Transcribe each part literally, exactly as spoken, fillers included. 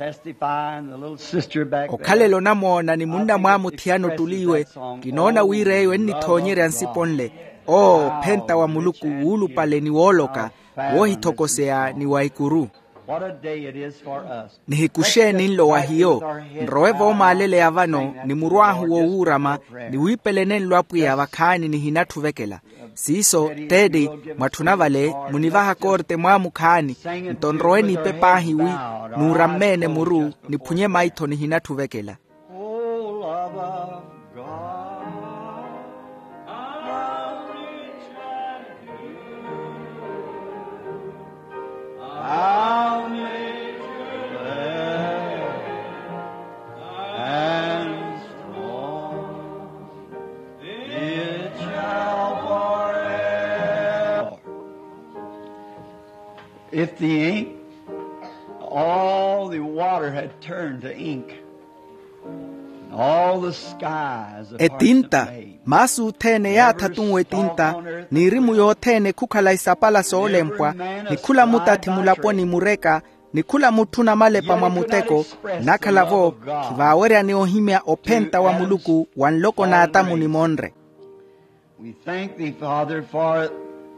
Testifying the little sister back there. Okhalela onamoona ni munna mwaamuthiyana ottuliiwe. Kinoona wira eyo ennithoonyerya nsipo nle. Oo ophenta wa muluku wuulupale ni wooloka, woohithokoseya ni wa ikuru. What a day it is for us. Nihiku xeeni nlo wa hiyo? Nrowe voomaaleleya vano ni murw'ahu wowuurama, ni wiipelene nlo apwiya vakhaani nihinatthu ovekela. Siiso teeti, mwatthuna vale munivaha korte mwaamukhaani. Nto nrowe niipe paahi wi nuurammeene muru, niphunye maitho nihinatthu ovekela. Oh, love of God, how rich and pure, how nature glad and strong, it shall forever. If the ink, all the water had turned to ink, and all the skies a parchment. Etinta, maasi othene yaatha tunwe etinta, n'irimu yothene khukhala isapala soolempwa, ni khula mutathi mulaponi mureka, ni khula mutthu namalepa mwa muteko, nnakhala-vo khivaaweryani ohimya ophenta wa muluku wa nloko n'atamu ni monre. We thank thee, Father, for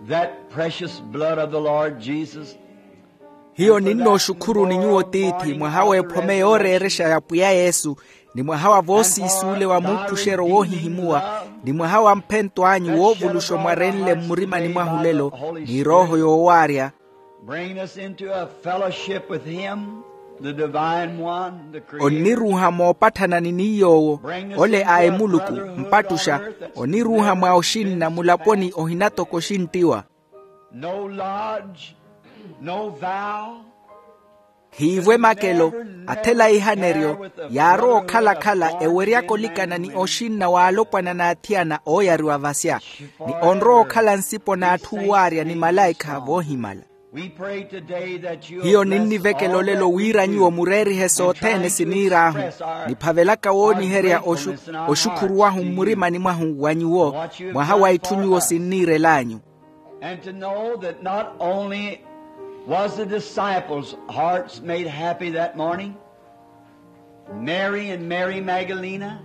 that precious blood of the Lord Jesus. Hiyo ninnooxukhuruni nyuwo tiithi mwaha w'ephome yooreerexa ya pwiya yesu, ni mwaha wa voosiisuule wa muuphuxeryo woohihimuwa, ni mwaha wa mphento anyu woovuluxa omwarenle mmurimani mwahu lelo, ni erooho yoowaarya. Bringing us into a fellowship with him, the divine one, the creator. Onniruuha moopatthanani ni yoowo, ole a emuluku mpattuxa. Onniruuha mwa oxinna mulaponi ohinatoko oxinttiwa. No lodge, no vow. Hiivwe makelo, athela ihaneryo, yaarowa okhala-khala eweryaka olikana ni oxinna w'alopwana n'athiyana ooyariwa vasya, ni onrowa okhala nsipo n'atthu owaarya ni malaikha voohimala. Hiyo ninnivekela olelo wira nyuwo mureerihe sothene siniir'ahu, niphavelaka wooniherya oxukhurw'ahu mmurimani mwahu wa nyuwo, mwaha wa itthu nyuwo sinniirel'anyu. And to know that not only was the disciples' hearts made happy that morning, Mary and Mary Magdalena,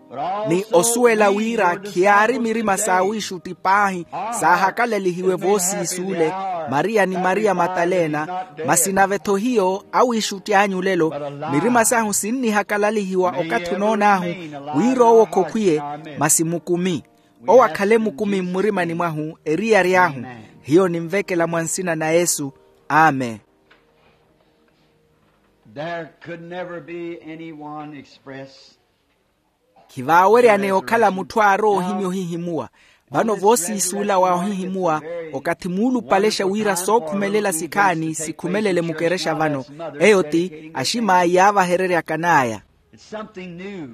but also ni osuwela wira khiyaari mirima saawiixutti paahi saahakalalihiwe voosiisuule, maria ni maria matalena, masi nave-tho hiyo awiixutti anyu lelo, mirima sahu sinnihakalalihiwa okathi onoon'ahu wira owo khokhwiye, masi mukumi. Owo akhale mukumi mmurimani mwahu eriyari ahu. Hiyo ninvekela mwa nsina na yesu. Amen. There could never be anyone express. Khivaaweryaneya okhala mutthu aarowa ohimya ohihimuwa. Vano voosiisuula wa ohihimuwa, okathi muulupalexa wira sookhumelela sikhaani sikhumelele mukerexa vano, eyo ti axim'aya yaavahereryaka n'aya. It's something new.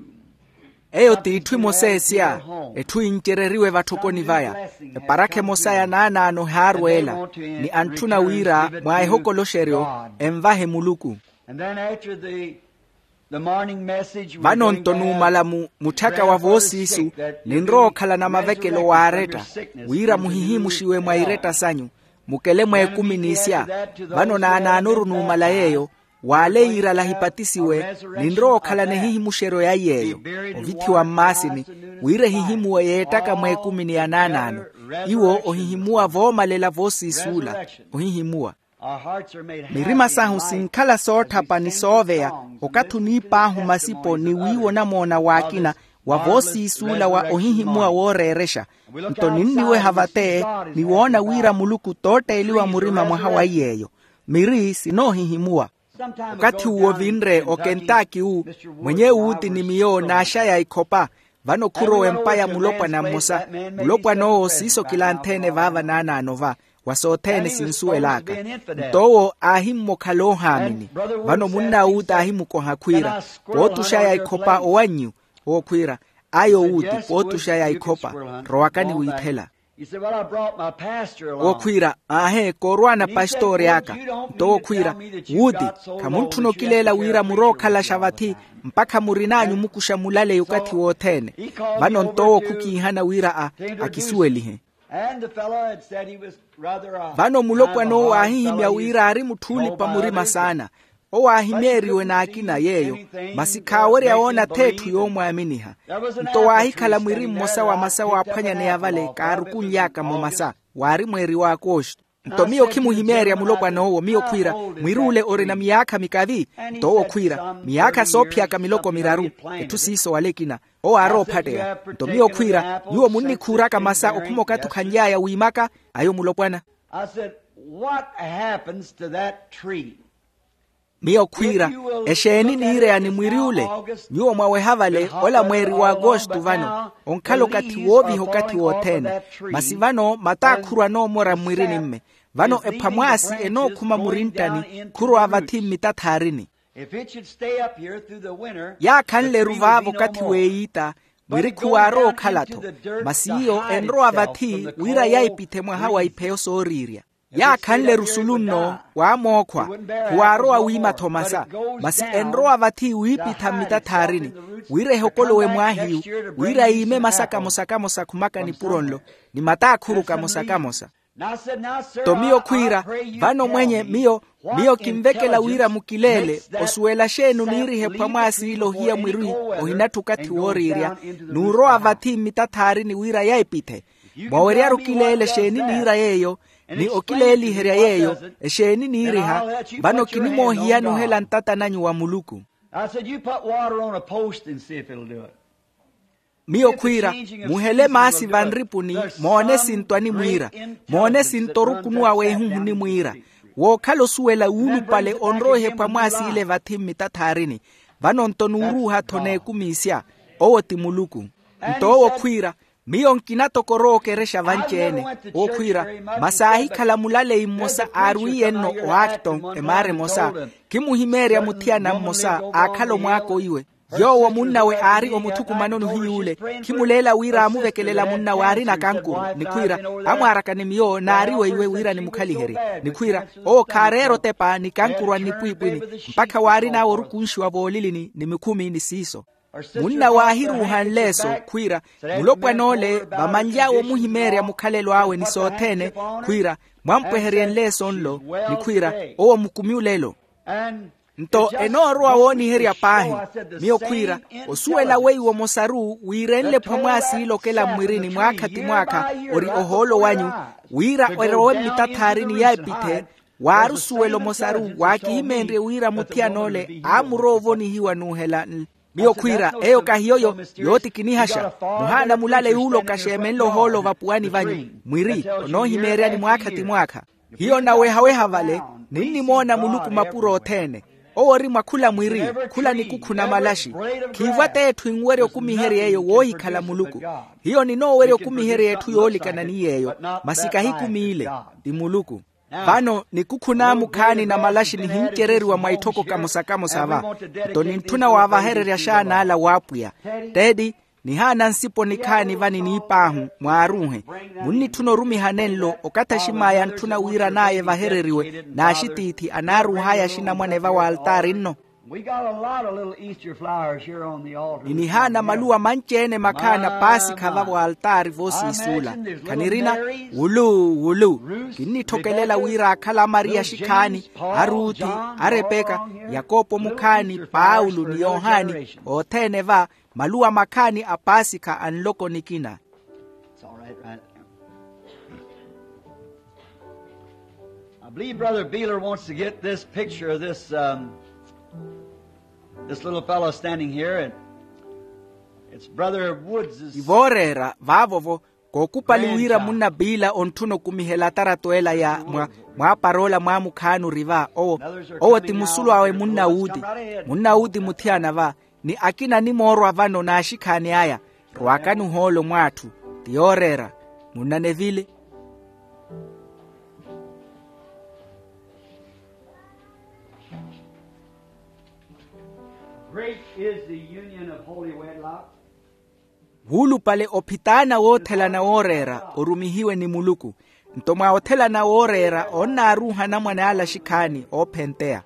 Eyo t'itthu emosa esya, etthu yincereriwe vatthokoni vaya. Eparakha emosa ya naanaano ehaarweela, ni antthuna wira mwa ehokoloxeryo envahe muluku. And then after the, the morning message, vano nto nuumala mu mutthaka wa voosiisu, ninrowa okhalana mavekelo w'aretta, wira muhihimuxiwe mwa iretta sanyu, mukele mwa ekumi n'isya. Vano naanaanoru nuumala yeeyo, waale yiirala ahipatisiwe, ninrowa okhalana ehihimuxeryo ya yeeyo, ovithiwa mmaasini, wira ehihimuwe yeettaka mwa ekumi ni ya naanaano. Iwo ohihimuwa voomalela voosiisuula. Ohihimuwa. Mirima sahu sinkhala sootthapa ni sooveya, okathi oniip'ahu masipo ni wiiwa onamoona w'akina, wa voosiisuula wa ohihimuwa wooreerexa. Nto ninniweha vate, ni woona wira muluku tootteeliwa murima mwaha wa iy'eyo. Miri sinoohihimuwa. Okathi uwo vinre okentaki wu, mwenye wuuti ni miyo naaxaya ikhopa. Vano khurowa empa ya mulopwana mmosa. Mulopwan'owo siiso kilantheene vaava naanaano va, wa sothene sinsuwel'aka. Nto owo aahimmokhala oohaamini. Vano munn'awuuti aahimukoha khwiira, pootuxaya ikhopa owannyu? Owo khwiira, ayo wuuti pootuxaya ikhopa, rowakani wiithela. Owo khwiira, aahe koorwaana pastori aka. Nto owo khwiira, wuuti, khamuntthuna okileela wira murowa okhalaxa vathi, mpakha murin'anyu mukuxa mulaleya okathi wothene. Vano nto owo khukiihana wira a akisuwelihe. Vano mulopwan'owo aahihimya wira aari mutthu oolipa murima saana. Owo aahimeeriwe n'akina yeeyo, masi khaawerya woona ath'etthu yoomwaaminiha. Nto waahikhala mwiri mmosa wa masa waaphwanyaneya vale kaarukunly'aka-mo masa, waari mweeri w'akoxto. Nto miyo khimuhimeerya mulopwan'owo, miyo khwiira, mwir'ule orina miyaakha mikavi? Nto owo khwiira, miyaakha soophiyaka miloko miraru. Etthu siiso wala ekina. Owo aarowa ophatteya. Nto miyo khwiira, nyuwo munnikhuuraka masa okhuma okathi okhanly'aya wiimaka? Ayo mulopwana. I said, what happens to that tree? Miyo khwiira, exeeni niireyani mwiri ule? Nyuwo mwaweha vale, ola mweeri w'akoxto vano onkhala okathi wooviha okathi wothene. Masi vano mataakhuru anoomora mmwirini-mme. Vano ephwamwaasi enookhuma murinttani, khurowa vathi mmitathaarini. Yaakhanle-ru vaavo okathi w'eyiita, mwiri khuwaarowa okhala-tho. Masi iyo enrowa vathi wira yaipithe mwaha wa ipheyo sooriirya. Yaakhanle-ru sulu nno waamookhwa, khuwaarowa wiima-tho masa. Masi enrowa vathi wiipitha mmitathaarini, wira ehokolowe mwaahiyu, wira yiime masa kamosa-kamosa khumaka nipuro nlo, ni mataakhuru kamosa-kamosa. Nto miyo khwiira, vano mwenye miyo, miyo kinvekela wira mukileele osuwela xeeni oniiriha ephwamwaasi ile ohiya mwiri, ohinatthi okathi wooriirya, n'urowa vathi mmitathaarini wira yaipithe. Mwawerya-ru kileele xeeni niira yeeyo, ni okileeliherya yeeyo, exeeni niiriha? Vano kinimoohiyani ohela ntata nanyu wa muluku. I said, you put water on a post and see if it'll do it. Miyo khwiira, muhele maasi vanripuni, moone sintwani mwiira. Moone sinto orukunuwa w'ehuhuni mwiira. Wookhala osuwela wuulupale onroiha ephwamwaasi ile vathi mmitathaarini. Vano nto n'uruuha-tho n'ekumiisya. Owo ti muluku. Nto owo khwiira, miyo nkina toko orookerexa vanci-ene. Owo khwiira, masi aahikhala mulaleyi mmosa aarwiiye-nno oakton emaara emosa. Khimuhimeerya muthiyana mmosa aakhala omwaako iwe. Yoowo munnawe aari omuthukumanoni ohiy'ule. Khimuleela wira aamuvekelela munnawe aarina kankuru, ni khwiira, amwaaraka ni miyo naariwe iwe wira nimukhaliherye. Ni khwiira, owo khaareera otepa ni kankuru a nnipwiipwini, mpakha waarin'awe orukunxiwa voolilini ni mikhumi ni siiso. Munnawe aahiruuha nleeso, khwiira, mulopwan'ole vamanly'awe omuhimeerya mukhalelo awe ni sothene, khwiira, mwampweherye nleeso nlo, ni khwiira, owo mukumi olelo. Nto enoorowa wooniherya paahi. Miyo khwiira, osuwela weiwo mosaru wiirenle phwamwaasi ilokela mmwirini mwaakha ti mwaakha, ori ohoolo wanyu, wira erowe mmitathaarini yaipithe. Waari osuwelo mosaru waakihimeenrye wira muthiyan'ole aamurowa ovonihiwa n'uhela. Miyo khwiira, eyo kahiyo yo, yooti kinihaxa. Muhaana mulale yuuloka xeemenle ohoolo vapuwani vanyu, mwiri, onoohimeeryani mwaakha ti mwaakha. Hiyo nawehaweha vale, ninnimoona muluku mapuro othene. Owo ori mwa khula mwiri, khula nikukhu na malaxi. Khiivwa t'etthu enwerya okumiherya eyo woohikhala muluku. Hiyo ninoowerya okumiherya etthu yoolikana ni yeeyo, masi kahikumiile, ti muluku. Vano nikukhu n'amukhaani na malaxi nihincereriwa mwa itthoko kamosa-kamosa va. Nto nintthuna waavahererya axaan'ala w'apwiya. Teedi, nihaana nsipo nikhaani va niniip'ahu mwaaruuhe. Munnitthuna orumiha nenlo okathi axim'aya antthuna wira n'aya evahereriwe n'axitiithi anaaruuh'aya axinamwane va w'altaari nno. Ni nihaana maluwa manci-ene makhaani a paasikha va w'altaari voosiisuula. Khanirina, wulu wulu. Kinnitthokelela wira aakhala amariya axikhaani, aruthi, arepeka, yakopo mukhaani, paulo ni yohani, othene va, maluwa makhaani a paasikha a nloko nikina. I believe Brother Beeler wants to get this picture of this, um, this little fellow standing here. And it's Brother Woods'. Ivooreera vaavo-vo, kookupali wira munna piila ontthuna okumihela atarato ela ya mwa, mwa paroola mwa mukhaani ori va. Owo, owo ti musulu awe munna wuuti. Munna wuuti muthiyana va, ni akina animoorwa vano n'axikhaani aya. Rwakani ohoolo mw'atthu. Ti yooreera. Munna nevile. Great is the union of holy wedlock. Wuulupale ophitaana woothelana wooreera orumihiwe ni muluku. Nto mwa othelana wooreera onnaaruuha anamwane ale axikhaani oophenteya.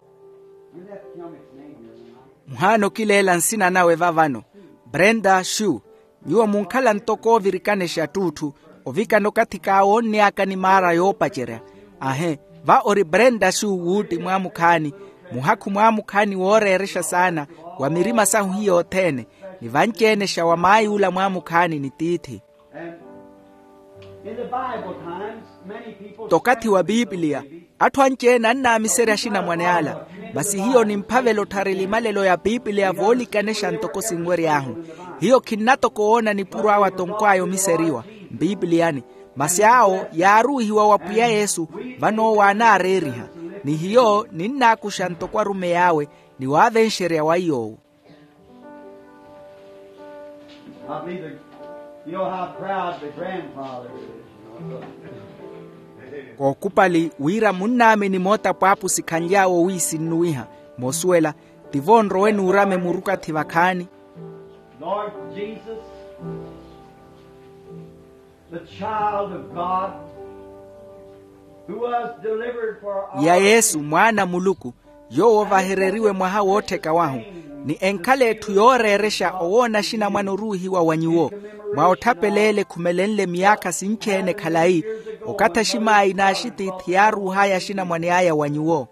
Muhaana okileela nsina nawe vavano. Brenda xu. Nyuwo munkhala ntoko oovirikana exattuutthu, ovikana okathi kaawoonny'aka ni maara yoopacerya. Ahe, va ori brenda xu wuutti mwaamukhaani. Muhakhu mwaamukhaani wooreerexa saana wa mirima sahu hiyo othene, ni vanci-enexa wa maay'ula mwaamukhaani ni tiithi. And in the Bible times, many people tokathi wa piipiliya, atthu anci-ene annaamiserya axinamwane ala. Masi hiyo nimphavela otthara elimalelo ya piipiliya voolikanexa ntoko sinwery'ahu. Hiyo khinnatoka owoona nipuro awe atonkw'aya omiseriwa mpiipiliyani. Masi awo yaaruuhiwa wa pwiya yesu, vano owo aanaareeriha. Ni hiyo ninnaakuxa ntoko arumeyi awe, ni waavenxerya wa iy'owo. I believe that, you know how proud the grandfather is. Kookupali wira munnaamini moota pwaapusi khanly'awe owiisinnuwiha. Moosuwela, tivo nrowe nuurame murukathi vakhaani. Lord Jesus, the child of God, who was delivered for our ya yesu mwaana a muluku, yoowo ovahereriwe mwaha woottheka wahu. Ni enkhala etthu yooreerexa owoona axinamwane oruuhiwa wa nyuwo, mwa otthapeleela ekhumelenle miyaakha sinci-ene khalayi, okathi aximaayi n'axitiithi yaaruuh'aya axinamwane aya wa nyuwo.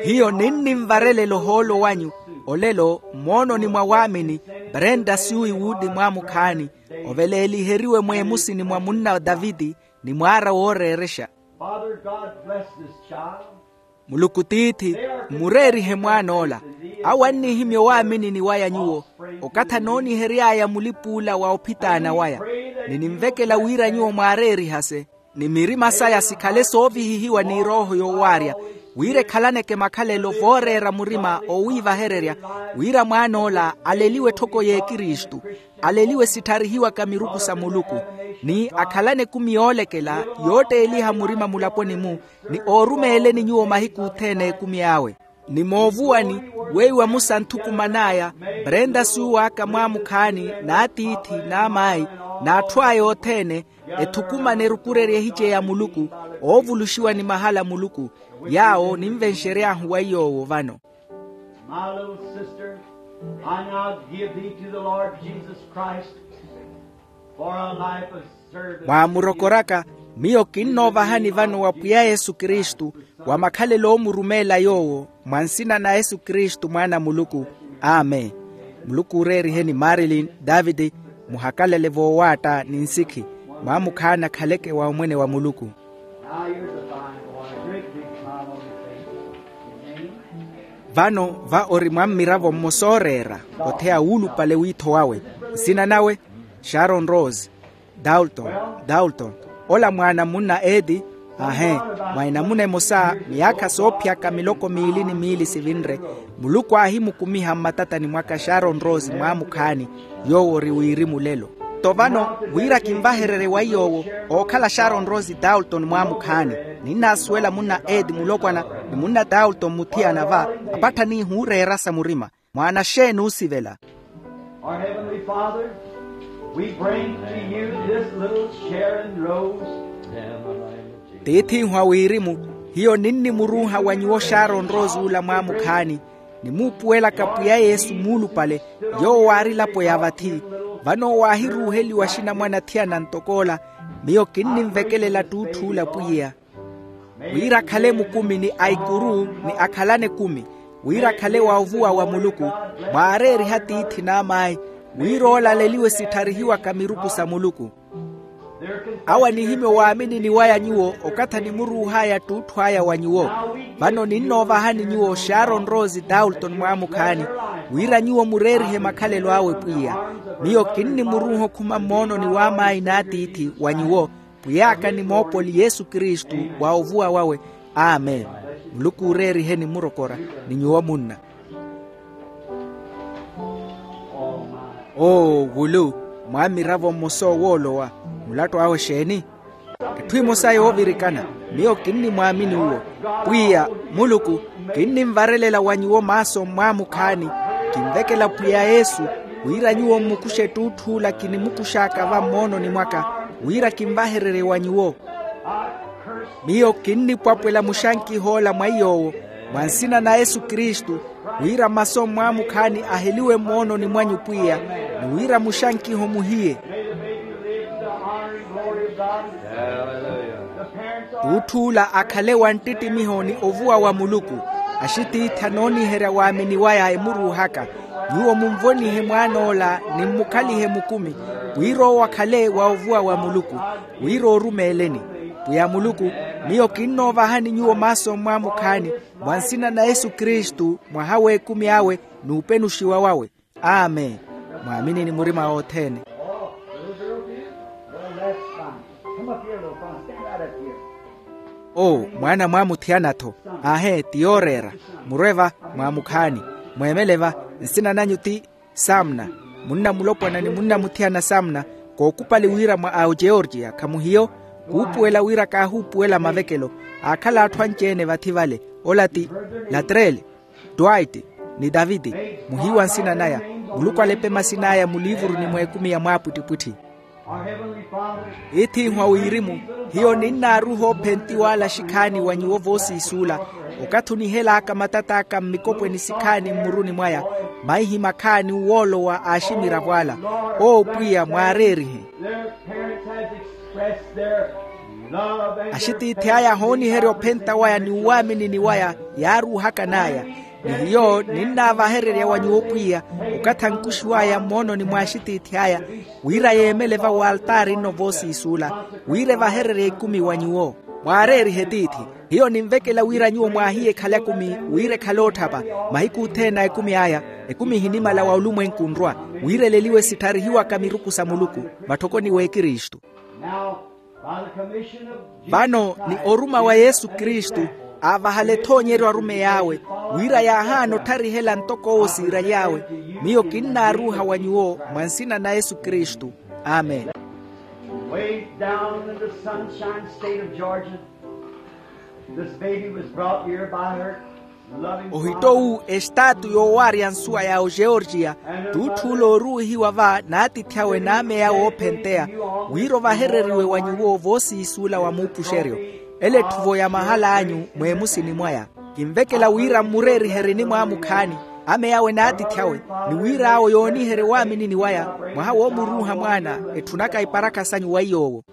Hiyo ninnimvarelela ohoolo wanyu olelo, mmoononi mwa waamini, brenda syuwi wuudi mwaamukhaani, oveleeliheriwe mweemusini mwa munna daviti, ni mwaara wooreerexa. Father God, bless this child. Muluku tiithi, mmureerihe mwaan'ola. Awo annihimya owaaminini waya nyuwo, okathi anoonihery'aya mulipuula wa ophitaana waya. Ni ninvekela wira nyuwo mwaareerihase, ni mirima saya sikhale soovihihiwa n'irooho yoowaarya, wira ekhalaneke makhalelo vooreera murima oowiivahererya, wira mwaan'ola aleliwe etthoko y'ekristu, aleliwe sittharihiwaka miruku sa muluku, ni akhalane ekumi yoolekela yootteeliha murima mulaponi-mu, ni oorumeeleni nyuwo mahiku othene a ekumi awe. Ni moovuwani, weiwa musa nthukuman'aya, prenta suuw'aka mwaamukhaani, n'atiithi, n'amaayi, n'atthu aya othene, ethukumane erukurerya ehice ya muluku, oovuluxiwa ni mahala a muluku. Yaawo ninvenxery'ahu wa iy'owo vano. My little sister, I now give thee to the Lord Jesus Christ for a life of service. Mwaamurokoraka, miyo kinnoovahani vano wa pwiya yesu kristu, wa makhalelo oomurumeela yoowo, mwa nsina na yesu kristu mwaana a muluku. Amen. Muluku ooreeriheni marilin, daviti, muhakalale voowaatta ni nsikhi, mwaamukhaani akhaleke wa omwene wa muluku. Now here's a fine boy, a great big smile on his face. Vano va ori mwa mmiravo mmosa ooreera, otheya wuulupale wiitho wawe. Nsina nawe, sharon rose. Dalton. Dalton. Ola mwaana munna eti. Ahe. Mwa enamuna emosa, miyaakha soophiyaka miloko miili ni miili sivinre, muluku aahimukumiha mmatatani mwaka sharon rose mwaamukhaani, yoowo ori wirimu lelo. Nto vano, wira kinvahererye wa iy'owo, ookhala sharon rose dalton mwaamukhaani. Ninnaasuwela munna eti mulopwana, ni munna dalton muthiyana va, apattha niihuureerasa murima. Mwaana xeeni oosivela? Our heavenly father, we bring to you this little sharon rose. Tiith'ihu a wirimu, hiyo ninnimuruuha wa nyuwo sharon rose ula mwaamukhaani, nimuupuwelaka pwiya yesu muulupale, yoowo waari elapo ya vathi. Vano waahiruuheliwa axinamwane athiyana ntok'ola, miyo kinninvekelela ttuutthu ula pwiya, wira akhale mukumi ni aikuru, ni akhalane ekumi, wira akhale wa ovuwa wa muluku, mwaareeriha tiithi n'amaayi, wira olaleliwe sittharihiwaka miruku sa muluku. Awo anihimya owaaminini waya nyuwo okathi animuruuh'aya ttuutthu aya wa nyuwo. Vano ninnoovahani nyuwo sharon rose dalton mwaamukhaani, wira nyuwo mureerihe makhalelo awe pwiya. Miyo kinnimuruuha okhuma mmoononi w'amaayi n'atiithi wa nyuwo, pwiy'aka ni moopoli yesu kristu, wa ovuwa wawe. Amen. Muluku ooreeriheni mmurokora, ni nyuwo munna. Oo wulu, mwa mmiravo mmosa owoolowa, mulattu awe xeeni? Etthu emosa yoovirikana, miyo kinnimwaamini uwo. Pwiya muluku, kinninvarelela wa nyuwo maaso mmwaamukhaani, kinvekela pwiya yesu, wira nyuwo mmukuxe ttuutthu ula kinimukux'aka va mmoononi mwaka, wira kinvahererye wa nyuwo. Miyo kinnipwapwela muxankiho ola mwa iy'owo, mwa nsina na yesu kristu, wira masu a mmwaamukhaani aheliwe mmoononi mwanyu pwiya, ni wira muxankiho muhiye. T'utth'ula akhale wa nttittimiho ni ovuwa wa muluku. Axitiithi anooniherya waamini waya emuruuhaka. Nyuwo munvonihe mwaan'ola ni mmukhalihe mukumi, wira owo akhale wa ovuwa wa muluku, wira orumeeleni. Pwiya muluku, miyo kinnoovahani nyuwo maaso mmwaamukhaani, mwa nsina na yesu kristu, mwaha w'ekumi awe, n'upenuxiwa wawe. Amen. Mwaaminini murima othene. Oo, mwaana mwaamuthiyana-tho. Aahe ti yooreera. Murwe va, mwaamukhaani. Mweemele va. Nsina nanyu ti samna. Munna mulopwana ni munna muthiyana samna. Kookupali wira mwa aogeorgia khamuhiyo. Kuupuwela wira kaahuupuwela mavekelo. Aakhala atthu anci-ene vathi vale. Ola ti latrele, twaiti, ni taviti. Muhiiwa nsina naya. Muluku alepe masin'aya muliivuruni mw'ekumi ya mwaapwittipwitthi. Iith'ihu a wirimu, hiyo ninnaaruha ophentiw'ala xikhaani wa nyuwo voosiisuula. Okathi onihelaaka matat'aka mmikopweni sikhaani mmuruni mwaya, maihi makhaani uwoolowa aaximiravo ala. Oo pwiya mwaareerihe. Axitiithi aya ahooniherya ophenta waya ni uwaaminini waya, yaaruuhaka n'aya. Ni hiyo ninnaavahererya wa nyuwo pwiya, okathi ankuxiw'aya mmoononi mw'axitiithi aya, wira yeemele va waltaari nno voosiisuula, wira evahererye ekumi wa nyuwo. Mwaareerihe tiithi. Hiyo ninvekela wira nyuwo mwaahiye ekhale akumi, wira ekhale otthapa. Mahiku othene a ekumi aya, ekumi ehinimala wa olumwenku nrwa, wira eleliwe sittharihiwaka miruku sa muluku, matthokoni w'ekristu. Vano ni oruma wa yesu kristu, aavahale ethoonyeryo arumeyi awe, wira yaahaana ottharihela ntoko owo siiraly'awe. Miyo kinnaaruuha wa nyuwo, mwa nsina na yesu kristu. Amen. Way down in the sunshine state of Georgia, this baby was brought here by her. Ohitto-wu estaatu yoowaarya nsuwa ya ogeorgia, t'utth'ula ooruwihiwa va n'atiithi awe n'ameya woophenteya, wira ovahereriwe wa nyuwo voosiisuula wa muupuxeryo. Ele etthuvo ya mahal'anyu mweemusini mwaya. Kinvekela wira mmureeriherye enimwaamukhaani, ameya awe n'atiithi awe, ni wira awo yooniherye owaaminini waya, mwaha woomuruuha mwaana, etthunaka iparakha sanyu weiy'owo.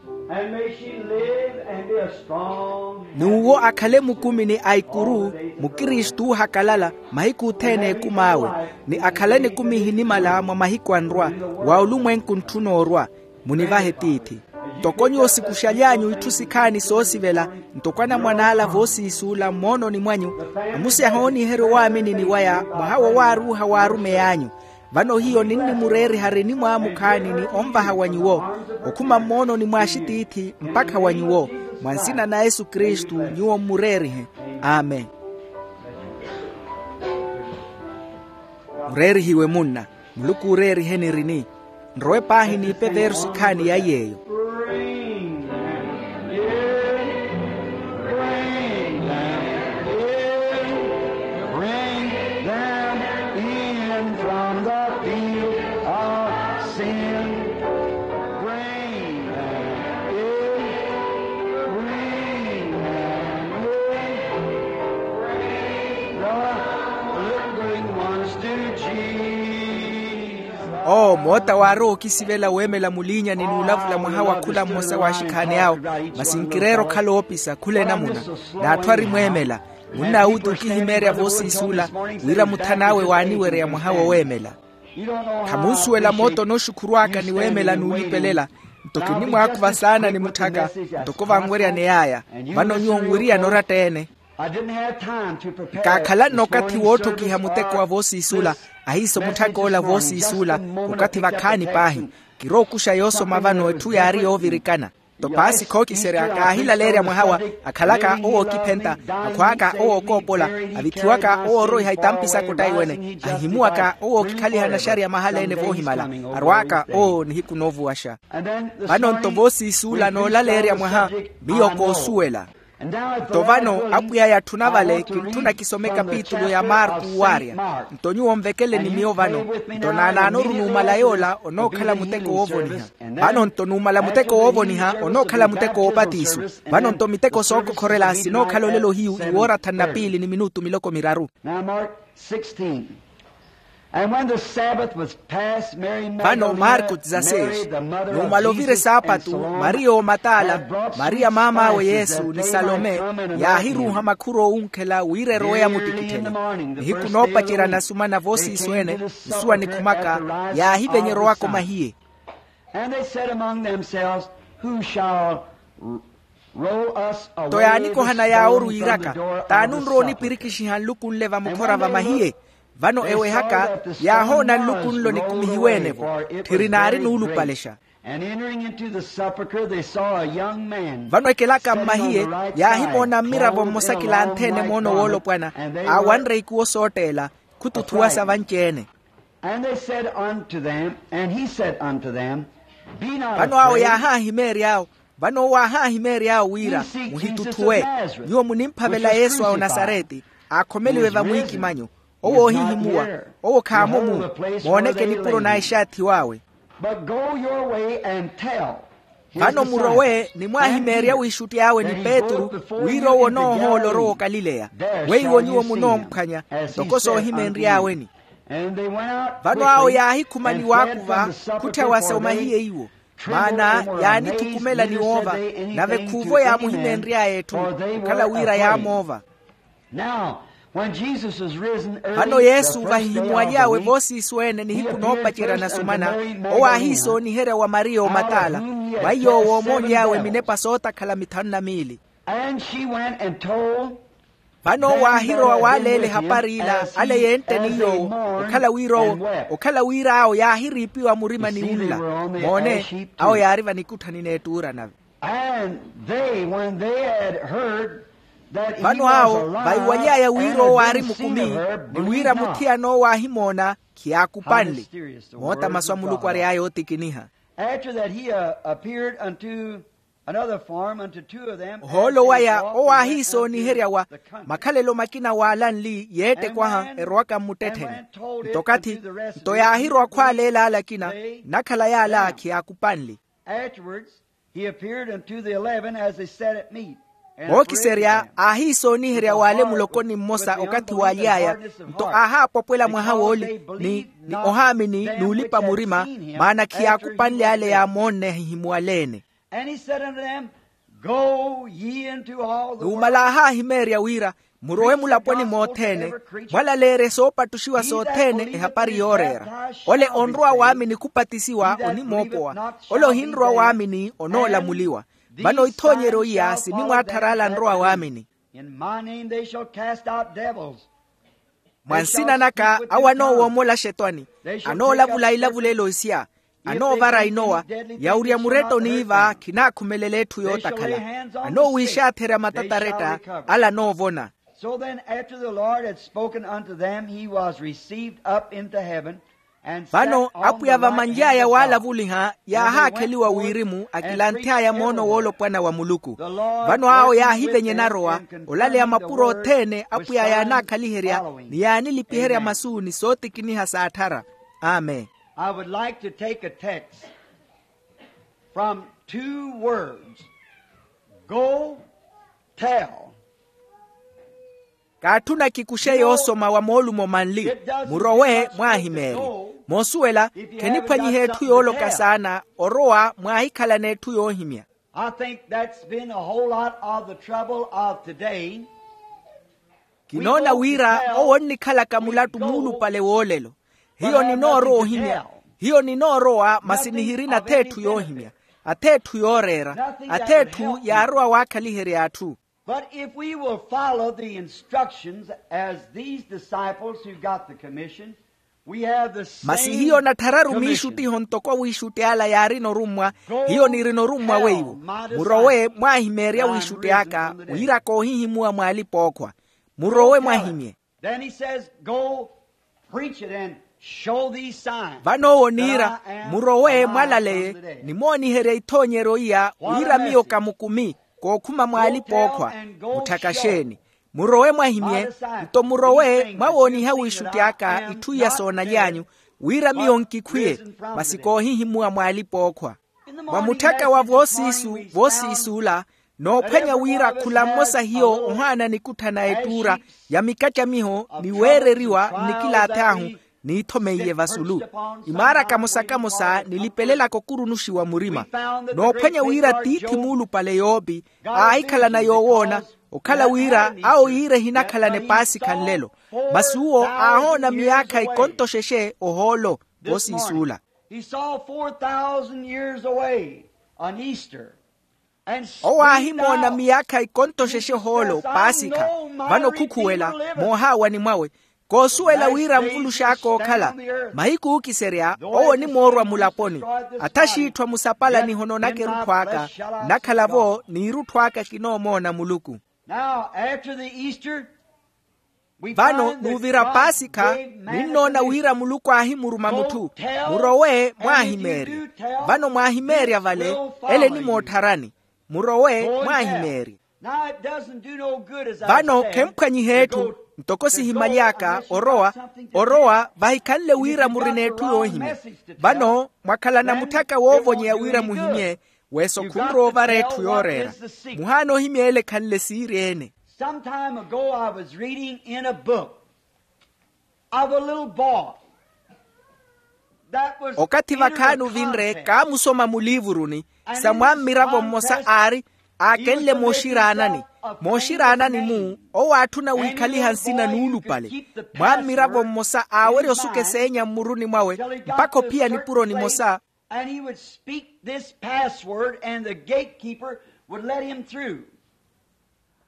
N'uwo akhale mukumi ni aikuru, mukristu oohakalala, mahiku othene a ekum'awe, ni akhale nikumi ehinimala mwa mahiku anrwa, wa olumwenku ntthu noorwa. Munivahe tiithi. Ntoko nyuwo sikuxaly'anyu itthu sikhaani soosivela, ntoko anamwan'ala voosiisuula mmoononi mwanyu, amusi ahooniherya owaaminini waya, mwaha wowaaruuha w'arumey'anyu. Vano hiyo ninnimureeriha ari enimwaamukhaani ni onvaha wa nyuwo, okhuma mmoononi mw'axitiithi mpakha wa nyuwo, mwa nsina na yesu kristu nyuwo mmureerihe. Amen. Mureerihiwe munna. Muluku ooreeriheni erini. Nrowe paahi niipe veerusi khaani ya iy'eyo. Bring them in, bring them in, bring them in from the field of sin. Bring them in, bring them in, bring the lingering ones to Jesus. Oo moota waarowa okisivela weemela muliinyani n'ulavula mwaha wa khula mmosa w'axikhaani awo. Masi nkireera okhala oopisa khula enamuna, n'atthu arimweemela. Munn'awuti okihimeerya voosiisuula, wira muthan'awe waaniwereya mwaha woweemela. Khamunsuwela moota onooxukhurw'aka ni weemela n'ulipelela. Nto kinnimwaakhuva saana ni mutthaka, ntoko vanweryaneya aya. Vano nyuwo nwiriyana oratta-ene. Nkaakhala-nno okathi wootthokiha muteko wa voosiisuula. Ahiiso mutthak'ola voosiisuula, okathi vakhaani paahi. Kirookuxa yoosoma vano etthu yaari yoovirikana. Nto paasi khookiserya kaahilaleerya mwahawa, akhalaka owo ookiphenta, akhwaaka owo ookoopola, avithiwaka owo ooroiha itampi saka ottaiwene, ahihimuwaka owo ookikhaliha naxariya mahala-ene voohimala, arwaaka owo nihiku noovuwaxa. Vano-nto voosiisuula noolaleerya mwaha, miyo koosuwela. Nto vano apwiya yatthuna vale, kintthuna kisome ekapitulu ya marku owaarya. Nto nyuwo nvekeleni miyo vano. Nto naanaanoru numala yoola onookhala muteko woovoniha. Vano-nto numala muteko woovoniha onookhala muteko woopatiso. Vano-nto miteko sookokhorela sinookhala olelo hiyu iwoora thanu na piili ni minutu miloko miraru. And when the Sabbath was past, Mary Magdalene, vano marko dezasseis, numala ovira esaapatu, mariya omatala, mariya maam'awe yesu ni salome, yaahiruuha makhur'owunkhela wira erowe yamuttikitthele. Nihiku noopacerya nasumana voosiisu ene, nsuwa nikhumaka, yaahivenyerowaka omahiye. And they said among themselves, who shall roll us away this stone from the door of the sepulchre? Nto yaanikohana yaaworu yiiraka, t'ani onrowa onipirikixiha nluku nle vamukhora vamahiye? Vano ewehaka, yaahoona nluku nlo nikumihiwe-ene-vo, tthiri naari nuulupalexa. And entering into the sepulchre, they saw a young man. Vano ekelaka mmahiye, yaahimoona mmiravo mmosa kilantheene moono woolopwana, aawanre ikuwo sootteela, khututhuwasa vanci-ene. And they said unto them, and he said unto them, Be not afraid. Vano awo yaahahimeery'awo, vano owo aahahimeery'awo wira, muhituthuwe. Nyuwo munimphavela yesu a onasareti, aakhomeliwe vamwiikimanyu. Owo oohihimuwa. Owo khaamomu. Mooneke nipuro na exaathiw'awe. But go your way and tell his disciples. Vano murowe ni mwaahimeerya wiixutty'awe ni petru, wira owo onoohoola orowa okalileya. Weiwo nyuwo munoomphwanya, ntoko soohimeenry'aweni. Vano awo yaahikhuma ni waakuva, khutthya wasa omahiye iwo. Maana yaanithukumela ni woova, nave khuuvo yaamuhimeenry'aya etthu, okhala wira yaamoova. Vano yesu vahihimuwaly'awe voosiisu ene nihiku noopacerya nasumana, owo aahiisooniherya wa mariya omatala, mwa iy'owo oomoony'awe minepa sootakhala mithanu na miili. Vano owo aahirowa waaleela ehapari ila ale yentte ni yoowo, okhala wira owo okhala wira awo yaahiriipiwa murima ni wunla. Moone, awo yaari vanikutthani n'ettuura nave. Vano awo vaiwaly'aya wira owo aari mukumi, ni wira muthiyana owo aahimoona, khiyaakupanle. Moota masu a muluku ary'aya ootikiniha. Ohoolo waya owo aahiisooniherya wa makhalelo makina waalanli yeettekwaha erowaka mmuttettheni. Nto okathi nto yaahirowa khwaaleela ala akina, nnakhala yaala khiyaakupanle. Vookiserya aahiisooniherya w'ale muloko ni mmosa okathi waaly'aya. Nto aahaapopwela mwaha wooli ni ohaamini n'ulipa murima, maana khiyaakupanle ale yaamoonne ahihimuwaleene. Numala aahaahimeerya wira, murowe mulaponi mothene, mwalaleerye soopattuxiwa sothene ehapari yooreera. Ole onrowa waamini khupatisiwa onimoopowa, ole ohinrowa waamini onoolamuliwa. Vano ithoonyeryo iya sinimwaatthara ala anrowa waamini. Mwa nsina naka awo anoowoomola axetwani, anoolavula ilavulelo isya, anoovara inowa, yawurya muretto n'iva khinaakhumelela etthu yootakhala. Anoowiixaatherya matataretta, ala anoovona. So then after the Lord had spoken unto them, he was received up into heaven. Vano apwiya vamanly'aya waalavuliha yaahaakheliwa wirimu akilanthy'aya moono woolopwana wa muluku. Vano awo yaahivenye narowa olaleya mapuro othene apwiya yaanaakhaliherya, ni yaanilipiherya masu ni sootikiniha saatthara. Amen. I would like to take a text from two words. Go tell. Kaatthuna kikuxe yoosoma wa moolumo manli, murowe mwaahimeerye. Moosuwela, kheniphwanyiha etthu yooloka saana orowa mwaahikhala n'etthu yoohimya. I think that's been a whole lot of the trouble of today. Kinoona wira owo onnikhalaka mulattu muulupale woolelo. Hiyo ninoorowa ohimya. Hiyo ninoorowa masi nihirina atheetthu yoohimya, atheetthu yooreera, atheetthu yaarowa waakhaliherya atthu. But if we will follow the instructions as these disciples who got the commission, we have the same commission. Masi hiyo natthararu miixuttiho ntoko wiixutti ala yaarina orummwa. Hiyo nirina orummwa weiwo, murowe mwaahimeerya wiixutti aka wira koohihimuwa mw'alipa-ookhwa. Murowe mwahimye. Then he says, go preach it and show these signs. Vano owo oniira, murowe mwalaleye, nimooniherya ithoonyeryo iya wira miyo ka mukumi kookhuma mw'alipa-ookhwa. Mutthakaxeeni. Murowe mwahimye, nto murowe mwawooniha wiixutti aka itthu iya soonaly'anyu, wira miyo nkikhwiye, masi koohihimuwa mw'alipa-ookhwa. Mwa mutthaka wa voosiisu, voosiisu ola, noophwanya wira khula mmosa hiyo ohaana nikutthana ettuura ya mikacamiho ni weereriwa nnikilaathahu, niithomeiye vasulu. Imaara kamosa-kamosa nilipelelaka okurunuxiwa murima. Noophwanya wira tiithi muulupale yoopi aahikhalana yoowoona, okhala wira awo yiira ehinakhalana epaasikha nlelo. Masi uwo aahoona miyaakha ikonto xexe ohoolo. Voosiisuula. He saw four thousand years away an Easter. Owo aahimoona miyaakha ikonto xexe ohoolo paasikha. Vano khukhuwela moohaawani mwawe, koosuwela wira nvulux'aka ookhala. Mahiku ookiserya owo onimoorwa mulaponi. Athaxiitthwa musapalani ehonoonaka erutthu aka. Nnakhala-vo n'irutthu aka kinoomoona muluku. Now after the Easter, vano nuuvira paasikha, ninnoona wira muluku aahimuruma mutthu, murowe mwaahimeerya. Vano mwaahimeerya vale ele enimoottharani. Murowe mwaahimeerya. Vano khemphwanyiha etthu. Ntoko sihimaly'aka orowa, orowa vahikhanle wira murina etthu yoohimya. Vano mwakhalana mutthaka woovonyeya wira muhimye. Weso khunrowa ovara etthu yooreera. Muhaana ohimya ele ekhanle siirye-ene. Some time ago I was reading in a book of a little boy. Okathi vakhaani ovinre kaamusoma muliivuruni sa mwammiravo mmosa aari aakenle mooxiraanani. Mooxiraanani-mu owo aatthuna wiikhaliha nsina nuulupale. Mwammiravo mmosa aawerya osuka eseenya mmuruni mwawe mpakha ophiya nipuro nimosa. And he would speak this password and the gatekeeper would let him through.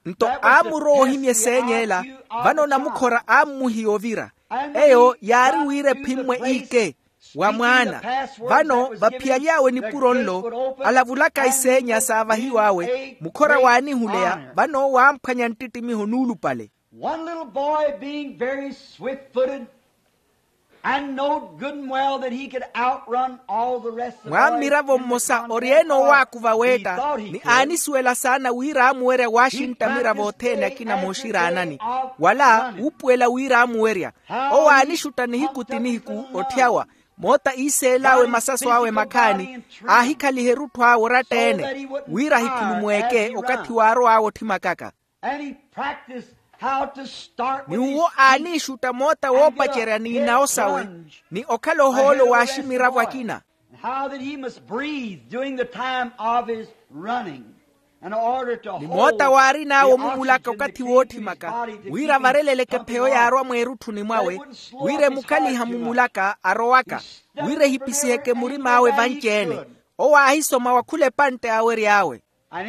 Nto aamurowa ohimya eseenya ela. Vano namukhora aammuhiya ovira. Eyo yaari wira ephimmwe iike wa mwaana. Vano vaphiyaly'awe nipuro nlo alavulaka iseenya saavahiw'awe mukhora waanihuleya vano waamphwanya nttittimiho nuulupale. One little boy being very swift-footed and knowed good and well that he could outrun all the rest of the boys in the contest. Mwammiravo mmosa ori-ene owaakuva weetta ni aanisuwela saana wira aamuwerya waaxintta amiravo othene akina mooxiraanani wala wuupuwela wira aamuwerya. Owo aanixutta nihiku ti nihiku otthyawa moota iiseel'awe masaso awe makhaani aahikhaliha erutthu awe oratta-ene wira ahikhulumweeke okathi waarow'awe otthimakaka. Ni uwo aaniixutta moota woopacerya n'inawo sawe ni okhala ohoolo w'aximiravo akina. Ni moota waarin'awe omumulaka okathi wootthimaka wira avareleleke pheyo yaarwa mweerutthuni mwawe wira emukhaliha mumulaka arowaka wira ehipisiheke murim'awe vanci-ene. Owo aahisoma wa khula epantte aawery'awe.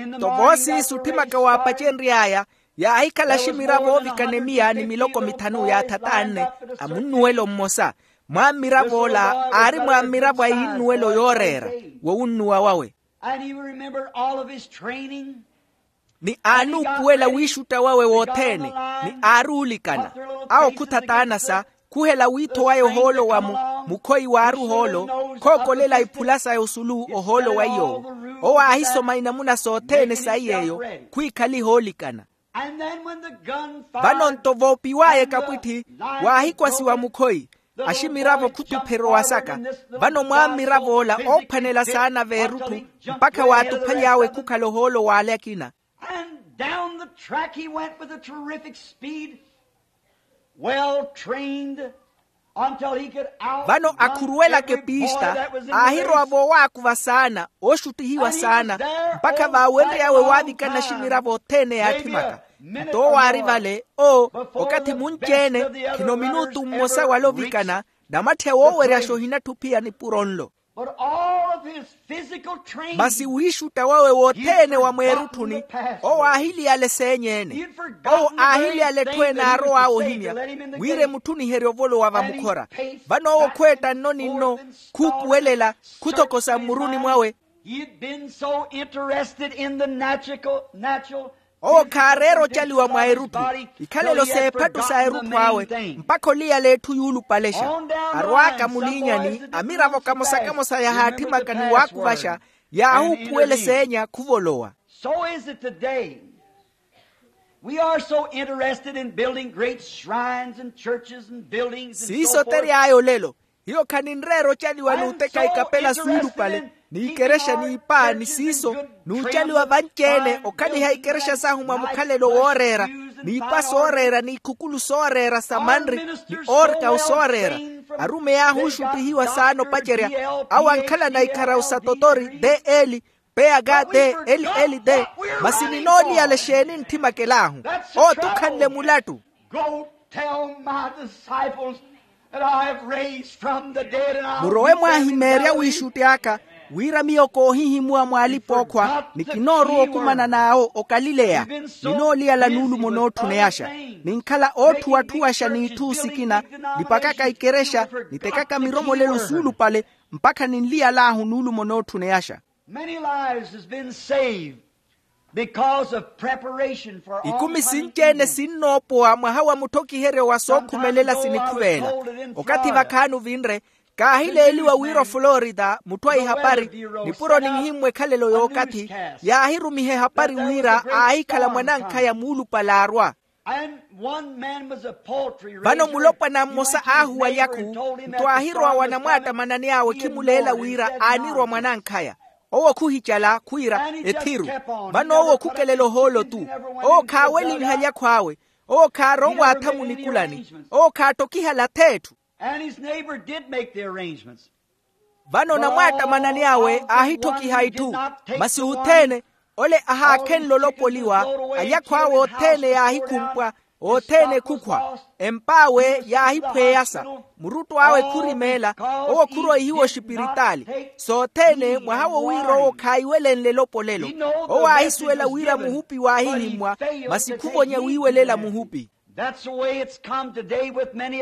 Nto voosiisi otthimaka waapacenry'aya yaahikhala aximiravo oovikana emiya ni miloko mithanu yaathat'anne a munnuwelo mmosa. Mwammirav'ola aari mwammiravo a innuwelo yooreera wowunnuwa wawe. Ni aanuupuwela wiixutta wawe wothene ni aaruulikana. Awo khuthat'anasa khuhela wiitho waya ohoolo wa mukhoyi waari ohoolo khookolela iphula saya osulu ohoolo wa iy'owo. Owo aahisoma inamuna sothene saiy'eyo khwiikhaliha oolikana. Vano nto voopiw'aya ekapwitthi waahikwasiwa mukhoyi aximiravo khutupherya owasaka. Vano mwammirav'ola oophwanela saana veerutthu mpakha waatuphaly'awe khukhala ohoolo w'ale akina. And down the track he went with a terrific speed, well trained, until he could out. Vano akhuruwelaka epiista aahirowa voowaakuva saana ooxuttihiwa saana mpakha vaawenry'awe waavikana aximiravo othene yaatthimaka. Nto owo aari vale oo okathi munci-ene khino minutu mmosa wala ovikana namattheya wooweryaxa ohinattha ophiya nipuro nlo. Masi wiixutta wawe wothene wa mweerutthuni owo aahiliyala eseenyeene. Owo aahiliyala etthu ene aarow'awe ohimya wira emutthuniherye ovolowa vamukhora. Vano owo khweetta nno ni nno khuupuwelela khuthokosa mmuruni mwawe. He had been so interested in the natural. Owo khaareera ocaliwa mwa erutthu ikhalelo s'ephattu sa erutthu awe mpakha oliyala etthu yuulupalexa. Arwaaka muliinyani amiravo kamosa-kamosa yahaatthimaka ni waakuvaxa yaahuupuwela eseenya khuvolowa. So is it today. We are so interested in building great shrines and churches and buildings and so forth. Siiso tery'aya olelo. Hiyo khaninreera ocaliwa n'uteka ikapela suulupale n'ikerexa n'ipa ni siiso n'ucaliwa vanci-ene okhaliha ikerexa sahu mwa mukhalelo wooreera n'ipa sooreera n'ikhukulu sooreera sa manri ni oorkawu sooreera. Arumeyi ahu oxuttihiwa saana opacerya, awo ankhalana ikharawu sa totori, de eli, peyaka de, eli eli de. Masi ninooliyala exeeni ntthimakalahu? Owo t'ukhanle mulattu. Go tell my disciples that I have raised from the dead, and I will murowe leave them in mwaahimeerya Galilee. Wiixutti aka, wira miyo koohihimuwa mw'alipa-ookhwa, ni kinoorowa okumana n'awo okalileya. Ninooliyala nuulumo nootthuneyaxa, ninkhala ootthuwatthuwaxa n'itthu sikina, nipakaka ikerexa, nitekaka miromolelo suulupale, mpakha ninliyal'ahu nuulumo nootthuneyaxa. Many lives has been saved because of preparation for all ikumi sinci-ene sinnoopowa mwaha wa mutthokiheryo wa sookhumelela sinikhuvela. Okathi vakhaani ovinre, kaahileeliwa wira oflorida mutthu a ihapari, nipuro ninhimmwa ekhalelo y'okathi, yaahirumiha ehapari wira aahikhala mwanankhaya muulupale aarwa. Vano mulopwana mmosa aahuwa alyaku, nto aahirowa wa namwaattamanani awe khimuleela wira aanirwa mwanankhaya. Owo khuhicala khwiira ethiru. Vano owo khukelela ohoolo-tu. Owo khaawelinha alyakhw'awe. Owo khaaronwaatha munikulani. Owo khaattokihala ath'etthu. Vano namwaattamanani awe aahitthokiha itthu. Masi othene ole ahaakhenle olopoliwa. Alyakhw'awe othene yaahikhumpwa, othene khukhwa. Emp'awe yaahiphweyasa. Muruttu awe khurimeela. Owo khuroihiwa oxipiritaali. Sothene mwaha wo wira owo khaahiwelenle elopolelo. Owo aahisuwela wira muhupi waahihimmwa. Masi khuvonya wiiwelela muhupi.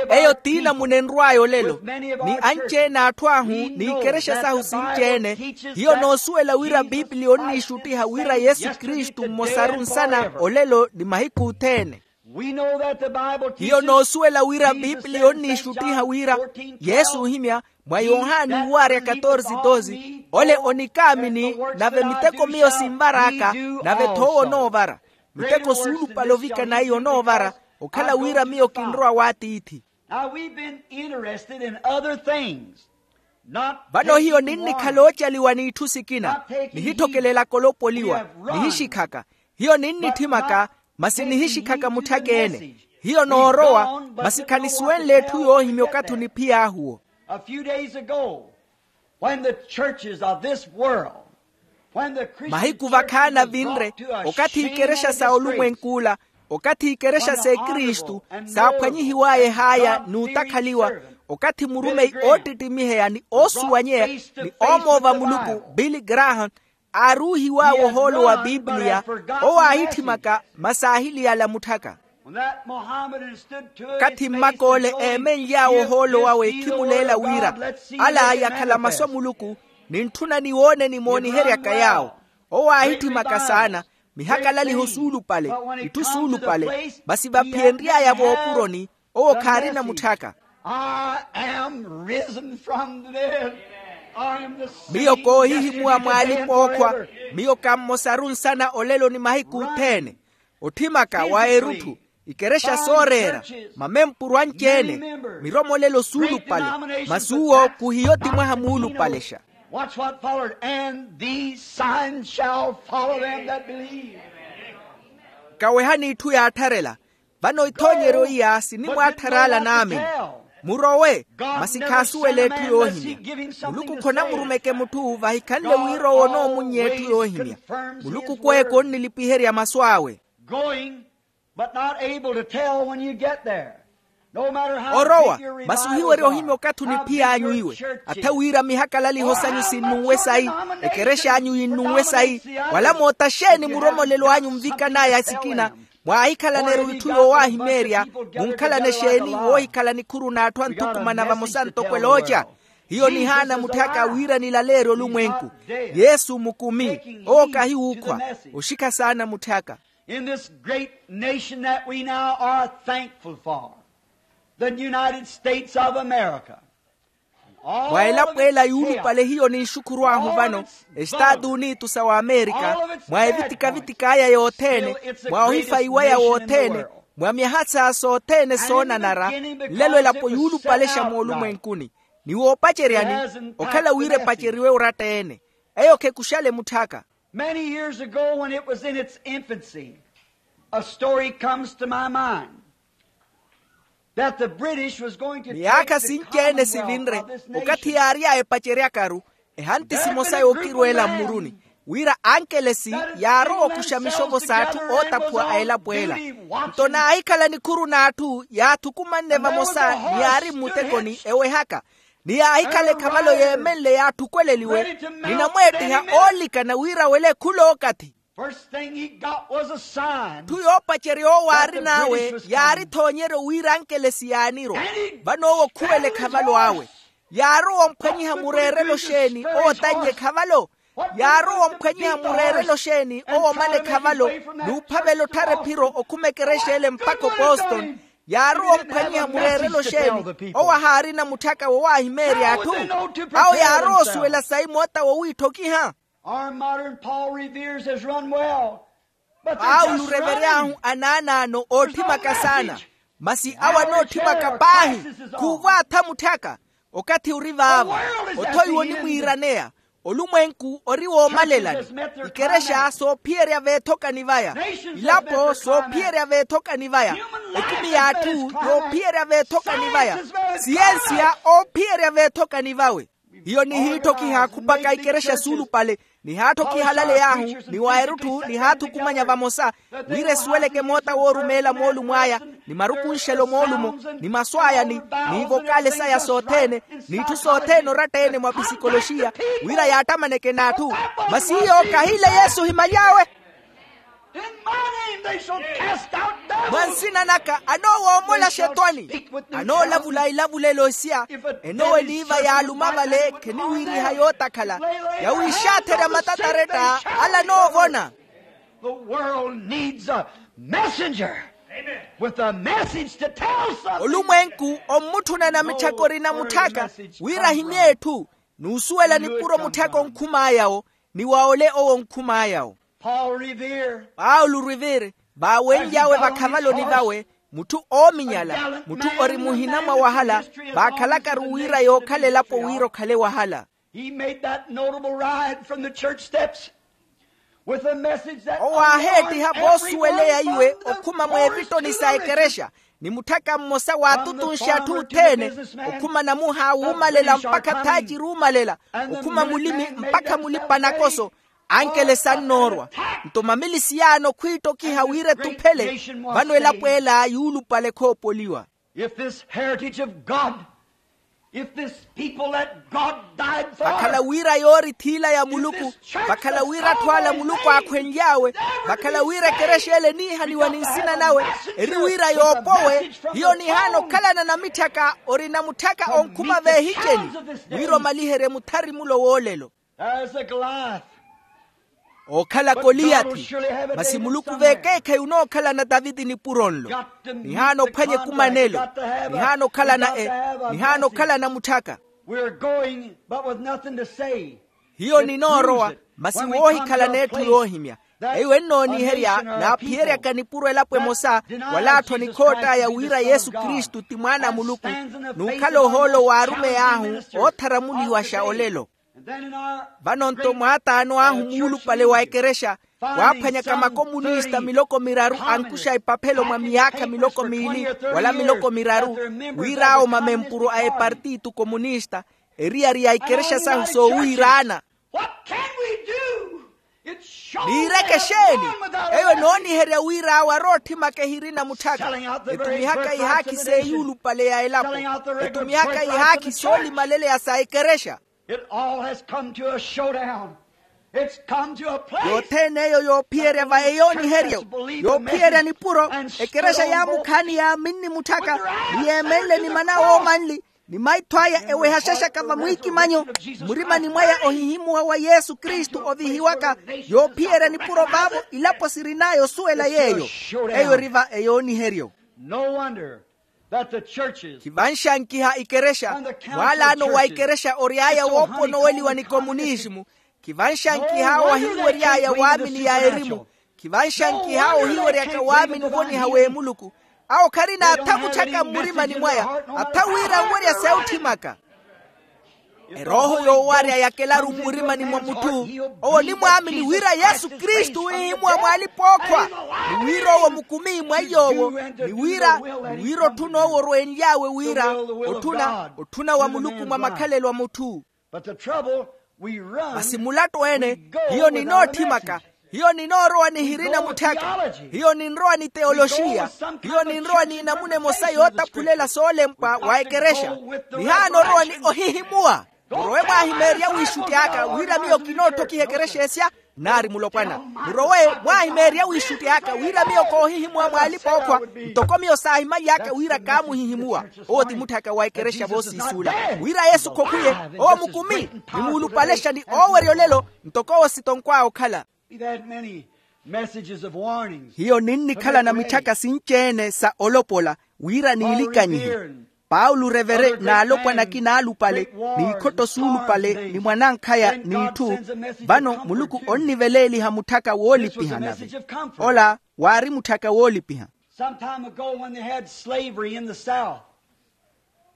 Eyo ti namuna enrw'aya olelo. Ni anci-ene a atthu ahu, n'ikerexa sahu sinci-ene. Hiyo noosuwela wira pipiliya onniixuttiha wira yesu kristu mmosaru nsana olelo ni mahiku othene. Hiyo noosuwela wira pipiliya onniixuttiha wira yesu ohimya mwa yohani uwaarya katorsi dosi, ole onikaamini, nave miteko miyo sinvar'aka, nave th'owo onoovara. Miteko suulupale ovikana iyo onoovara, okhala wira miyo kinrowa w'atiithi. Vano hiyo ninnikhala oocaliwa n'itthu sikina, nihitthokelelaka olopoliwa, nihixikhaka. Hiyo ninnitthimaka, masi nihixikhaka mutthaka-ene. Hiyo noorowa, masi khanisuwenle etthu yoohimya okathi oniphiy'ahuwo. Mahiku vakhaani avinre, okathi ikerexa sa olumwenk'ula, okathi ikerexa s'ekristu, saaphwanyihiw'aya ehaaya n'utakhaliwa, okathi murumeyi oottittimiheya ni oosuwanyeya, ni oomoova muluku billy graham, aaruuhiw'awe ohoolo wa pipiliya. Owo aahitthimaka, masi aahiliyala mutthaka. Okathi mmak'ole eemenly'awe ohoolo wawe khimuleela wira, ala yakhala masu a muluku, nintthuna niwoone nimooniheryaka yaawo. Owo aahitthimaka saana, mihakalaliho suulupale, itthu suulupale. Masi vaphiyenry'aya voopuroni, owo khaarina mutthaka. Miyo koohihimuwa mw'alipa-ookhwa. Miyo ka mmosaru nsana olelo ni mahiku othene. Otthimaka wa erutthu, ikerexa sooreera, mamempuru anci-ene, miromolelo suulupale. Masi uwo khuhiyo ti mwaha muulupalexa. Watch what followed, and these signs shall follow them that believe. Kawehani itthu yaattharela. Vano ithoonyeryo iya sinimwaattharaala naamini. Murowe, masi khaasuwela etthu yoohimya. Muluku khonamurumeke mutthu vahikhanle wira owo onoomunnya etthu yoohimya. Muluku kweeka onnilipiherya masu awe. Orowa, masi ohiwerya ohimya okathi oniphiy'anyu iwe. Atha wira mihakalaliho sanyu sinnunwe sayi, ekerex'anyu yinnunwe sayi, wala moota xeeni muromolelo anyu nvikan'aya sikina? Mwaahikhalana erutthu yoowahimeerya. Munkhalana exeeni woohikhala nikhuru n'atthu anthukumana vamosa ntoko elooca? Hiyo nihaana mutthaka wira nilaleerye olumwenku. Yesu mukumi, owo kahi wuukhwa. Oxikha saana mutthaka. In this great nation that we now are thankful for, the United States of America. Mwa elapo ela yuulupale hiyo ninxukhuru ahu vano, estaatu unitu sa w'amerika, mwa evitikavitiki aya yothene, mwa ohifayi waya wothene, mwa myaha saa sothene soonanara, nlelo elapo yuulupalexa moolumwenkuni. Ni woopaceryani, okhala wira epaceriwe oratta-ene. Eyo khekuxale mutthaka. Many years ago, when it was in its infancy, a story comes to my mind. Miyaakha sinci-ene sivinre, okathi yaary'aya epaceryakaru ehanti simosa yookirweela mmuruni, wira ankelesi yaarowa okuxa mixovo s'atthu ootaphuwa a elapo ela. Nto naahikhala nikhuru n'atthu yaathukumanne vamosa, ni yaari mmutekoni ewehaka, ni yaahikhala ekhavalo yeemenle yaatthukweleliwe, ni namweettiha oolikana wira awele khul'okathi. Atthu yoopacerya owo aarin'awe yaarithoonyeryo wira ankelesi yaanirwa. Vano owo khuwela ekhavalo awe. Yaarowa omphwanyiha mureerelo xeeni owo otannya ekhavalo? Yaarowa omphwanyiha mureerelo xeeni owo omana ekhavalo, n'uphavela otthara ephiro okhuma ekerexa ele mpakha opostoni? Yaarowa omphwanyiha mureerelo xeeni owo ahaarina mutthaka wowaahimeerya atthu? Awo yaarowa osuwela sayi moota wowiitthokiha. Our modern Paul Revere's has run well. Paulo orevery'ahu anaanaano ootthimakha saana. Masi awo anootthimaka paahi. Khuuvo atha mutthaka. Okathi ori vaavo. Othoiwa onimwiiraneya. Olumwenku ori woomalelani. Ikerexa soophiyerya veethokani vaya. Ilapo soophiyerya veethokani vaya. Ekumi y'atthu yoophiyerya veethokani vaya. Siyensiya oophiyerya veethokani vawe. Hiyo nihiitthokiha khupaka ikerexa suulupale, nihaatthokihalaly'ahu ni wa erutthu nihaathukumanya vamosa, wira esuweleke moota woorumeela moolumo aya, ni marukunxelo moolumo, ni masu aya ni, ni ivokale saya sothene, n'itthu sothene oratta-ene mwa pisikoloxiya, wira yaattamaneke n'atthu. Masi hiyo kahiile yesu ohimaly'awe. Mwa nsina naka anoowoomola axetwani. Anoolavula ilavulelo isia. Enooweniiva yaaluma vale kheniwiiriha yootakhala, yawiixaatherya matataretta ala anoovona. The world needs a messenger with a message to tell something. Olumwenku ommutthuna namitthaka orina mutthaka wira ahimye etthu, n'usuwela nipuro mutthaka onkhum'aya-wo, ni wa ole owo onkhum'aya-wo. Paul Revere. Paulo Revere vaawenly'awe vakhavaloni vawe, mutthu oominyala, mutthu ori muhina mwa wahala, vaakhalakaru wira yookhala elapo wira okhale wahala. He made that notable ride from the church steps with a message that owo aaheettiha voosuweleya iwe okhuma mweevittoni sa ekerexa, ni mutthaka mmosa waatuttunxe atthu othene, okhuma namuha wuumalela mpakha thaaciri uumalela, okhuma mulimi mpakha mulipa-nakoso. Ankele sannoorwa. Nto mamilisiyaano khwiittokiha wira etuphele. Vano elapo ela yuulupale khoopoliwa. If this heritage of God, if this people that God died for, vakhala wira yoori thiila ya muluku, vakhala wira atthu ala muluku aakhwenly'awe, vakhala wira ekerexa ele eniihaniwa ni nsina nawe, eri wira yoopowe. Hiyo nihaana okhalana namitthaka orina mutthaka onkhuma veehiceni, wira omaliherye muthari mulo woolelo. There's a Goliath. Ookhala koliyathi. Masi muluku veekeekhayi onookhalana taviti nipuro nlo. Nihaana ophwanya ekumanelo. Nihaana okhalana e nihaana okhalana mutthaka. We're going but with nothing to say. Hiyo ninoorowa, masi woohikhalana etthu yoohimya. Eyo ennooniherya naaphiyeryaka nipuro elapo emosa, wala atthu anikhoott'aya wira yesu kristu ti mwaana a muluku, n'ukhala ohoolo w'arumeyi ahu ootharamuliwaxa olelo. Vano-nto mwaataano ahu muulupale wa ekerexa waaphwanyaka makomunista miloko miraru ankuxa epaphelo mwa miyaakha miloko miili wala miloko miraru, wira awo mamempuru a epartitu komunista, eriyari ya ikerexa sahu soowiiraana. Niireke exeeni? Eyo enooniherya wira awo arootthimaka ehirina mutthaka, etumihaka ihaakhi s'eyuulupale ya elapo, etumihaka ihaakhi soolimalelela sa ekerexa. It all has come to a showdown. It's come to a place. Yothene eyo yoophiyerya va eyooniheryo, yoophiyerya nipuro. Ekerexa yaamukhaani yaaminni mutthaka, ni yeemenle ni mana woomanli, ni maitho aya ewehaxaxaka vamwiikimanyo mmurimani mwaya ohihimuwa wa yesu kristu ovihiwaka. Yoophiyerya nipuro vaavo ilapo sirin'aya osuwela yeeyo. Eyo eri va eyooniheryo. No wonder that the churches. Khivanxankiha ikerexa, mwaalaano wa ikerexa ory'aya wooponoweliwa ni komunisimu. Khivanxankiha awo ahinwery'aya waamini ya erimu. Khivanxankiha awo ohiweryaka waamini ovoniha w'emuluku. Awo kharina atha mutthaka mmurimani mwaya, atha wira anwerya seutthimaka. Erooho yoowarya yakelaru mmurimani mwa mutthu, owo onimwaamini wira yesu kristu wihimuwa mwaalipa ookhwa, ni wira owo mukumi mwa iy'owo, ni wira ni wira otthuna owo orwenly'awe wira otthuna otthuna wa muluku mwa makhalelo a mutthu. Masi mulattu ene, hiyo ninootthimaka, hiyo ninoorowa nihirina mutthaka, hiyo ninrowa ni teyoloxiya, hiyo ninrowa n'inamuna emosa yootaphulela soolempwa wa ekerexa, nihaana orowa ni ohihimuwa. Murowe mwaahimeerya wiixutti aka wira miyo kinootthokiha ekerexa esya. Nnaari mulopwana, murowe mwaahimeerya wiixutti aka wira miyo koohihimuwa mwaalipa ookhwa, ntoko miyo saahimaly'aka wira kaamuhihimuwa. Owo ti mutthaka wa ekerexa voosiisuula, wira yesu khokhwiye, owo mukumi, ni muulupalexa ni oowerya olelo, ntoko owo sitonkw'awe okhala. Hiyo ninnikhalana mitthaka sinci-ene sa olopola wira niilikanyihe. Paulo revere n'alopwana akina alupale, n'ikhotto suulupale ni mwanankhaya n'itthu. Vano muluku onniveleeliha mutthaka woolipiha nave. Ola waari mutthaka woolipiha. Some time ago when they had slavery in the south.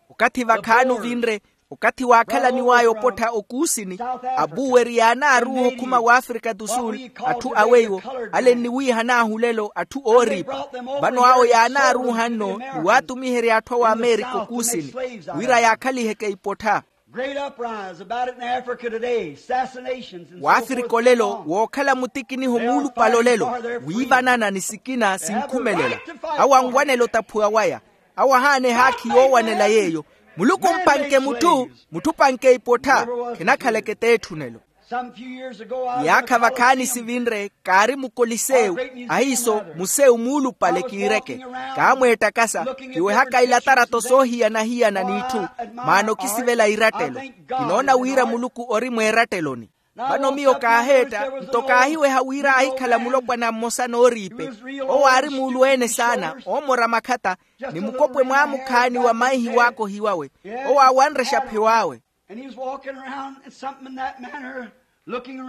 Okathi vakhaani ovinre, okathi waakhalaniw'aya opottha okuusini, apuweri yaanaaruuha okhuma w'afrika du sul, atthu aweiwo, ale nniwiihan'ahu lelo atthu ooriipa. Vano awo yaanaaruuha nno ni waatumiherya atthu a w'amerika okuusini, wira yaakhaliheke ipottha. Great uprise about it in Africa today, assassinations and so forth. Waafrika olelo wookhala mutikiniho muulupale olelo, wiivanana ni sikina sinkhumelela. Awo anwanela otaphuwa waya. Awo ahaana ehaakhi yoowanela yeeyo. Muluku mpanke mutthu, mutthu panke ipottha. Khenakhaleke t'etthunelo. Some few years ago, I was in a yaakha vakhaani college sivinre, kaari mukolisewu, ahiiso musewu muulupale kiireke. Kaamweettakasa, kiwehaka ilatarato soohiyana-hiyana n'itthu, maana okisivela irattelo. Kinoona wira muluku ori mweeratteloni. Vano miyo kaaheetta, nto kaahiweha wira aahikhala mulopwana mmosa nooriipe. Owo aari muulu-ene saana, oomora makhatta, ni mukopwe mwaamukhaani wa maihi waakohiwawe. Owo aawanre exaphewawe.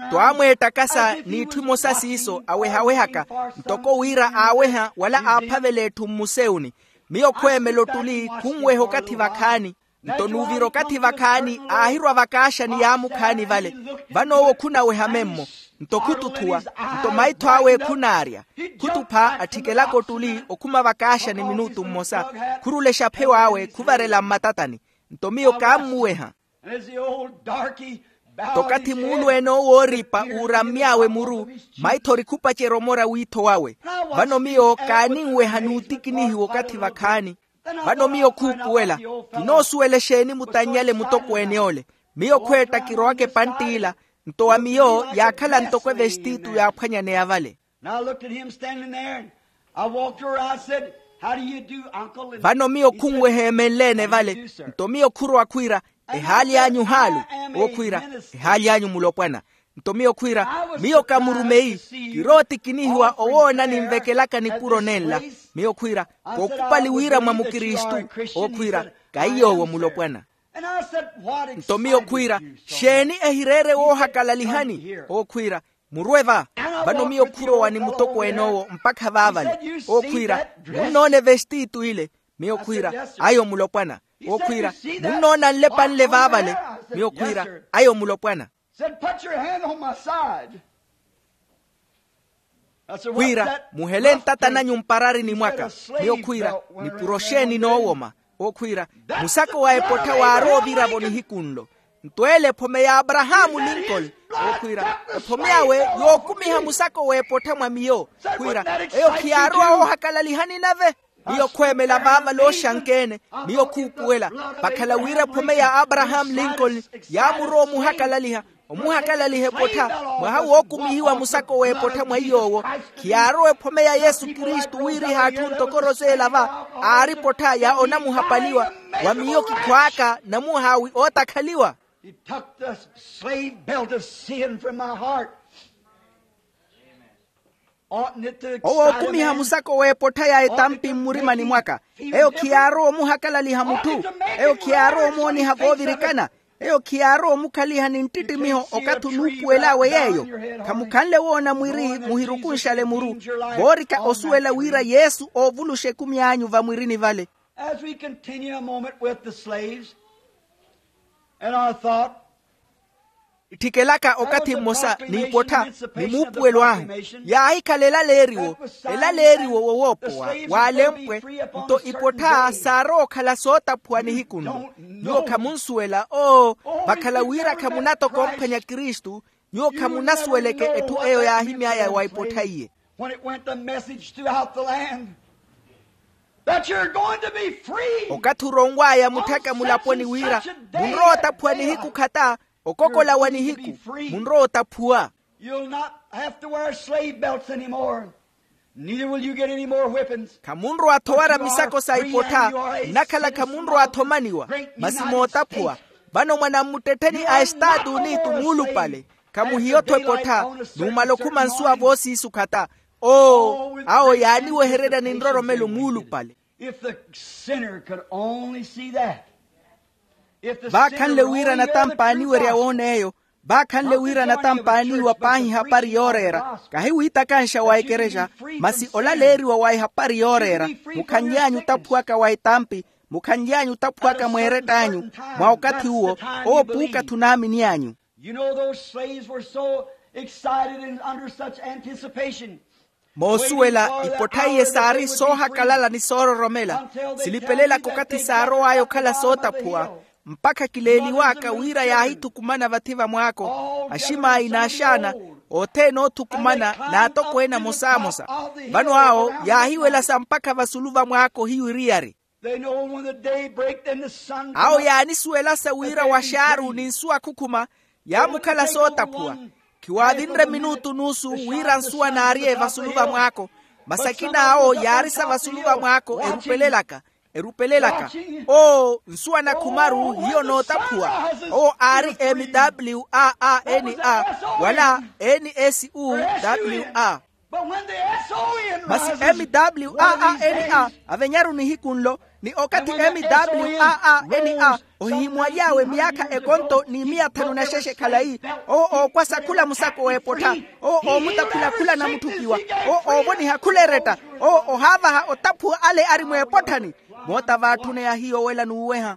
Nto aamweettakasa n'itthu imosa siiso awehawehaka, ntoko wira aaweha wala aaphavela etthu mmusewuni. Miyo khweemela ottuli khunweha okathi vakhaani. Nto n'uvira okathi vakhaani aahirwa vakaaxani yaamukhaani vale. Vano owo khunaweha memmo, nto khututhuwa, nto maitho awe khunaarya. Khutupha atthikelaka ottuli okhuma vakaaxani minutu mmosa. Khurula exaphewawe khuvarela mmatatani. Nto miyo kaammuweha. Nto okathi muulu-ene owo ooriipa uurammy'awe muru, maitho ori khupacerya omora wiitho wawe. Vano miyo kaaninweha n'utikinihiwa okathi vakhaani. Vano miyo khuupuwela, kinoosuwela exeeni mutannyale mutokweene ole. Miyo khweetta kirowaka epantt'ila. Nto wa miyo yaakhala ntoko evestitu yaaphwanyaneya vale. Vano miyo khunweha emenle-ene vale. Nto miyo khurowa khwiira, ehaali anyu haalu? Owo khwiira, ehaali anyu mulopwana. Nto miyo khwiira, miyo kamurumeyi, kirootikinihiwa owoona ninvekelaka nipuro nenla. Miyo khwiira, kookhupali wira mwa mukristu. Owo khwiira, kaiy'owo mulopwana. Nto miyo khwiira, xeeni ehireere woohakalalihani? Owo khwiira, murwe va. Vano miyo khurowa ni mutokweene owo mpakha vaavale. Owo khwiira, munnoona evestitu ile? Miyo khwiira, ayo mulopwana. Owo khwiira, munnoona nlepa nle vaavale? Miyo khwiira, ayo mulopwana. Khwiira, muhele ntata nanyu mpararini mwaka. Miyo khwiira, nipuro xeeni noowoma? Owo khwiira, musako wa epottha waarowa ovira-vo nihiku nlo. Nto ele ephome ya abrahamu lincoln. Owo khwiira, ephome awe yookumiha musako w'epottha mwa miyo. Khwiira, eyo khiyaarowa woohakalalihani nave? Miyo khweemela vaavale oxankeene. Miyo khuupuwela, vakhala wira ephome ya abrahamu lincoln yaamurowa omuhakalaliha, omuhakalaliha epottha, mwaha wookumihiwa musako w'epottha mwa iy'owo. Khiyaarowa ephome ya yesu kristu wiiriha atthu ntoko roseela va, aari epottha ya onamuhapaliwa. Wa miyo kikhwaaka namuhaawi ootakhaliwa. He took the slave belt of sin from my heart. Owo ookumiha musako w'epottha ya etampi mmurimani mwaka. Eyo khiyaarowa omuhakalaliha mutthu. Eyo khiyaarowa omooniha voovirikana. Eyo khiyaarowa omukhaliha ni nttittimiho okathi onuupuwel'awe yeeyo. Khamukhanle woona mwiri muhirukunxale muru, voorika osuwela wira yesu oovuluxa ekumi anyu vamwirini vale. As we continue a moment with the slaves. And I thought, itthikelaka okathi mmosa n'ipottha ni muupuwelo ahu, yaahikhala elaleeriwo, elaleeriwo wowoopowa waalempwe. Nto ipottha saarowa okhala sootaphuwa nihiku nlo. Nyuwo khamunsuwela oo, vakhala wira khamunatokomphwanya kristu. Nyuwo khamunasuweleke etthu eyo yaahimy'aya wa ipottha iye. When it went the message throughout the land that you're going to be free. Okathi oronw'aya mutthaka mulaponi wira munrowa otaphuwa nihiku khata, okokola wa nihiku munrowa otaphuwa. You'll not have to wear slave belts anymore. Neither will you get any more whippings. Khamunrowa-tho owara misako sa ipottha. Nnakhala khamunrowa-tho omaniwa, masi mootaphuwa. Vano mwanamuttettheni a estaatu unitu muulupale. Khamuhiyo-tho epottha. Numala okhuma nsuwa voosiisu khata. Oo awo yaaniwehererya ni nroromelo muulupale. If the sinner could only see that. Vaakhanle wira anatampa aaniwerya woona eyo. Vaakhanle wira anatampa aaniiwa paahi ehapari yooreera. Kahi wiitakanxa wa ekerexa, masi olaleeriwa wa ehapari yooreera. Mukhanly'anyu otaphuwaka wa etampi. Mukhanly'anyu otaphuwaka mweerett'anyu. Mwa okathi uwo, owo puukathi onaamini anyu. You know those slaves were so excited and under such anticipation. Moosuwela ipottha iye saari soohakalala ni soororomela. Silipelela-ko okathi saarow'aya okhala sootaphuwa, mpakha kileeliw'aka wira yaahithukumana vathi va mwaako. Aximaayi n'axaana, othene oothukumana n'atokweene amosamosa. Vano awo yaahiwelasa mpakha vasulu va mwaako hiyo eriyari. Awo yaanisuwelasa wira waxaaru ni nsuwa khukhuma, yaamukhala sootaphuwa. Khiwaavinre minutu n'usu wira nsuwa naarye vasulu va mwaako. Masi akina awo yaarisa vasulu va mwaako erupelelaka, erupelelaka. Oo nsuwa nakhumaru hiyo nootaphuwa. Owo aari m w a a n a, wala n s u w a. Masi m w a a n a avenyaru nihiku nlo, ni okathi m w a a n a ohihimuwaly'awe myaakha ekonto ni miya thanu na xexe khalayi. Owo ookwasa khula musako w'epottha. Owo oomutaphula khula namutthukiwa. Owo oovoniha khula eretta. Owo ohaavaha otaphuwa ale ari mw'epotthani. Moota vaatthuneya hiyo wela n'uweha.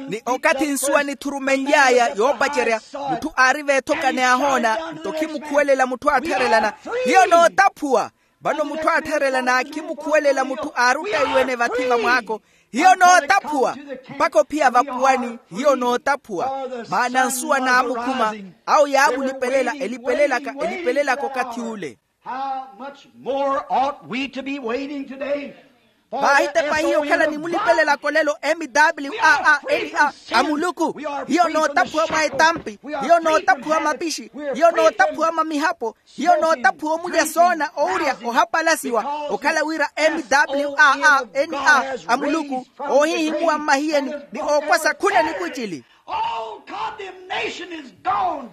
Ni okathi nsuwa nithurumenly'aya yoopacerya, mutthu aari veethoka ni ahoona nto khimukhuwelela mutthu aattharelana. Hiyo nootaphuwa. Vano mutthu aattharelana khimukhuwelela mutthu aari ottaiwene vathi va mwaako. Hiyo nootaphuwa. Mpakha ophiya vapuwani hiyo nootaphuwa. Maana nsuwa naamukhuma. Awo yaamulipelela elipelelaka elipelelaka okathi ule. How much more ought we to be waiting today? Vaahitepa hiyo okhala ni mulipelelaka olelo m w a a n a a muluku. Hiyo nootaphuwa mwa etampi. Hiyo nootaphuwa mapixi. Hiyo nootaphuwa mamihapo. Hiyo nootaphuwa omulya soona owurya ohapalasiwa. Okhala wira m w a a n a a muluku oohihimuwa mmahiyeni ni ookwasa khula nikucili. All condemnation is gone.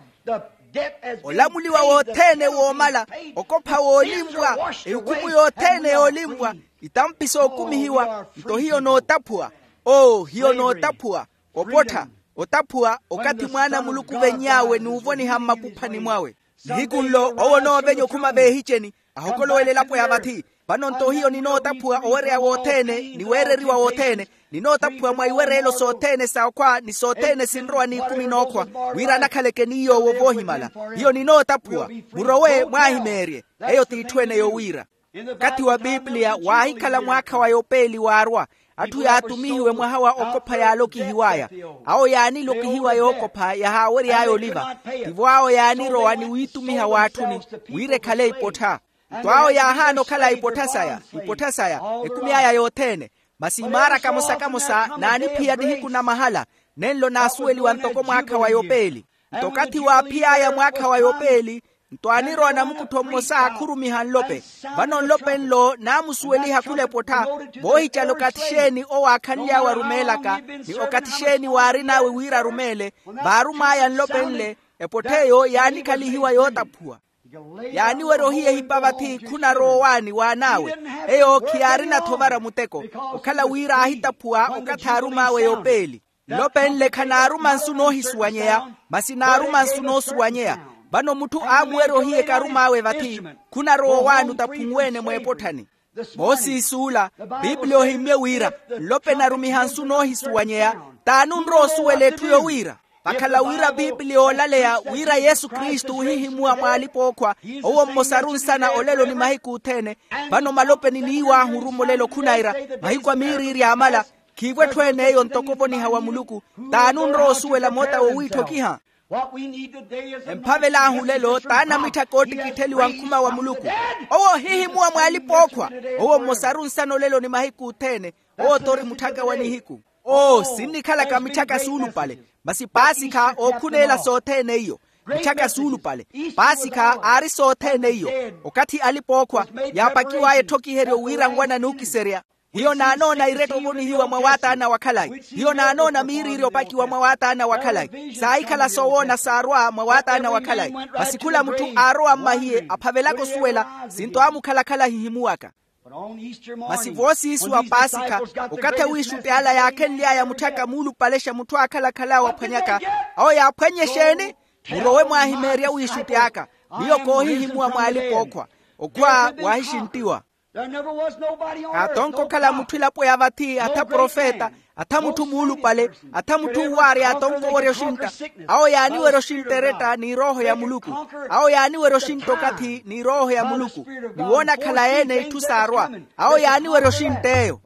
Olamuliwa wothene woomala. Okopha woolimpwa. Ehukhumu yothene yoolimpwa. Itampi sookumihiwa. Nto hiyo nootaphuwa. Oo hiyo nootaphuwa. Opottha. Otaphuwa okathi mwaana a muluku ovenny'awe n'uvoniha mmakuphani mwawe. Nihiku nlo owo onoovenya okhuma veehiceni. Ahokolowe elapo ya vathi. Vano nto hiyo ninootaphuwa owereya wothene ni weereriwa wothene. Ninootaphuwa mwa iwereelo sothene sa okhwa ni sothene sinrowa n'ikumi n'okhwa. Wira anakhaleke ni yoowo voohimala. Hiyo ninootaphuwa. Murowe mwaahimeerye. Eyo t'itthu ene yowiira. Okathi wa pipiliya waahikhala mwaakha wa yopeeli waarwa. Atthu yaatumihiwe mwaha wa okopha yaalokihiw'aya. Awo yaanilokihiwa yookopha yahaawery'aya oliva. Tivo awo yaanirowa ni wiitumiha w'atthuni wira ekhale ipottha. Nto awo yaahaana okhala ipottha saya. Ipottha saya ekumi aya yothene. Masi imaara kamosa-kamosa naaniphiya nihiku na mahala. Nenlo naasuweliwa ntoko mwaakha wa yopeeli. Nto okathi waaphiy'aya mwaakha wa yopeeli, nto aanirowa namukuttho mmosa khurumiha nlope. Vano nlope nlo naamusuweliha khula epottha. Voohicala okathi xeeni owo aakhanly'awe arumeelaka ni okathi xeeni waarin'awe wira arumeele. Vaarum'aya nlope nle. Epottha eyo yaanikhalihiwa yootaphuwa. Yaaniwerya ohiya ehipa vathi khunarowa owaani w'an'awe. Eyo khiyaarina-tho ovara muteko. Okhala wira aahitaphuwa okathi aarum'awe yopeeli. Nlope nle khanaaruma nsu noohisuwanyeya. Masi naaruma nsu noosuwanyeya. Vano mutthu aamuwerya ohiya ekarum'awe vathi. Khunarowa owaani otaphunweene mw'epotthani. Moosiisi ula, pipiliya ohimmye wira nlope narumiha nsu noohisuwanyeya. T'ani onrowa osuwela etthu yowiira? Vakhala wira piipili yoolaleya wira yesu kristu ohihimuwa mw'alipa-ookhwa, owo mmosaru nsana olelo ni mahiku othene. Vano malopeni n'iw'ahu orumolelo khunayira, mahiku a miiriiri aamala. Khiivo etthu ene eyo ntoko ovoniha wa muluku. T'ani onrowa osuwela moota wowiitthokiha? Emphavel'ahu olelo t'ani amitthaka oottikittheliwa nkhuma wa muluku. Owo ohihimuwa mw'alipa-ookhwa. Owo mmosaru nsana olelo ni mahiku othene. Owo t'ori mutthaka wa nihiku. Oo sinnikhalaka mitthaka suulupale. Masi paasikha ookhuneela sothene iyo. Mitthaka suulupale. Paasikha aari sothene iyo. Okathi alipa-ookhwa yaapakiw'aya etthokiheryo wira nwana n'ukiserya. Hiyo naanoona irettho ovonihiwa mwa waataana wa khalayi. Hiyo naanoona miiriiri opakiwa mwa waataana wa khalayi. Saahikhala soowoona saarwa mwa waataana wa khalayi. Masi khula mutthu aarowa mmahiye aphavelaka osuwela. Sinto aamukhalakhala ahihimuwaka. Masi voosiisu wa paasikha, okathi awiixutti ala yaakhenly'aya mutthaka muulupalexa mutthu aakhalakhal'awe aphwanyaka. Awo yaaphwannye exeeni? Murowe mwaahimeerye awiixutti aka. Miyo koohihimuwa mw'alipa-ookhwa. Okhwa waahixinttiwa. Kaatonke okhala mutthu elapo ya vathi atha profeta, atha mutthu muulupale, atha mutthu uwaarya atonke owerya oxintta. Awo yaaniwerya oxintta eretta n'irooho ya muluku. Awo yaaniwerya oxintta okathi n'irooho ya muluku. Ni woona akhala yeene itthu saarwa. Awo yaaniwerya oxintta eyo.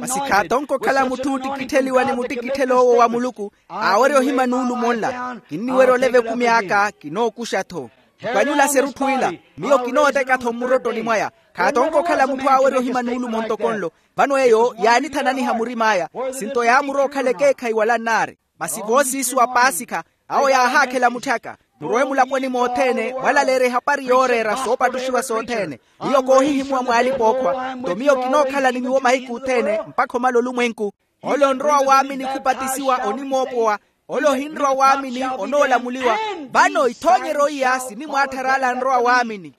Masi khaatonke okhala mutthu ootikittheliwa ni muttikitthelo owo wa muluku. Aawerya ohima nuulumo nla. Kinniwerya oleva ekumi aka kinookuxa-tho. Mukanyula serutthu ila. Miyo kinooteka-tho mmurottoni mwaya. Khaatonke okhala mutthu aawerya ohima nuulumo ntoko nlo. Vano eyo yaanithananiha murim'aya. Sinto yaamurowa okhala ekeekhayi wala nnaari. Masi voosiisu wa paasikha. Awo yaahaakhela mutthaka. Murowe mulaponi mothene mwalaleerya ehapari yooreera soopattuxiwa sothene. Miyo koohihimuwa mw'alipa-ookhwa nto miyo kinookhala ni nyuwo mahiku othene. Mpakha omala olumwenku. Ole onrowa waamini khupatisiwa onimoopowa. Ole ohinrowa waamini onoolamuliwa. Vano ithoonyeryo iya sinimwaatthara ale anrowa waamini.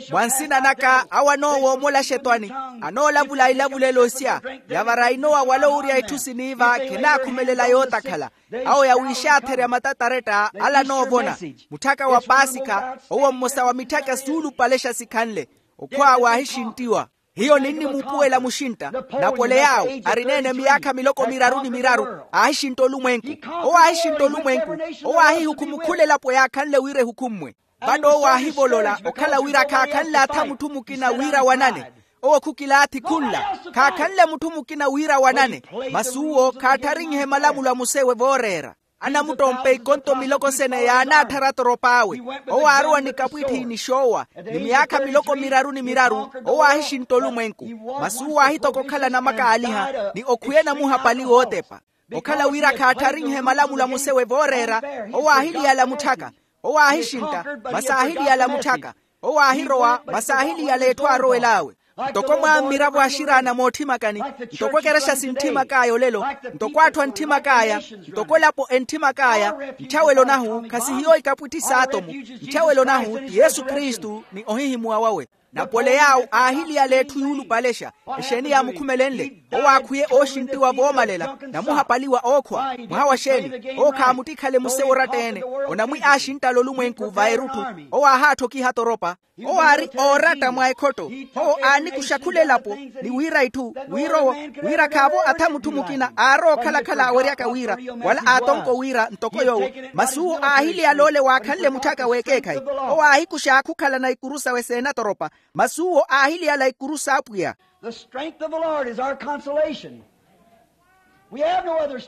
Mwa nsina naka awo anoowoomola axetwani. Anoolavula ilavulelo isya. Yavara inowa wala owurya itthu siniiva khenaakhumelela yootakhala. Awo yawiixaatherya matataretta ala anoovona. Mutthaka wa paasikha owo mmosa wa mitthaka suulupalexa sikhanle. Okhwa waahixinttiwa. Hiyo ninnimuupuwela muxintta. Napole yaawo arineene miyaakha miloko miraru ni miraru. Aahixintta olumwenku. Owo aahixintta olumwenku. Owo aahihukhuma okhula elapo yaakhanle wira ehukhummwe. Vano owo aahivolola okhala wira khaakhanle atha mutthu mukina wira wanane. Owo khukilaathi khunla. Khaakhanle mutthu mukina wira wanane. Masi uwo khaattharinnyihe malamulo a musewe vooreera. Anamuttompa ikonto miloko sene yaanaatthara atorop'awe. Owo aarowa ni kapwitthi ni xoowa ni miyaakha miloko miraru ni miraru. Owo aahixintta olumwenku. Masi uwo aahitoka okhala namakaaliha ni okhwiya namuhapali wootepa. Okhala wira khaattharinnyihe malamulo a musewe vooreera. Owo aahiliyala mutthaka. Owo aahixintta. Masi aahiliyala mutthaka. Owo aahirowa masi aahiliyala etthu aarowel'awe. Ntoko mwaammiravo axiraana moothimakani. Ntoko ekerexa sintthimak'aya olelo. Ntoko atthu antthimak'aya. Ntoko elapo entthimak'aya. Ntthyawelo nahu khasihiyo ikapwitthi s'atomu. Ntthyawelo nahu ti yesu kristu ni ohihimuwa wawe. Napole yaawo aahiliyala etthu yuulupalexa. Exeeni yaamukhumelenle? Owo aakhwiye ooxinttiwa voomalela. Namuhapaliwa ookhwa mwaha wa xeeni? Owo khaamuttikhale muse oratta-ene. Onamwi aaxinttala olumwenku va erutthu. Owo aahaattokiha atoropa. Owo aari ooratta mwa ekhotto. Owo aanikuxa khula elapo ni wira itthu wira owo wira khaavo atha mutthu mukina aarowa okhala-khala aaweryaka wira wala aatonko wira ntoko yoowo. Masi uwo aahiliyala ole waakhanle mutthaka w'ekeekhayi. Owo aahikuxa aakhukhalana ikuru sawe seenatoropa. Masi uwo aahiliyala ikuru s'apwiya. The strength of the lord is our consolation.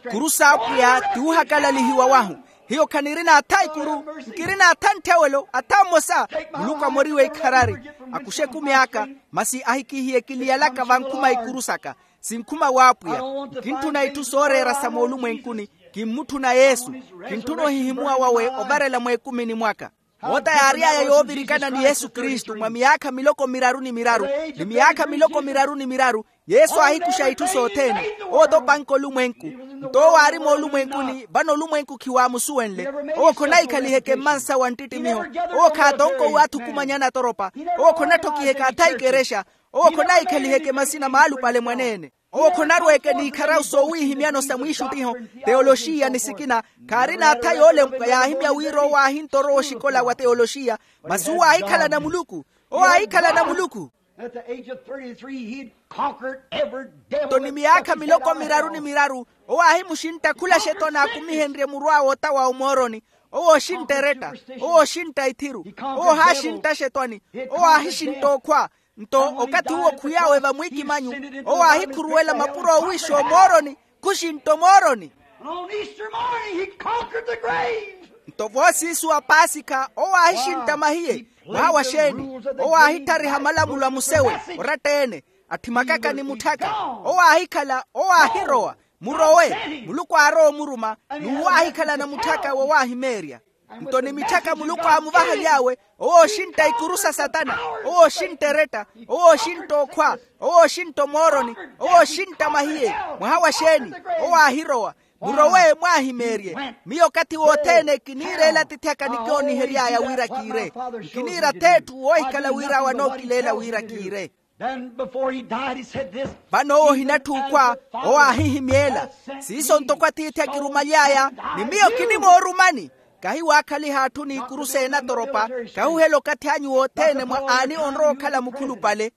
Ikuru s'apwiya ti wuhakalalihiwa wahu. Hiyo khanirina atha ikuru. Nkirina atha ntthewelo atha mmosa. Muluku amoriwe ikharari. Akuxe ekumi aka. Masi ahikihiye kiliyalaka vankhuma ikuru saka. Sinkhuma w'apwiya. Nkintthuna itthu sooreera sa moolumwenkuni. Kinmutthuna yesu. Kintthuno hihimuwa wawe ovarela mweekumini mwaka. Moota yaary'aya yoovirikana ni yesu kristu mwa miyaakha miloko miraru ni miraru. Ni miyaakha miloko miraru ni miraru. Yesu aahikuxa itthu sothene. Owo topanka olumwenku. Nto owo aari moolumwenkuni vano olumwenku khiwaamusuwenle. Owo khonaikhalihe kemmansa wa nttittimiho. Owo khaatonkowiwe athukumanyana atoropa. Owo khonatthokiheke atha ikerexa. Owo khonaikhalihe kemasina maalupale mwaneene. Owo khonarweeke n'ikharawu soowihimyano sa mwiixuttiho. Teyoloxiya ni sikina. Khaarina atha yoolempwa yaahimya wira owo aahinttorowa oxikola wa teyoloxiya. Masi uwo aahikhalana muluku. Owo aahikhalana muluku. At the age of thirty-three, he'd conquered every devil. Nto ni miyaakha miloko miraru ni miraru, owo aahimuxintta khula xetwani aakumihenrye muru awe otawa omooroni. Owo oxintta eretta. Owo oxintta ithiru. Owo ohaaxintta xetwani. Owo aahixintta okhwa. Nto okathi uwo khwiy'awe vamwiikimanyu, owo aahikhuruwela mapuro oowiixa omooroni. Khuxintta omooroni. And on Easter morning, he conquered the grave. Nto voosiisu wa paasikha owo aahixintta mahiye. Mwaha wa xeeni? Owo aahittariha malamulo a musewe oratta-ene. Atthi makaka ni mutthaka. Owo aahikhala. Owo aahirowa. Murowe. Muluku aarowa omuruma. N'uwo aahikhala na mutthaka wowaahimeerya. Nto ni mitthaka muluku aamuvahaly'awe. Owo oxintta ikuru sa satana. Owo oxintta eretta. Owo oxintta okhwa. Owo oxintta omooroni. Owo oxintta mahiye. Mwaha wa xeeni? Owo aahirowa. Murowe mwaahimeerye. Miyo okathi wothene kiniireela atiithi aka nikyoonihery'aya wira kiire. Nkiniira ath'etthu woohikhala wira awe anookileela wira kiire. Vano owo ohinatthi okhwa. Owo aahihimyeela. Siiso ntoko atiithi akirumaly'aya. Ni miyo kinimoorumani. Kahi waakhaliha atthu n'ikuru seenatoropa. Kahuhela okathi anyu wothene mwa aani onrowa okhala mukhulupale.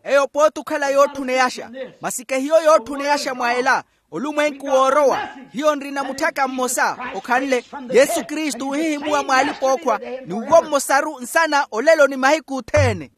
Eyo pooti okhala yootthuneyaxa. Masi kehiyo yootthuneyaxa mwa ela. Olumwenku woorowa. Hiyo nrina mutthaka mmosa okhanle. Yesu kristu ohihimuwa mw'alipa-ookhwa. Ni uwo mmosaru nsana olelo ni mahiku othene.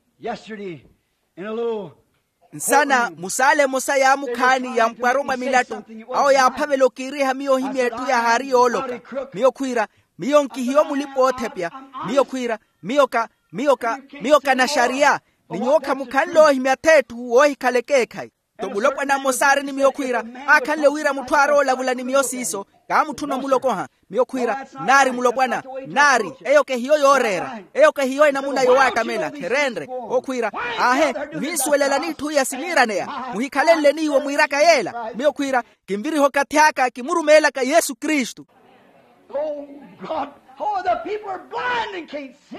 Nsana musaala emosa yaamukhaani yampwaro mwa milattu. Awo yaaphavela okiiriha miyo ohimya etthu yahaari yooloka. Miyo khwiira. Miyo nkihiyo mulipa-oothepya. Miyo khwiira. Miyo ka miyo ka miyo ka naxariya. Ni nyuwo khamukhanle oohimya ath'etthu woohikhala ekeekhayi. Nto mulopwana mmosa aari ni miyo khwiira. Aakhanle wira mutthu aarowa olavula ni miyo siiso. Kaamutthuna omulokoha. Miyo khwiira. Nnaari mulopwana. Nnaari. Eyo kehiyo yooreera. Eyo kehiyo enamuna yowaattamela khereenre. Okhwiira. Aahe. Muhinsuwelela n'itthu iya siniiraneya. Muhikhalenle n'iwo mwiiraka yeela. Miyo khwiira. Kinviriha okathi aka kimurumeelaka yesu kristu.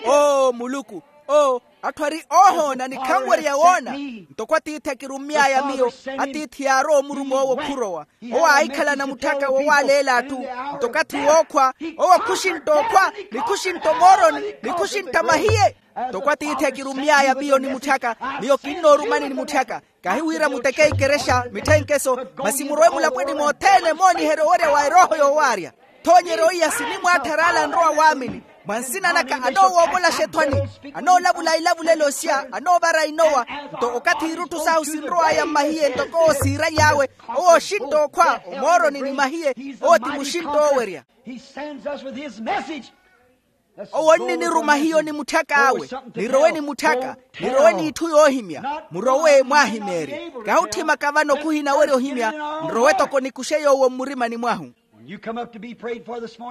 Oo muluku. Oo. Atthu ari oohoona ni khanwerya woona. Ntoko atiithi akirummy'aya miyo. Atiithi yaarowa omuruma owo khurowa. Owo aahikhalana mutthaka wowaaleela atthu. Ntoko athi wookhwa. Owo khuxintta okhwa. Ni khuxintta omooroni. Ni khuxintta mahiye. Ntoko atiithi akirummy'aya miyo ni mutthaka. Miyo kinnoorumani ni mutthaka. Kahi wira muteke ikerexa mitthenkeso. Masi murowe mulapweni mothene mooniherya owerya wa erooho yoowaarya. Ethoonyeryo iya sinimwaattha araala anrowa waamini. Mwa nsina naka anoowoovola xethwani. Anoolavula ilavulelo sya anoovara inowa. Nto okathi irutthu sahu sinrow'aya mmahiye ntoko owo siiraly'awe. Owo oxintta okhwa omooroni ni mahiye. Owo ti muxintta oowerya. Owo nniniruma hiyo ni mutthak'awe. Nirowe ni mutthaka. Nirowe n'itthu yoohimya. Murowe mwaahimeerye. Kahi otthimaka vano khuhinawerya ohimya. Nrowe toko nikuxe yoowo mmurimani mwahu.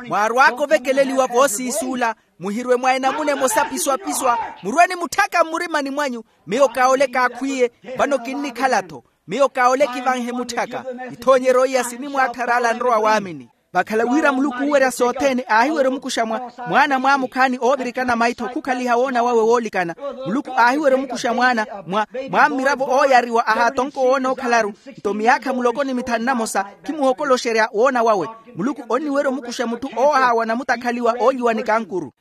Mwaarw'aka ovekeleliwa voosiisuula. Muhirwe mwa enamuna emosa piswa-piswa. Murwe ni mutthaka mmurimani mwanyu. Miyo kaole kaakhwiiye. Vano kinnikhala-tho. Miyo kaole kivanhe mutthaka. Ithoonyeryo iya sinimwaattha araala anrowa waamini. Vakhala wira muluku oowerya sothene aahiwerya omukuxa mwa mwaana mwaamukhaani oovirikana maitho khukhaliha woona wawe woolikana. Muluku aahiwerya omukuxa mwaana mwa mwa mmiravo ooyariwa ahaatonko woona okhalaru. Nto miyaakha muloko ni mithanu namosa khimuhokoloxerya woona wawe. Muluku onniwerya omukuxa mutthu oohaawa namutakhaliwa oolyiwa ni kankuru.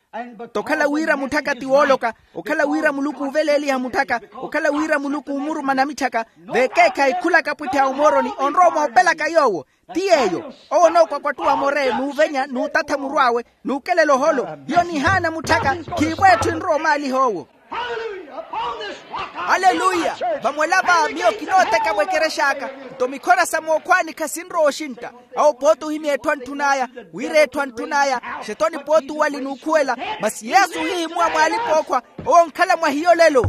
Tokhala wira mutthaka ti wooloka. Okhala wira muluku uuveleeliha mutthaka. Okhala wira muluku uumuruma namitthaka. Vekeekhayi khulaka pwittha ya omooroni onrowa moopelaka yoowo. Ti yeeyo. Owo onookwakwatta owa more n'uvenya n'utatha muru awe n'ukelela oholo. Hiyo nihaana mutthaka. Khiivo etthu enrowa omaaliha owo. Aleluya. Vamwela va miyo kinooteka mwekerex'aka. Nto mikhora sa mookhwaani khasinrowa oxintta. Awo pooti ohimya etthu antthun'aya. Wira etthu antthun'aya. Xetoni pooti uwali n'ukhuwela. Masi yesu ohihimuwa mw'alipa-ookhwa. Owo onkhala mwa hiyo lelo.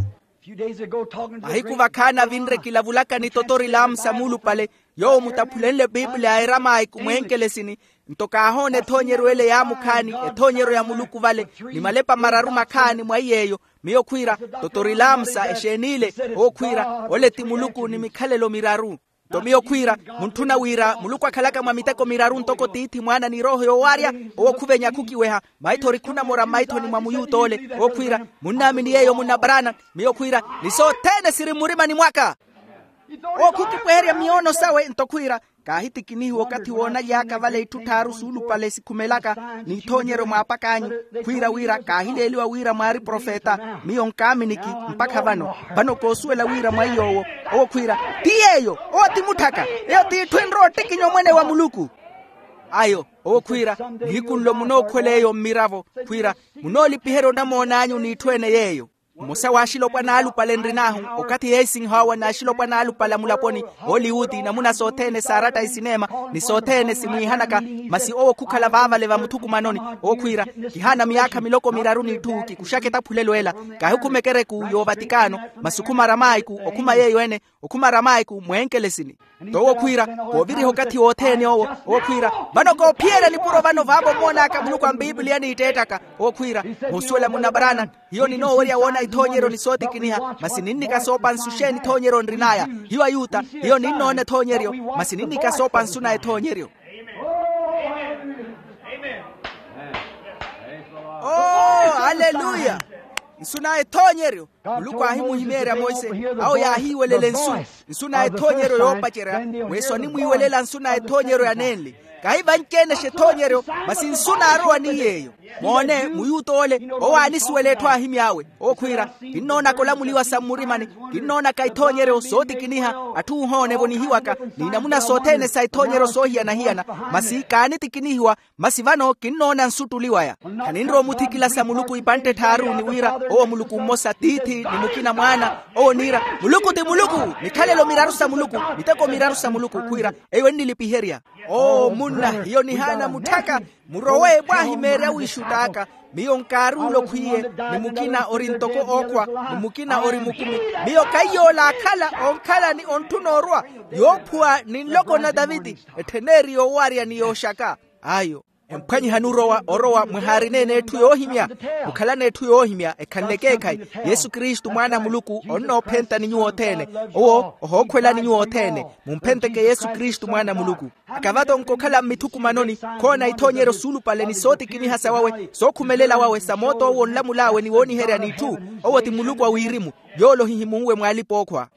Mahiku vakhaani avinre kilavulaka ni totori lamusa muulupale. Yoowo mutaphulenle piipiliya a eramayi kumwenkelesini. Nto kaahoona ethoonyeryo ele yaamukhaani. Ethoonyeryo ya muluku vale ni malepa mararu makhaani mwa iy'eyo. Miyo khwiira totori lamusa exeen'ile. Owo khwiira ole ti muluku ni mikhalelo miraru. Nto miyo khwiira muntthuna wira muluku akhalaka mwa miteko miraru ntoko tiithi mwaana ni erooho yoowaarya. Owo khuvenya khukiweha maitho ori khunamora mmaithoni mwa muyuta ole. Owo khwiira munnaamini yeeyo munna brana. Miyo khwiira ni sothene siri mmurimani mwaka. Owo khukipweherya miyoono sawe nto khwiira, kaahitikinihiwa okathi woonaly'aka vale itthu tthaaru suulupale sikhumelaka n'ithoonyeryo mwaapak'anyu, khwiira wira kaahileeliwa wira mwaari profeta. Miyo nkaaminiki mpakha vano. Vano koosuwela wira mwa iy'owo. Owo khwiira, ti yeeyo. Owo ti mutthaka. Eyo t'itthu enrowa ottikinya omwene wa muluku. Ayo, owo khwiira, nihiku nlo munookhuwela eyo mmiravo. Khwiira, munoolipiherya onamoon'anyu n'itthu ene yeeyo. Mmosa w'axilopwana alupale nrin'ahu, okathi yeesinh'awa n'axilopwana alupale a mulaponi, hollywood, namuna sothene saaratta isineema, ni sothene simwiihanaka. Masi owo khukhala vaavale vamuthukumanoni. Owo khwiira, kihaana myaakha miloko miraru n'itthu kikuxaka etaphulelo ela. Kaahikhuma ekereku y'ovatikano, masi okhuma aramaayiku, okhuma yeeyo ene, okhuma aramaayiku mweenkelesini. Nto owo khwiira, kooviriha okathi wothene owo. Owo khwiira, vano koophiyerya nipuro vano vaavo mmoon'aka muluku a mpiipiliya niitteettaka. Owo khwiira, moosuwela munna branham, hiyo ninoowerya woona ithoonyeryo ni sootikiniha, masi ninnika soopansu xeeni ithoonyeryo nrin'aya? Hiyo ayuta, hiyo ninnoona ethoonyeryo, masi ninnika soopansu na ethoonyeryo. Oo, aleluya. Nsu na ethoonyeryo. Muluku aahimuhimeerya monse, awo yaahiiwelela nsu. Nsu na ethoonyeryo yoopacerya, weeso animwiiwelela nsu na ethoonyeryo ya nenli. Kahi vanci-ene-xa ethoonyeryo, masi nsu naarowa ni yeeyo. Moone muyuta ole, owo aanisuwela etthu aahimy'awe. Owo khwiira, kinnoonaka olamuliwa sa mmurimani. Kinnoonaka ithoonyeryo sootikiniha, atthu oohoona evonihiwaka, n'inamuna sothene sa ithoonyeryo soohiyana-hiyana. Masi kaanitikinihiwa. Masi vano kinnoona nsuttuli waya. Khaninrowa omuthikilasa muluku ipantte tthaaru ni wira, owo muluku mmosa tiithi ni mukina mwaana. Owo niira, muluku ti muluku. Mikhalelo miraru sa muluku, miteko miraru sa muluku khwiira, eyo ennilipiherya. Oo munna, hiyo nihaana mutthaka. Murowe mwaahimeerya wiixutt'aka. Miyo nkaari ole okhwiye, ni mukina ori ntoko ookhwa, ni mukina ori mukumi. Miyo kaiy'ole aakhala onkhala ni ontthuna orwa, yoophuwa ni nloko na taviti, etthen'eri yoowarya ni yooxaka. Ayo. Emphwanyihani orowa orowa mwahaarina-ene etthu yoohimya. Mukhalana etthu yoohimya ekhanle ekeekhayi. Yesu kristu mwaana a muluku onnoophentani nyuwo othene. Owo ohookhwelani nyuwo othene. Mumphenteke yesu kristu mwaana a muluku. Akavatonka okhala mmithukumanoni, khoona ithoonyeryo suulupale ni sootikiniha sa wawe sookhumelela wawe sa moot'owo onlamul'awe ni wooniherya n'itthu. Owo ti muluku a wirimu. Yoole ohihimunwe mw'alipa-ookhwa.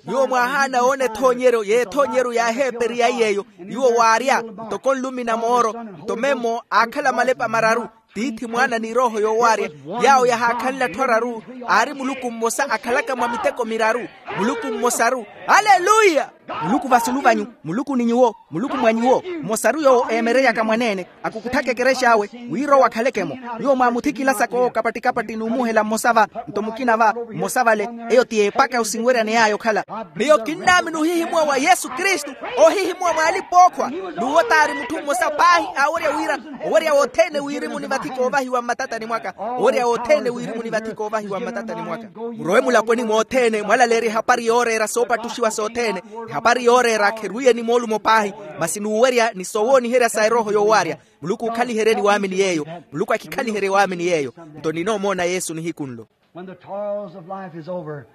Nyuwo mwaahaana woona ethoonyeryo y'ethoonyeryo yaaheeperi yaiy'eyo. Nyuwo waarya ntoko nlumi na mooro, nto memmo aakhala malepa mararu, tiithi mwaana ni erooho yoowaarya. Yaawo yahaakhanle atthu araru, aari muluku mmosa akhalaka mwa miteko miraru. Muluku mmosaru. Aleluya. Muluku vasulu vanyu. Muluku ni nyuwo. Muluku mwa nyuwo. Mmosaru yoowo eemereryaka mwaneene, akukutthaka ekerexa awe, wira owo akhaleke-mo. Nyuwo mwaamuthikilasaka owo kapatti-kapatti n'umuhela mmosa va, nto mukina va, mmosa vale. Eyo ti epaka osinweryane yaya okhala. Miyo kinnaamini ohihimuwa wa yesu kristu, ohihimuwa mw'alipa-ookhwa. N'uwo t'ari mutthu mmosa paahi aawerya wira, owerya wothene wirimu ni vathi koovahiwa mmatatani mwaka. Owerya wothene wirimu ni vathi koovahiwa mmatatani mwaka. Murowe mulaponi mothene mwalaleerya ehapari yooreera soopattuxiwa sothene. Ehapari yooreera kherwiye ni moolumo paahi, masi n'uwerya ni soowooniherya sa erooho yoowaarya. Muluku ookhaliheryeni waamini yeeyo. Muluku akhikhaliheriye waamini yeeyo. Nto ninoomoona yesu nihiku nlo. When the toils of life is over,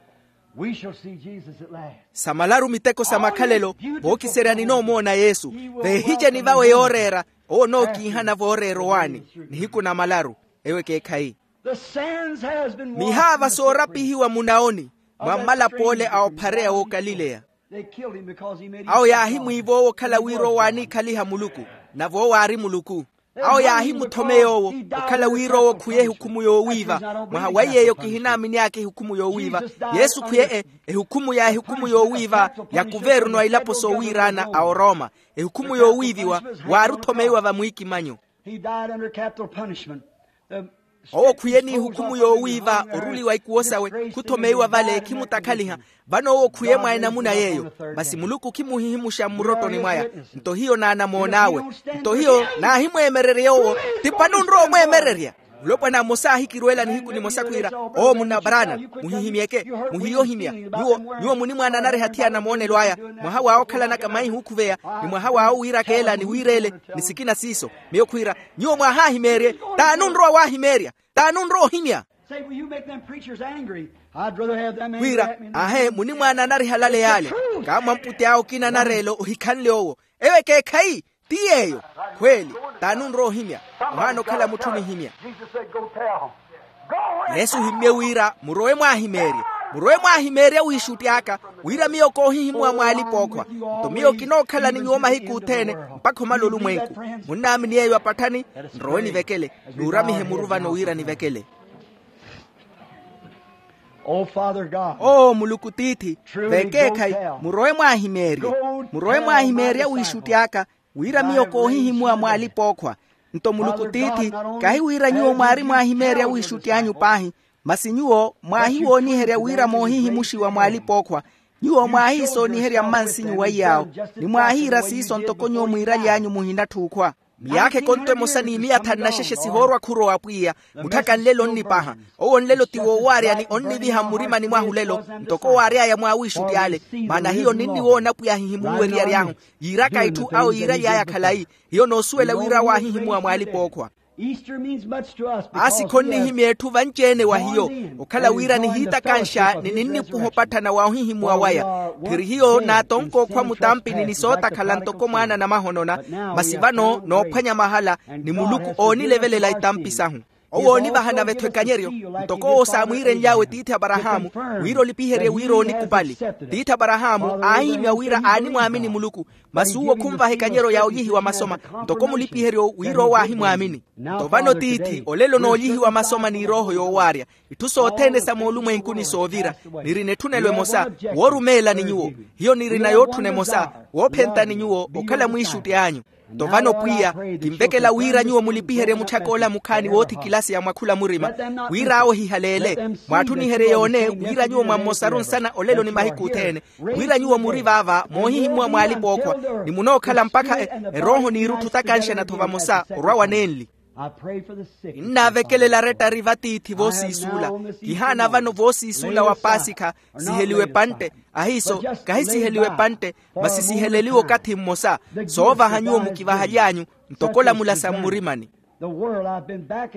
we shall see Jesus at last. Sa malaru miteko sa makhalelo, vookiserya ninoomoona yesu. Veehiceni vawe yooreera. Owo onookiihana vooreera owaani. Nihiku na malaru. Eyo ekeekhayi. The sands has been washed. Mihaava soorapihiwa munaoni, mwa mmalap'ole a ophareya w'okalileya. They killed him because he made himself God. Awo yaahimwiiva owo okhala wira owo aaniikhaliha muluku, nave owo aari muluku. Awo yaahimuthomeya owo okhala wira owo khuye ehukhumu yoowiiva. Mwaha wa iy'eyo kihinaamini aka ehukhumu yoowiiva. Yesu khuye e ehukhumu ya ehukhumu yoowiiva ya kuvernu a ilapo soowiiraana a oroma. Ehukhumu yoowiiviwa waari othomeiwa vamwiikimanyo. He died under capital punishment. Owo khwiye n'ihukhumu yoowiiva oruliwa ikuwo sawe. Khuthomeiwa vale khimutakhaliha. Vano owo khwiye mwa enamuna yeeyo. Masi muluku khimuhihimuxa mmurottoni mwaya. Nto hiyo naanamoon'awe. Nto hiyo naahimweemererya owo. Tipa nunrowa omweemererya. Mulopwana mmosa aahikirweela nihiku nimosa khwiira, oo munna branham, muhihimyeke. Muhiye ohimya. Nyuwo nyuwo munimwaana nareha thi anamoonelo aya. Mwaha w'awo okhalanaka maihi ookhuveya, ni mwaha w'awo wiirakeela ni wiireele, ni sikina siiso. Miyo khwiira, nyuwo mwaahahimeerye. T'ani onrowa waahimeerya? T'ani onrowa ohimya? Khwiira, ahe munimwaana anariha lale yaale. Kaamwamputi awo okina anareela ohikhanle owo. Eyo ekeekhayi. Ti yeeyo. Khweeli. T'ani onrowa ohimya? Ohaana okhala mutthu onihimya. Yesu ohimmye wira murowe mwaahimeerye. Murowe mwaahimeerya wiixutti aka, wira miyo koohihimuwa mw'alipa-ookhwa. Nto miyo kinookhala ni nyuwo mahiku othene, mpakha omala olumwenku. Munnaamini yeeyo apatthani? Nrowe nivekele. Nuuramihe muru vano wira nivekele. Oo muluku tiithi, vekeekhayi, murowe mwaahimeerye. Murowe mwaahimeerye awiixutti aka, wira miyo koohihimuwa mw'alipa-ookhwa. Nto muluku tiithi, kahi wira nyuwo mwaari mwaahimeerye awiixutti anyu paahi, masi nyuwo mwaahiwooniherya wira moohihimuxiwa mw'alipa-ookhwa. Nyuwo mwaahiisooniherya mmansinyu wa iyaawo, ni mwaahiira siiso ntoko nyuwo mwiiraly'anyu muhinatthi okhwa. Miyaakha ekontto emosa n'imiyatha nnaxexe sihoorwa khurowa pwiya. Mutthaka nlelo onnipaha. Owo nlelo ti woowaarya ni onniviha mmurimani mwahu lelo, ntoko waary'aya mw'awiixutti ale. Maana hiyo ninniwoona pwiya ahihimuliwa eriyari ahu, yiiraka itthu awo yiiraly'aya khalayi. Hiyo noosuwela wira awo aahihimuwa mw'alipa-ookhwa. Paasi khonnihimya etthu vanci-ene wa hiyo, okhala wira nihiitakanxa ni ninnipuha opatthana wa ohihimuwa waya. Phiri hiyo naatonka okhwa mutampini ni sootakhala ntoko mwaana namahonona. Masi vano noophwanya mahala, ni muluku oonilevelela itampi sahu. Owo oonivaha nave-tho ekanyeryo, ntoko owo saamwiirenly'awe tiithi aparahaamu, wira olipiherye wira oonikupali. Tiithi aparahaamu aahihimya wira aanimwaamini muluku. Masi uwo khunvaha ekanyeryo ya olyihiwa masoma, ntoko mulipiheryo wira owo aahimwaamini. Nto vano tiithi olelo n'olyihiwa masoma ni erooho yoowaarya. Itthu sothene sa moolumwenkuni soovira. Nirina etthunelo emosa, woorumeela ni nyuwo. Hiyo nirina yootthuna emosa, woophenta ni nyuwo okhala mwiixutti anyu. Nto vano pwiya, kinvekela wira nyuwo mulipiherye mutthak'ola mukhaani woothikilasiya mwa khula murima. Wira awo ehihaleele, mwaatthuniherye yoone wira nyuwo mwammosaru nsana olelo ni mahiku othene. Wira nyuwo muri vaava moohihimuwa mw'alipa-ookhwa, ni munookhala mpakha erooho n'irutthu takanxana-tho vamosa orwa wa nenli. Kinnaavekelela arettari vatiithi voosiisuula. Kihaana vano voosiisuula wa paasikha, siheliwe epantte. Ahiiso, kahi siheliwe epantte, masi siheleliwe okathi mmosa. Soovaha nyuwo mukivahaly'anyu, ntoko olamula sa mmurimani.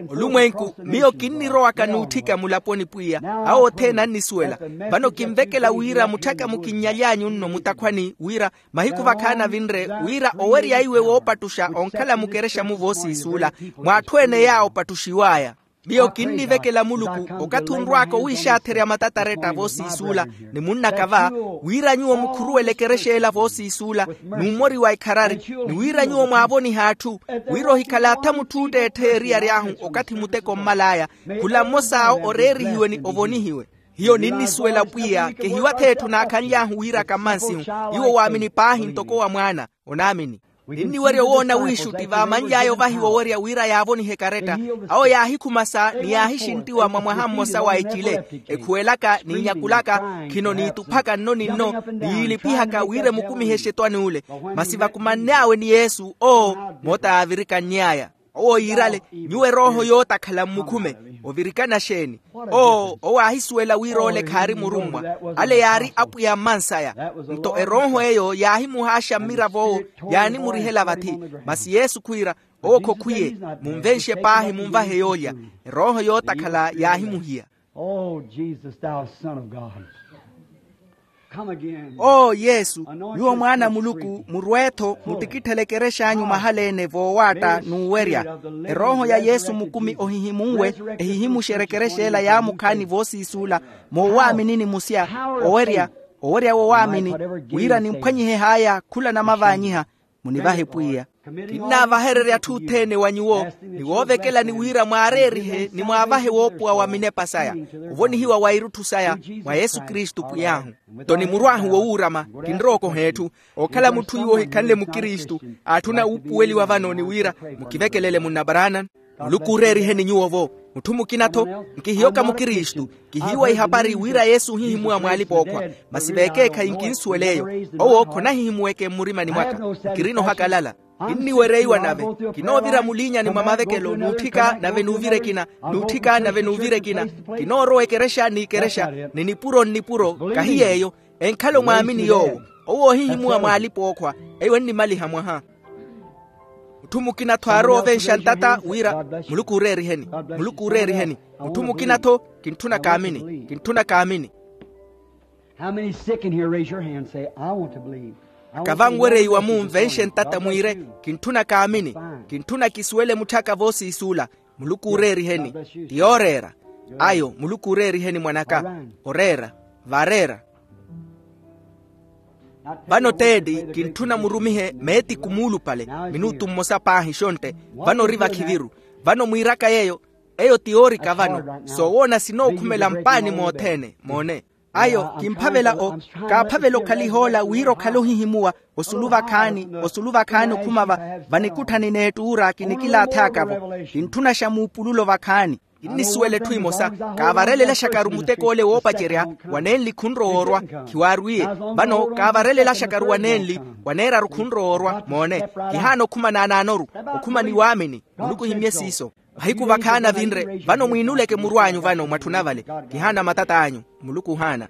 Olumwenku, miyo kinnirowaka n'utthika mulaponi pwiya. Awo othene annisuwela. Vano kinvekela wira mutthaka mukinnyalyanyu nno mutakhwani wira mahiku vakhaani avinre, wira owerya iwe woopattuxa onkhala mukerexa-mu voosiisuula, mw'atthu ene yaawo opattuxiw'aya. Miyo kinnivekela muluku, okathi onrw'aka owiixaatherya matataretta voosiisuula, ni munnaka va, wira nyuwo mukhuruwele ekerexa ela voosiisuula, n'ummori wa ikharari, ni wira nyuwo mwaavonihe atthu, wira ohikhala atha mutthu ootteettheya eriyari ahu okathi muteko ommal'aya, khula mmos'awo oreerihiwe ni ovonihiwe. Hiyo ninnisuwela pwiya kehiwa-tho etthu naakhanly'ahu wiiraka mmansihu. Iwo waamini paahi ntoko wa mwaana. Onaamini. Ninniwerya owoona wiixutti vaamanly'aya ovahiwa owerya wira yaavonihe ekaretta. Awo yaahikhumasa ni yaahixinttiwa mwa mwaha mmosa wa ecile, ekhuwelaka n'inyakulaka, khino niituphaka nno ni nno, ni yiilipihaka wira emukumihe exetwani ule. Masi vakumanny'awe ni yesu owo, moota yaavirikann'aya. Owo yiirale, nyuwo erooho yootakhala mmukhume. Ovirikana xeeni? Oo owo aahisuwela wira ole khaari murummwa. Ale yaari apwiya mmansaya. Nto erooho eyo yaahimuhaaxa mmirav'owo, yaanimurihela vathi. Masi yesu khwiira, owo khokhwiye, munvenxe paahi munvahe yoolya. Erooho yootakhala yaahimuhiya. Oh jesus thou son of god. Oo yesu, nyuwo mwaana a muluku murwe-tho mutikitthele ekerex'anyu mahala-ene voowaatta n'uwerya. Erooho ya yesu mukumi ohihimunwe, ehihimuxerye ekerexa ela yaamukhaani voosiisuula, moowaaminini musya, owerya, owerya wowaamini, wira nimphwanyihe haya khula namavaanyiha. Munivahe pwiya. Kinnaavahererya atthu othene wa nyuwo, ni woovekelani wira mwaareerihe ni mwaavahe woopuwa wa minepa saya, ovonihiwa wa irutthu saya, mwa yesu kristu pwiy'ahu. Nto ni muru ahu wowuurama, kinrowa okoha etthu. Okhala mutthu iwo ohikhanle mukristu, aatthuna wuupuweliwa vano ni wira, mukivekelele munnabaraana. Muluku ooreeriheni nyuwo-vo. Mutthu mukina-tho, nkihiyoka mukristu, kihiiwa ihapari wira yesu ohihimuwa mw'alipa-ookhwa. Masi veekeekhayi nkinsuwel'eyo. Owo khonahihimuweke mmurimani mwaka. Nkirina ohakalala. Kinniwereiwa nave. Kinoovira muliinyani mwa mavekelo n'utthika nave n'uvira ekina, n'utthika nave n'uvira ekina. Kinoorowa ekerexa n'ikerexa, ni nipuro nnipuro. Kahi yeeyo. Enkhala omwaamini yoowo. Owo oohihimuwa mw'alipa-ookhwa. Eyo ennimaliha mwaha. Mutthu mukina-tho aarowa ovenxa ntata wira, muluku ooreeriheni. Muluku ooreeriheni. Mutthu mukina-tho, kintthuna kaamini, kintthuna kaamini. How many sick in here raise your hand and say i want to believe? Akava anwereiwa munvenxe ntata mwiire, kintthuna kaamini. Kintthuna kisuwele mutthaka voosiisuula. Muluku ooreeriheni. Ti yooreera. Ayo muluku ooreeriheni mwan'aka. Oreera. Vareera. Vano teeti kintthuna murumihe meetiku muulupale minutu mmosa paahi xontte. Vano ori vakhiviru. Vano mwiiraka yeeyo. Eyo ti yoorika vano soowoona sinookhumela mpaani moothene moone. Ayo kimphavela o kaaphavela okhalihoola wira okhale ohihimuwa. Osulu vakhaani osulu vakhaani okhuma va vanikutthani n'ettuura kinikilaathaka-vo. Kintthuna xa muupululo vakhaani. Kinnisuwela etthu emosa. Kaavarelelaxakaru mutek'ole woopacerya wa nenli khunrowa orwa. Khiwaarwiye. Vano kaavarelelaxakaru wa nenli wa neeraru khunrowa orwa moone. Kihaana okhuma naanaanoru okhuma ni waamini. Muluku ohimmye siiso. Mahiku vakhaani avinre vano mwiinuleke muru anyu vano mwatthuna vale. Kihaana matat'anyu. Muluku ohaana.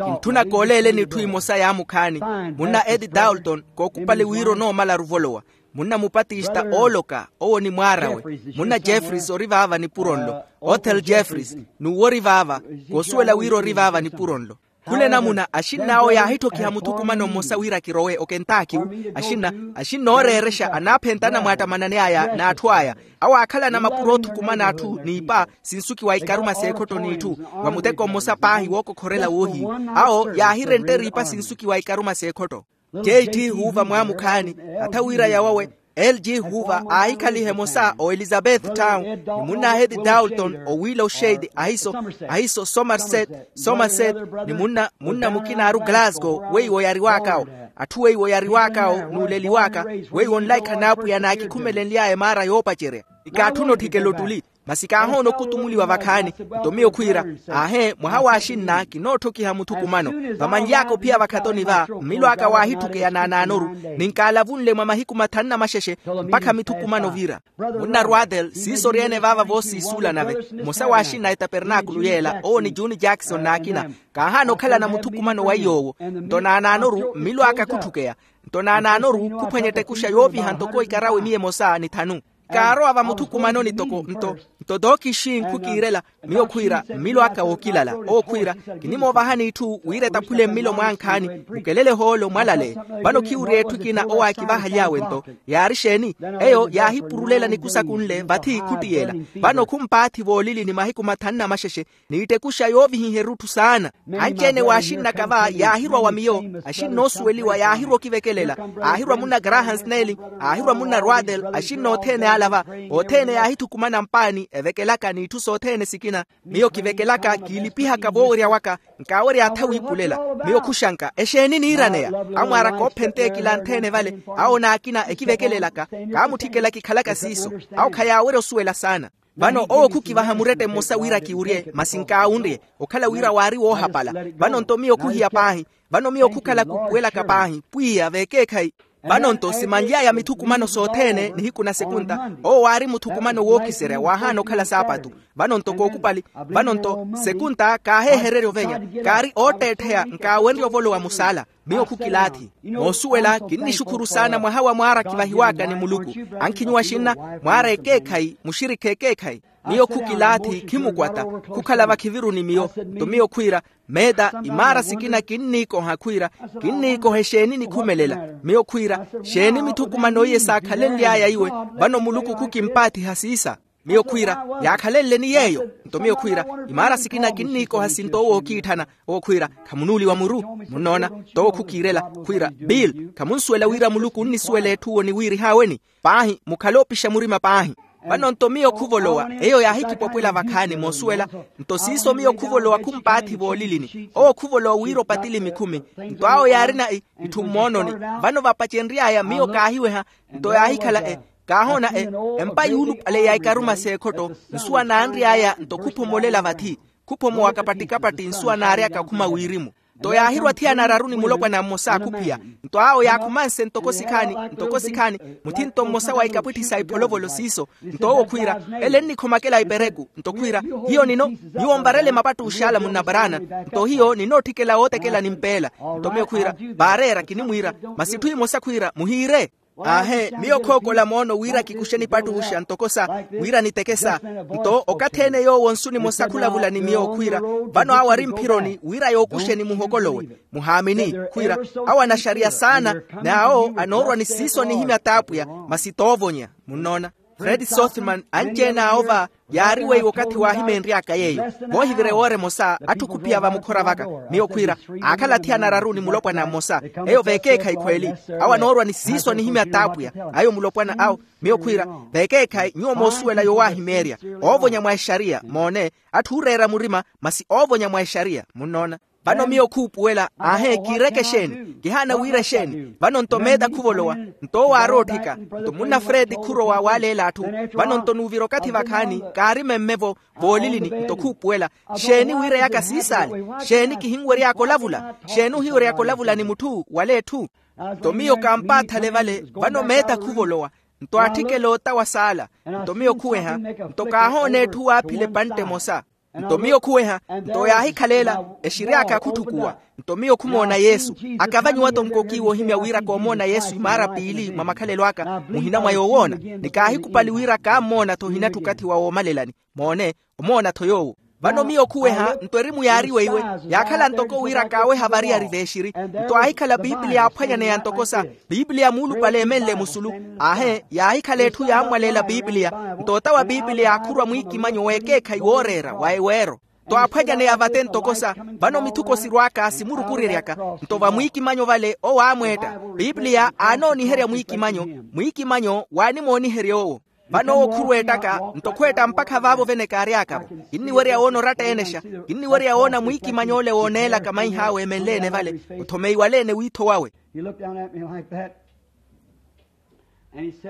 Kintthuna kooleeleni etthu emosa yaamukhaani. Munna edi dalton kookupale wira onoomalaru ovolowa. Munna mupatista ooloka owo ni mwaar'awe. Munna jeffries ori vaava nipuro nlo. Othel jeffries n'uwo ori vaava. Koosuwela wira ori vaava nipuro nlo. Khula enamuna axinn'awo yaahitthokhiha muthukumano mmosa wira kirowe okentaakiwu. Axinna axinna ooreerexa anaaphenta anamwaattamanani aya n'atthu aya. Awo aakhalana mapuro oothukumana atthu n'ipa sinsuki wa ikaruma s'ekhotto n'itthu wa muteko mmosa paahi wookokhorela woohiyu. Awo yaahirentera ipa sinsuki wa ikaruma s'ekhotto. J t huuva mwaamukhaani atha wira yawawe. L g huuva aahikhaliha emosa o elizabeth town ni munna ahedi dalton o willow shade ahiso ahiso somerset somerset ni munna munna mukina aaru glasgow weiwo yariwaak'awo. Atthu weiwo yariwaak'awo n'uleliwaaka weiwo nlaikha n'apwiya naakikhumelenly'aya emaara yoopacerya. Ikaatthuna otthikela ottuli. Masi kaahoona okutumuliwa vakhaani. Nto miyo khwiira aahe mwaha w'axinna kinootthokiha muthukumano. Vamanly'aka ophiya vakhatoni va mmilo aka waahitthukeyana anaanoru. Ninkaalavunle mwa mahiku mathanu na maxexe mpakha mithukumano ovira. Munna rwatel siiso ori-ene vaava voosiisuula nave. Mmosa w'axinna a etapernaakulu yeela owo ni juni jackson n'akina. Kaahaana okhalana muthukumano wa iy'owo. Nto naanaanoru mmilo aka khutthukeya. Nto naanaanoru khuphwanya ettekuxa yooviha ntoko ikarawe miya emosa ni thanu. Kaarowa vamuthukumanoni toko nto nto tookixi nkhukiirela. Miyo khwiira mmilo aka wookilala owo khwiira kinimoovahani itthu wira etaphule mmilo mwankhaani. Mukelele hoolo mwalale. Vano khiwuriya etthu ekina owo aakivahaly'awe nto yaari exeeni? Eyo yaahipurulela nikusaku nle vathi khuttiyela. Vano khumpaathi voolilini mahiku mathanu na maxexe. N'ittekuxa yoovihiha erutthu saana. Anci-ene w'axinnaka va yaahirwa wa miyo. Axinnoosuweliwa yaahirwa okivekelela. Aahirwa munna graham snelling. Aahirwa munna rwatel axinna othene ala va. Othene yaahithukumana mpaani evekelaka n'itthu sothene sikina. Miyo kivekelaka kiilipihaka voowerya waka. Nkaawerya atha wiipulela. Miyo khuxanka exeeni niiraneya? Amwaaraka oophenteya ekilanthene vale. Awo n'akina ekivekelelaka. Kaamutthikela kikhalaka siiso. Awo khayaawerya osuwela saana. Vano owo khukivaha murette mmosa wira kiwurye masi nkaawunrye. Okhala wira waari woohapala. Vano nto miyo khuhiya paahi. Vano miyo khukhala kupuwelaka paahi pwiya v'ekeekhayi. Vano nto simanly'aya mithukumano sothene nihiku na sekunta. Owo waari muthukumano wookiserya waahaana okhala saapatu. Vano nto kookupali. Vano nto sekunta kaaheehererya ovenya. Kaari ootteettheya nkaawenrye ovolowa musaala. Miyo khukilaathi. Moosuwela kinnixukhuru saana mwaha wa mwaara kivahiwaaka ni muluku. Ankhinyu axinna mwaara ekeekhayi muxirikha ekeekhayi. Miyo khukilaathi khimukwata. Khukhala vakhiviru ni miyo. Nto miyo khwiira meeta imaara sikina kinniikoha khwiira kinniikoha exeeni nikhumelela. Miyo khwiira xeeni mithukumano iye saakhalenly'aya iwe. Vano muluku khukimpaathiha siisa. Miyo khwiira yaakhalenle ni yeeyo. Nto miyo khwiira imaara sikina kinniikoha sinto owo ookiitthana. Owo khwiira khamunuuliwa muru. Munnoona? Nto owo khukiirela khwiira bill khamunsuwela wira muluku onnisuwela etthu owo ni wiirihaweni. Paahi mukhale oopixa murima paahi. Vano nto miyo khuvolowa eyo yaahikipopwela vakhaani moosuwela. Nto siiso miyo khuvolowa khumpaathi voolilini owo khuvolowa wira opatili mikhumi. Nto awo yaarina itthu mmoononi. Vano vapacenry'aya miyo kaahiweha. Nto yaahikhala e kaahoona e empa yuulupale ya ikaruma s'ekhotto. Nsuwa naanry'aya nto khuphomolela vathi. Khuphomowaka patti-kapatti nsuwa naaryaka okhuma wirimu. Nto yaahirwa athiyana araru ni mulopwana mmosa akhuphiya. Nto awo yaakhumanse ntoko sikhaani ntoko sikhaani muthinto mmosa wa ikapwitthi sa ipholovolo siiso. Nto owo khwiira ele ennikhomakela ipereku nto khwiira hiyo nino nyuwo mvarele mapattux'ala munnaparana. Nto hiyo ninootthikela wootekela ni mpeela. Nto miyo khwiira vaareera kinimwiira masi etthu emosa khwiira muhiire. Aahe miyo khookola moono wira kikuxe nipattuxa ntoko sa wira niteke sa. Nto okathi ene yoowo nsu nimosa khulavula ni miyo okhwiira vano awo ari mphironi wira yookuxeni muhokolowe muhaamini. Khwiira awo anaxariya saana n'awo anoorwa ni siiso anihimya t'apwiya masi toovonya. Munnoona? Fred sothman anci-ene awo va yaari weiwo okathi waahimeenry'aka yeeyo. Voohivire woora emosa atthu khuphiya vamukhora vaka miyo khwiira aakhala athiyana araru ni mulopwana mmosa. Eyo veekeekhayi khweeli awo anoorwa ni siiso anihimya t'apwiya ayo mulopwana awo. Miyo khwiira veekeekhayi nyuwo moosuwela yowaahimeerya oovonya mwa exariya moone atthu ooreera murima masi oovonya mwa exariya munnoona. Vano miyo khuupuwela aahe kiireke exeeni kihaana wira exeeni vano nto meeta khuvolowa nto owo aaroottheka nto munna fredi khurowa waaleela atthu. Vano nto nuuvira okathi vakhaani kaari memme-vo voolilini nto khuupuwela xeeni wiireyaka siisaale? Xeeni kihinwery'aka olavula? Xeeni ohiwery'aka olavula ni mutthu wala etthu? Nto miyo kaampaathale vale vano meeta khuvolowa nto aatthikela otawa saala. Nto miyo khuweha nto kaahoona etthu waaphila epantte emosa. Nto miyo khuweha nto yaahikhaleela exiri aka khutthukuwa. Nto miyo khumoona yesu akavanyiwa-tho nkokiiwa ohimya wira koomoona yesu imaara piili mwa makhalelo aka muhina mwa yoowoona ni kaahikupali wira kaammoona-tho ohinatthu okathi wa woomalelani. Moone omoona-tho yoowo. Vano miyo khuweha nto erimu yaari weiwe yaakhala ntoko wira kaaweha variyari v'exiri. Nto aahikhala piipiliya aaphwanyaneya ntoko sa piipiliya muulupale eemenle musulu. Aahe yaahikhala etthu yaammwaleela piipiliya nto otawa piipiliya aakhurwa mwiikimanyo w'ekeekhayi wooreera wa eweero. Nto aaphwanyaneya vate ntoko sa vano mithuko sirw'aka simurukureryaka nto vamwiikimanyo vale owo aamweetta piipiliya aanooniherya mwiikimanyo mwiikimanyo waanimooniherya owo. Vano owo khurweettaka nto khweetta mpakha vaavo vene kaary'aka-vo. Kinniwerya woona oratta-ene xa kinniwerya woona mwiikimanyo ole wooneelaka maih'awe eemenle-ene vale othomeiwale-ene wiitho wawe.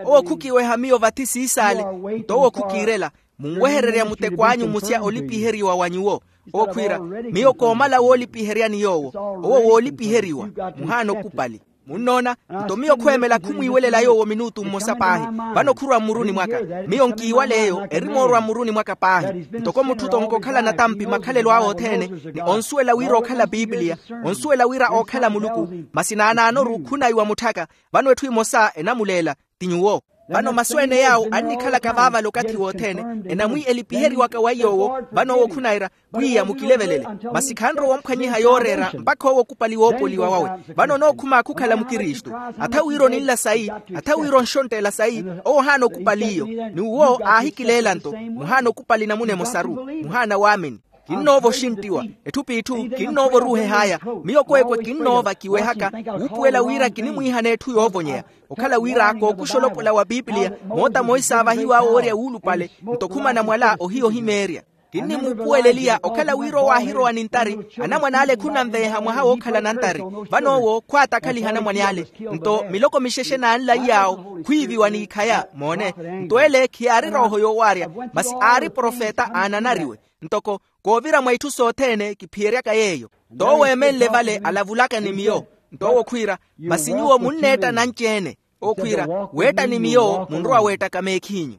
Owo khukiweha miyo vathi siisaale nto owo khukiirela munwehererya muteko anyu musya olipiheriwa wa nyuwo. Owo khwiira miyo koomala woolipiheryani yoowo owo woolipiheriwa muhaana okupali. Munnoona nto miyo khweemela khumwiiwelela yoowo minuutu mmosa paahi. Vano khurwa mmuruni mwaka miyo nkiiwala eyo erimoorwa mmuruni mwaka paahi ntoko mutthu tonkokhala natampi makhalelo awe othene ni onsuwela wira okhala piipiliya onsuwela wira ookhala muluku masi naanaanoru khunaiwa mutthaka. Vano etthu emosa enamuleela ti nyuwo. Vano masu ene yaawo annikhalaka vaavale okathi wothene enamwi elipiheriwaka wa iy'owo vano owo khunaira pwiya mukilevelele masi khanrowa omphwanyiha yooreera mpakha owo okupali woopoliwa wawe. Vano onookhuma khukhala mukristu atha wira oninla sayi atha wira onxontteela sayi owo ohaana okupali iyo n'uwo aahikileela nto muhaana okupali namuna emosaru muhaana waamini. Kinnoova oxinttiwa etthu p'itthu kinnoova oruuheh'aya miyo kweekwe kinnoova kiwehaka wuupuwela wira kinimwiihana etthu yoovonyeya okhala wira kookuxa olopola wa pipiliya moota moisa aawahiw'awe owerya wuulupale nto khumana mwala ohiya ohimeerya. Kinnimuupuwela eliya okhala wira owo aahirowa ni ntari anamwane ale khunanveeha mwaha wookhala na ntari vano owo khwaatakhaliha anamwane ale nto miloko mixexe naanlaiy'awo khwiiviwa n'ikhaya moone nto ele khiyaari rooho yoowaarya masi aari profeta aananariwe ntoko koovira mwa itthu sothene kiphiyeryaka yeeyo. Nto owo eemenle vale alavulaka ni miyo nto owo khwiira masi nyuwo munneetta nanci-ene owo khwiira weetta ni miyo munrowa weettaka meekhinyu.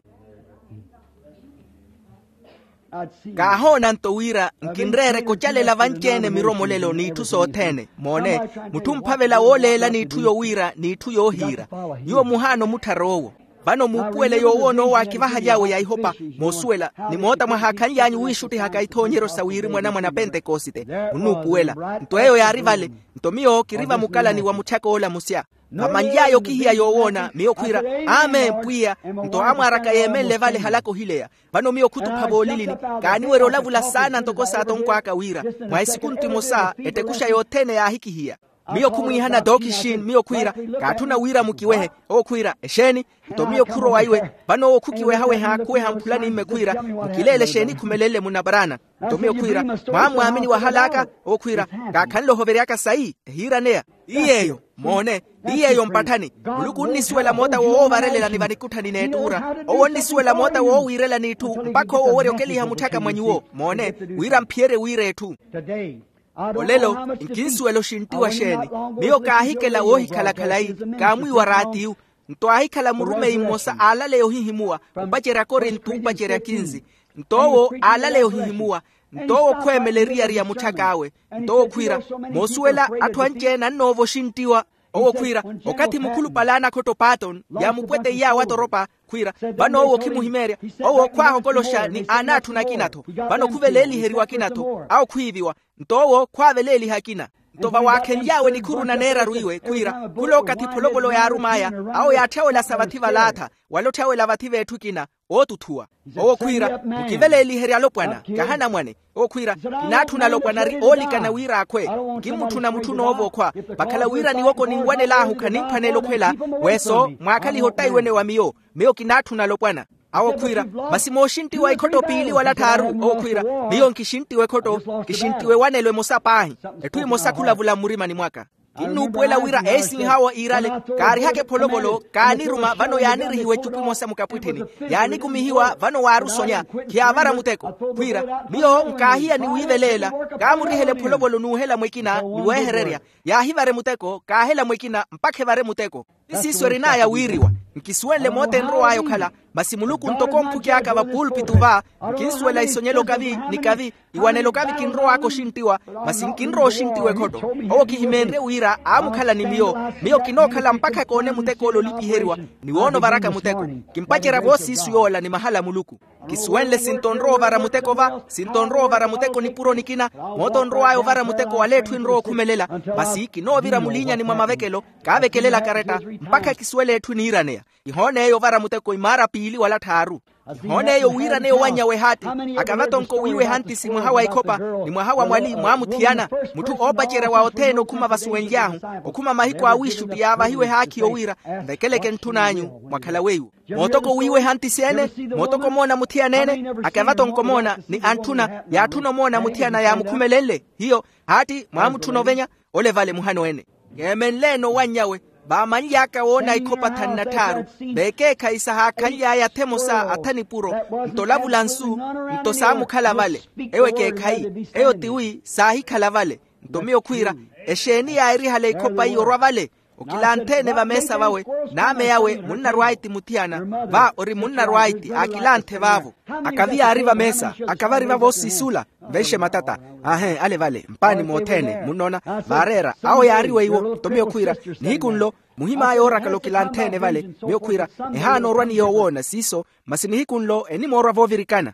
Kaahoona nto wira nkinreereke ocalela vanci-ene miromolelo n'itthu sothene moone mutthu omphavela wooleela n'itthu yowiira n'itthu yoohiira nyuwo muhaana omutthara owo. Vano muupuwele yoowoona owo aakivahaly'awe ya ihopa moosuwela ni moota mwahaakhanly'anyu wiixuttihaka ithoonyeryo sa wirimu anamwane a pentekosite munnuupuwela nto eyo yaari vale. Nto miyo kiri vamukalani wa mutthaka ola musya vamanly'aya okihiya yoowoona miyo khwiira amen pwiya. Nto amwaaraka yeemenle vale halaka ohileya vano miyo khutupha voolilini kaaniwerya olavula saana ntoko saatonkw'aka wira mwa esikuntu imosa ettekuxa yothene yaahikihiya. Miyo khumwiihana dookixini miyo khwiira kaatthuna wira mukiwehe owo khwiira exeeni? Nto miyo khurowa iwe vano owo khukiwehaweha khuweha mphulanimme khwiira mukileele exeeni khumelenle munaparaana. Nto miyo khwiira mwammwaamini wahal'aka owo khwiira kaakhanle ohoveryaka sayi ehiiraneya. Iyeeyo moone iyeeyo mpatthani muluku onnisuwela moota woowovarelelani vanikutthani n'ettuura owo onnisuwela moota woowiirelani itthu mpakha owo owerya okeliha mutthaka mwa nyuwo moone wira mphiyerye wiira etthu. Olelo nkinsuwela oxinttiwa xeeni miyo kaahikela woohikhala khalayi kaamwiiwa raatiyu. Nto aahikhala murumeyi mmosa aalaleya ohihimuwa opacerya akorinto opacerya kinsi. Nto owo aalaleya ohihimuwa nto owo khweemela eriyari ya mutthak'awe nto owo khwiira moosuwela atthu anci-ene annoova oxinttiwa. Owo khwiira okathi mukhulupale aanakhotto patton yaamupweteiye awo atoropa khwiira vano owo okhimuhimeerya owo khwaahokoloxa ni aanaatthuna akina-tho vano khuveleeliheriwa akina-tho awo khwiiviwa. Nto owo khwaaveleeliha akina Nto vawaakhenly'awe nikhuru na neeraru iwe khwiira khula okathi epholovolo yaarum'aya, awo yaatthyawelasya vathi valaatha, wala otthyawelasya vathi v'etthu ekina, ootuthuwa. Owo khwiira, mukiveleeliherye alopwana, kahanamwane. Owo khwiira, kinaatthuna alopwana ari oolikana wira akhwe. Nkimmutthuna mutthu noova okhwa, vakhala wira niwoko ninwanel'ahu khanimphwaneela okhwela. Weso mwaakhalihe ottaiwene wa miyo. Miyo kinaatthuna alopwana. Awo khwiira, masi mooxinttiwa ekhotto piili wala tthaaru. Owo khwiira, miyo nkixinttiwa ekhotto, kixinttiwa ewanelo emosa paahi. Etthu emosa khulavula mmurimani mwaka. Kinnuupuwela wira eisinhawo iirale, kaarihaka epholovolo kaaniruma vano yaanirihiwa ecupu emosa mukapwittheni. Yaanikumihiwa vano waarusonya, khiyaavara muteko. Khwiira, miyo nkaahiya ni wiiveleela. Kaamurihela epholovolo n'uhela mwekina ni weehererya. Yaahivare muteko kaahela mwekina mpakha evare muteko. Ti siiso erin'aya wiiriwa. Nkisuwenle moota enrow'aya okhala, masi muluku ntoko omphuky'aka vapulpitu va, nkinsuwela isonyela okavi ni kavi, iwanela okavi kinrow'aka oxinttiwa, masi nkinrowa oxinttiwa ekhotto. Owo kihimeenrye wira aamukhala ni miyo. Miyo kinookhala mpakha koone muteko ole olipiheriwa, ni woona ovaraka muteko. Kimpacerya voosiisu yoola ni mahala a muluku. Kisuwenle sinto onrowa ovara muteko va, sinto onrowa ovara muteko nipuro nikina. Moota onrow'aya ovara muteko wala etthu enrowa okhumelela. Masi kinoovira muliinyani mwa mavekelo, kaavekelela karetta, mpakha kisuwele etthu eniiraneya. Kihoon'eyo ovara muteko imaara piili wala tthaaru. Kihoon'eyo wiiraneya owanny'awe ehaati. Akavatonko wiiwa ehantisi mwaha wa ekhoppa, ni mwaha wa mwali mwaamuthiyana. Mutthu oopacerya wa othene okhuma vasuwenly'ahu, okhuma mahiku a wiixutti yaavahiwa ehaakhi yowiira, nvekeleke ntthun'anyu, mwakhala weiwo. Mootoko wiiwa ehantisi ene, mootoko moona muthiyana ene. Akavatonko moona ni antthuna yaatthuna omoona muthiyana yaamukhumelenle. Hiyo, haatti mwaamutthuna ovenya. Ole vale muhano ene. Keemenleene owanny'awe, vaamanly'aka woona ikhoppa thanu na tthaaru, veekeekhayi sahaakhanly'aya atha emosa atha nipuro, nto olavula nsu, nto saamukhala vale. Ewo ekeekhayi, eyo tiwi saahikhala vale. Nto miyo khwiira, exeeni yaahirihale ikhoppa iyo orwa vale? Okilanthe-ene vameesa vawe, n'ame yawe munnarwaiti muthiyana, va ori munnarwaiti aakilanthe vaavo. Akavi yaari vameesa, akavari vavo siisula. Nvenxe matata. Ahe, ale vale mpaani mothene munnoona, vaareera awo yaari weiwo. Nto miyo khwiira, nihiku nlo muhim'aya oorakala okilanthe-ene vale. Miyo khwiira, ehaana orwa ni yoowoona siiso, masi nihiku nlo enimoorwa voovirikana.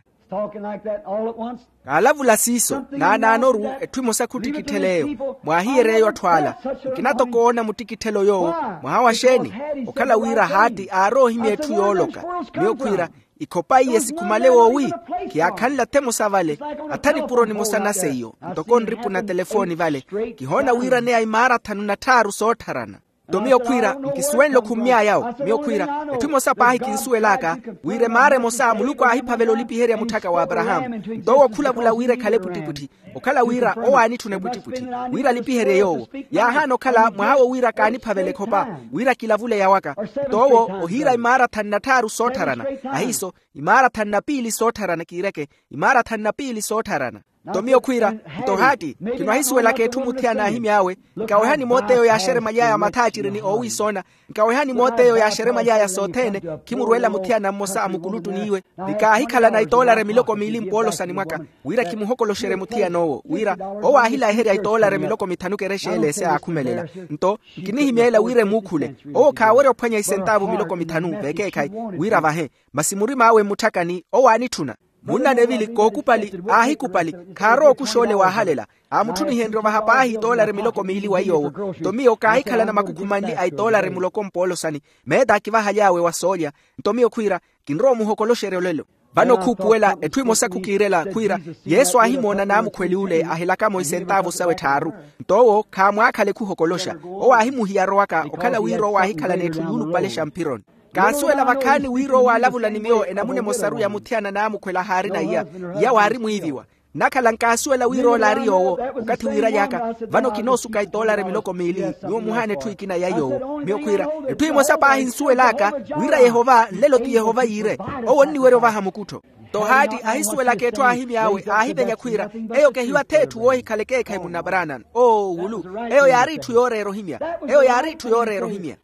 Kaalavula siiso naanaanoru, etthu emosa khuttikitthela eyo. Mwaahiyerya eyo atthu ala. Nkina toko oona muttikitthelo yoowo. Mwaha wa xeeni? Okhala wira haatti aari ohimya etthu yooloka. Miyo khwiira, ikhopaiye sikhumale woowi? Khiyaakhanle atha emosa vale, atha nipuro nimosa na seiyo. Ntoko nripu na telefooni vale, kihoona wiiraneya imaara thanu na tthaaru soottharana. Nto miyo khwiira, nkisuwenle okhummy'aya awo. Miyo khwiira, etthu emosa paahi kinsuwel'aka, wira emaara emosa muluku aahiphavela olipiherya mutthaka w'aparahaamu. Nto owo khulavula wira ekhale epwittipwitthi, okhala wira owo aanitthuna epwittipwitthi, wira alipiherye yoowo. Yaahaana okhala mwaha wo wira kaaniphavela ekhopa, wira kilavule yawaka. Nto owo ohiira imaara thanu na tthaaru soottharana. Ahiiso, imaara thanu na piili soottharana kiireke, imaara thanu na piili soottharana. Nto miyo khwiira, nto haatti, khino ahisuwelaka etthu muthiyana aahimy'awe. Nkawehani moot'eyo yaaxeremalyaaya mathaaciri ni oowiisoona. Nkawehani moot'eyo yaaxeremalyaaya sothene. Khimurweela muthiyana mmosa a mukuluttuni iwe, ni kaahikhalana itoolari miloko miili mpoolosani mwaka, wira kimuhokoloxerye muthiyan'owo wira owo aahilayiherya itoolari miloko mithanu kerexa ele ese aakhumelela. Nto nkinihimyeela wira emuukhule. Owo khaawerya ophwanya isentaavu miloko mithanu veekeekhayi, wira avahe. Masi murim'awe mmutthakani owo aanitthuna. Munna nevili kookupali aahikupali, khaarowa okuxa ole waahalela. Aamutthunihenrye ovaha paahi itoolari miloko miili wa iy'owo. Nto miyo kaahikhalana makhukhumanli a itoolari muloko mpoolosani, meeta akivahaly'awe wa soolya. Nto miyo khwiira, kinrowa omuhokoloxerya olelo. Vano khuupuwela etthu emosa khukiirela khwiira, yesu aahimoona naamukhweli ole ahelakamo isentaavu sawe tthaaru. Nto owo khaamwaakhale khuhokoloxa. Owo aahimuhiya arowaka okhala wira owo aahikhalana etthu yuulupalexa mphironi. Kaansuwela vakhaani wira owo aalavula ni miyo enamuna emosaru ya muthiyana naamukhwela ahaarina iya. Iya waari mwiiviwa. Nnakhala nkaasuwela wira ole aari yoowo. Okathi wiiraly'aka, vano kinoosuka itoolari miloko miili. Nyuwo muhaana etthu ekina ya yoowo. Miyo khwiira, etthu emosa paahi nsuwel'aka, wira yehova nlelo ti yehova yiire. Owo onniwerya ovaha mukuttho. Nto haatti ahisuwelaka etthu aahimy'awe aahivenya khwiira, eyo kehiwa ath'etthu woohikhala ekeekhayi munna branham. Oo wulu. Eyo yaari itthu yooreera ohimya. Eyo yaari itthu yooreera ohimya.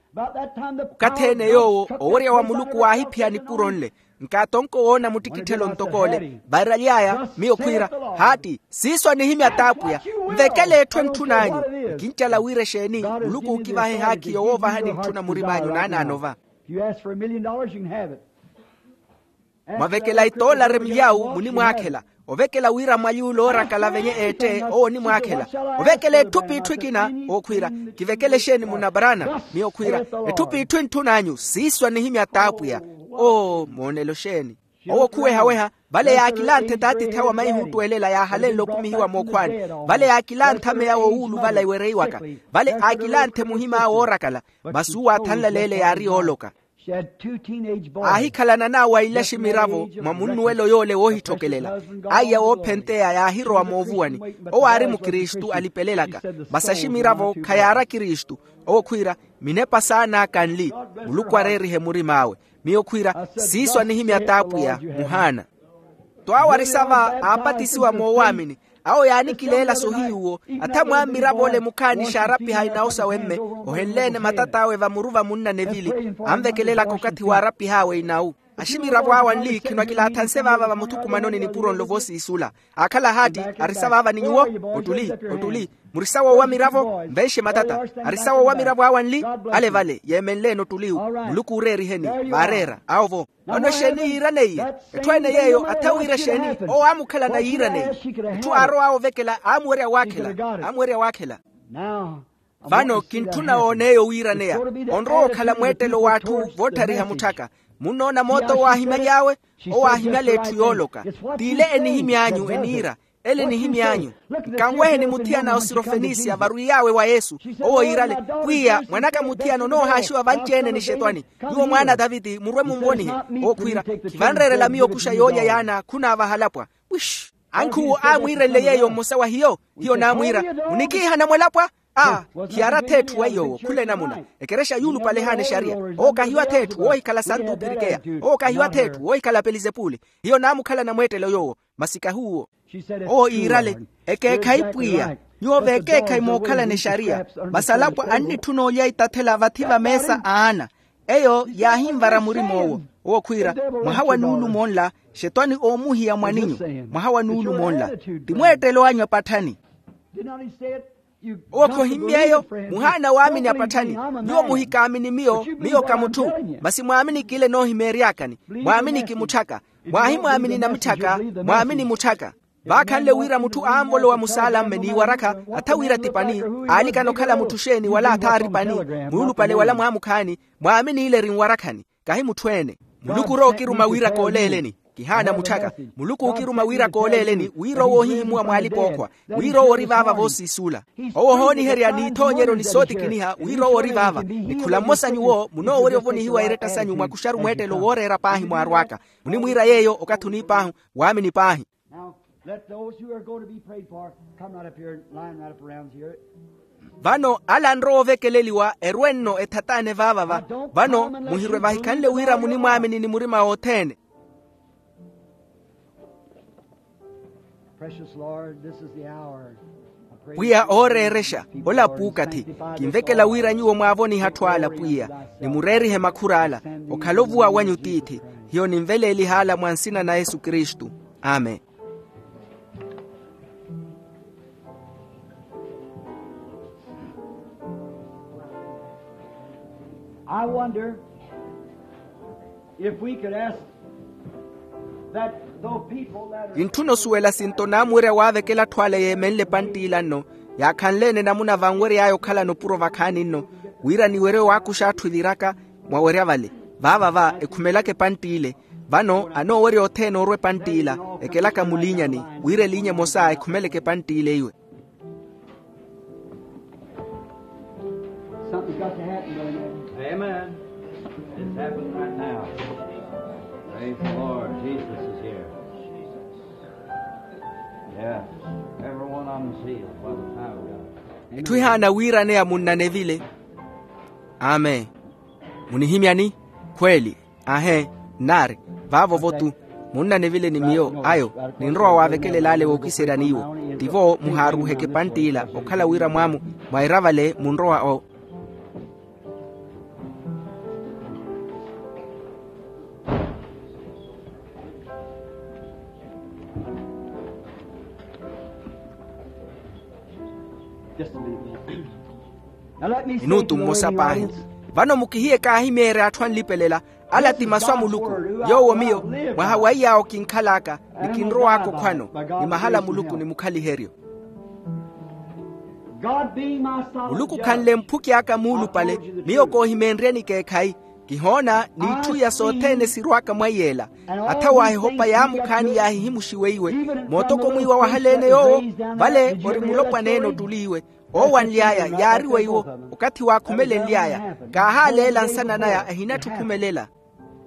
Okathi-ene yoowo owerya wa muluku waahiphiya nipuro nle. Nkaatonko woona muttikitthelo ntok'ole vairaly'aya. Miyo khwiira, haatti, siiso anihimya t'apwiya. Nvekele etthu entthun'anyu. Nkincala wira exeeni? Muluku ookivaha ehaakhi yowoovahani ntthuna murim'anyu naanaano va. Mwavekela itoolare milyawu munimwaakhela. Ovekela wira mwali ule oorakala venye eette owo onimwaakhela. Ovekela etthu p'itthu ekina. Owo khwiira, kivekele exeeni munabaraana? Miyo khwiira, etthu p'itthu entthun'anyu siiso anihimya t'apwiya. Oo moonelo exeeni. Owo khuweha-weha, vale yaakilanthe t'atiithi awe amaihuttwelela yaahalenle okumihiwa mookhwaani. Vale yaakilanthe ameya w'owuuluvala iwereiwaka. Vale aakilanthe muhim'awe oorakala. Masi uwo aathanlaleele yaari yooloka. Aahikhalana n'awo aile aximiravo mwa munnuwelo yoole woohitthokelela. Aiya woophenteya yaahirowa moovuwani. Owo aari mukristu alipelelaka. Masi aximiravo khayaari akristu. Owo khwiira, minepa saan'aka nli. Muluku areerihe murim'awe. Miyo khwiira, siiso anihimya t'apwiya. Muhaana. Twawarisava aapatisiwa moowaamini. Awo yaanikileela sohiyuwo. Atha mwammiravo ole mukhaani xaarapiha inawu sawe mme. Ohenleene matat'awe vamuru va munna nevili. Anvekelelaka okathi waarapih'awe inawu. Aximiravo awe anli khinwakilaathance vaava vamuthukumanoni nipuro nlo voosiisula. Aakhala ahaatti. Arisa vaava ni nyuwo. Ottuli, ottuli. Murisa woowamiravo nvenxe matata. Arisa woowamiravo awe anli. Ale vale yeemenleene ottuli-wu. Muluku uureeriheni. Vaareera awo vo. Vano exeeni yiiraneiye? Etthu ene yeeyo atha wiira exeeni? Owo aamukhalana yiiraneiye. Etthu aarow'awe ovekela aamuwerya waakhela. Aamuwerya waakhela. Vano kintthuna woon'eyo wiiraneya. Onrowa okhala mweettelo w'atthu voottariha mutthaka. Munnoona moota owaahimaly'awe. Owaahimyala etthu yooloka. T'ile enihimy'anyu eniira. Ele enihimy'anyu. Nkanweheni muthiyana osirofenisiya varwiy'awe wa yesu. Owo yiirale, pwiya mwan'aka muthiyana onoohaaxiwa vanci-ene ni xetwani. Nyuwo mwaana a taviti murwe munvonihe. Owo khwiira, khivanreerela miyo okuxa yoolya yaana khunaavaha alapwa. Wish. Ankhuwo aamwiirenle yeeyo mmosa wa hiyo. Hiyo naamwiira, munikiiha namwelapwa. Aa, khiyaari atheetthu wa iy'owo khula enamuna. Ekerexa yuulupale ehaana exariya. Owo kahiyo atheetthu woohikhala santu opirikeya. Owo kahiyo atheetthu woohikhala pelizepule. Hiyo naamukhalana mweettelo yoowo. Masi kahuwo. Owo iirale, ekeekhayi pwiya. Nyuwo veekeekhayi mookhalana exariya. Masi alapwa annitthuna olya itathela vathi vameesa a ana. Eyo yaahinvara murim'owo. Owo khwiira, mwaha wa nuulumo nla. Xetwani oomuhiya mwaninyu. Mwaha wa nuulumo nla. Ti mweettelo anyu apatthani. Owo khohimmy'eyo. Muhaana waamini apatthani. Nyuwo muhikaamini miyo, miyo ka mutthu. Masi mwaamini kile noohimeery'akani. Mwaamini kimutthaka. Mwaahimwaamini namitthaka. Mwaamini mutthaka. Vaakhanle wira mutthu aanvolowa musaalamme n'iwarakha. Atha wira ti pani. Aalikana okhala mutthu xeeni wala atha aari pani. Muulupale wala mwaamukhaani. Mwaamini ile eri nwarakhani. Kahi mutthu-ene. Muluku orowa okiruma wira kooleeleni. Kihaana mutthaka. Muluku ookiruma wira kooleeleni wira owo ohihimuwa mw'alipa ookhwa. Wira owo ori vaava voosiisuula. Owo ohooniherya n'ithoonyeryo ni sootikiniha wira owo ori vaava. Ni khula mmosa nyuwo munoowerya ovonihiwa eretta sanyu mwakuxaru mweettelo wooreera paahi mwaarw'aka. Munimwiira yeeyo okathi oniip'ahu. Waamini paahi. Now, let those who are going to be prayed for come right up here, line right up around here. Vano ala anrowa ovekeleliwa erwe-nno ethataane vaava va. Vano muhirwe vahikhanle wira munimwaamini ni murima wothene. Precious Lord, this is the hour. Pwiya ooreerexa. Ola puukathi. Kinvekela wira nyuwo mwaavonihe atthu ala pwiya, ni mureerihe makhur'ala. Okhala ovuwa wanyu tiithi. Hiyo ninveleeliha ala mwa nsina na yesu kristu. Amen. I wonder if we could ask that the people that are. Kintthuna osuwela sinto naamuwerya waavekela atthu ale yeemenle epantt'ila nno, yaakhanle-ene namuna vanwery'aya okhalana opuro vakhaani nno, wira niwerye owaakuxa atthu eviraka. Mwawerya vale. Vaava va ekhumelaka epantt'ile. Vano anoowerya othene orwa epantt'ila, ekelaka muliinyani, wira eliinya emosa ekhumeleke epantt'ile iwe. Something's got to happen, brother. Amen. It's happening right now. Praise the Lord. Jesus is here. Yes. Everyone on the seal by the power of God. Etthu ehaana wiiraneya munnanevile. Amen. Munihimyani? Khweeli. Ahe. Nnaari. Vaavo-vo tu. Munnanevile ni miyo ayo. Ninrowa waavekelela ale wookiseryani iwo. Tivo muhaaruuheke epantt'ila okhala wira mwamu mwaira vale munrowa o. Minutu mmosa paahi. Vano mukihiye kaahimeerya atthu anlipelela. Ala ti masu a muluku. Yoowo miyo, mwaha wa iyaawo kinkhal'aka, ni kinrow'aka okhwano, ni mahala a muluku ni mukhaliheryo. Muluku khanle mphuki aka muulupale, miyo koohimeenryeni ekeekhayi. Kihoona n'itthu iya sothene sirw'aka mwaiy'ela. Atha w'ahehopa yaamukhaani yaahihimuxiweiwe, mootoko mwiiwa wahaleene yoowo. Vale ori mulopwaneene ottuliiwe, oowanly'aya yaari weiwo. Okathi waakhumelenly'aya, kaahaaleela nsana naya ahinatthukumelela.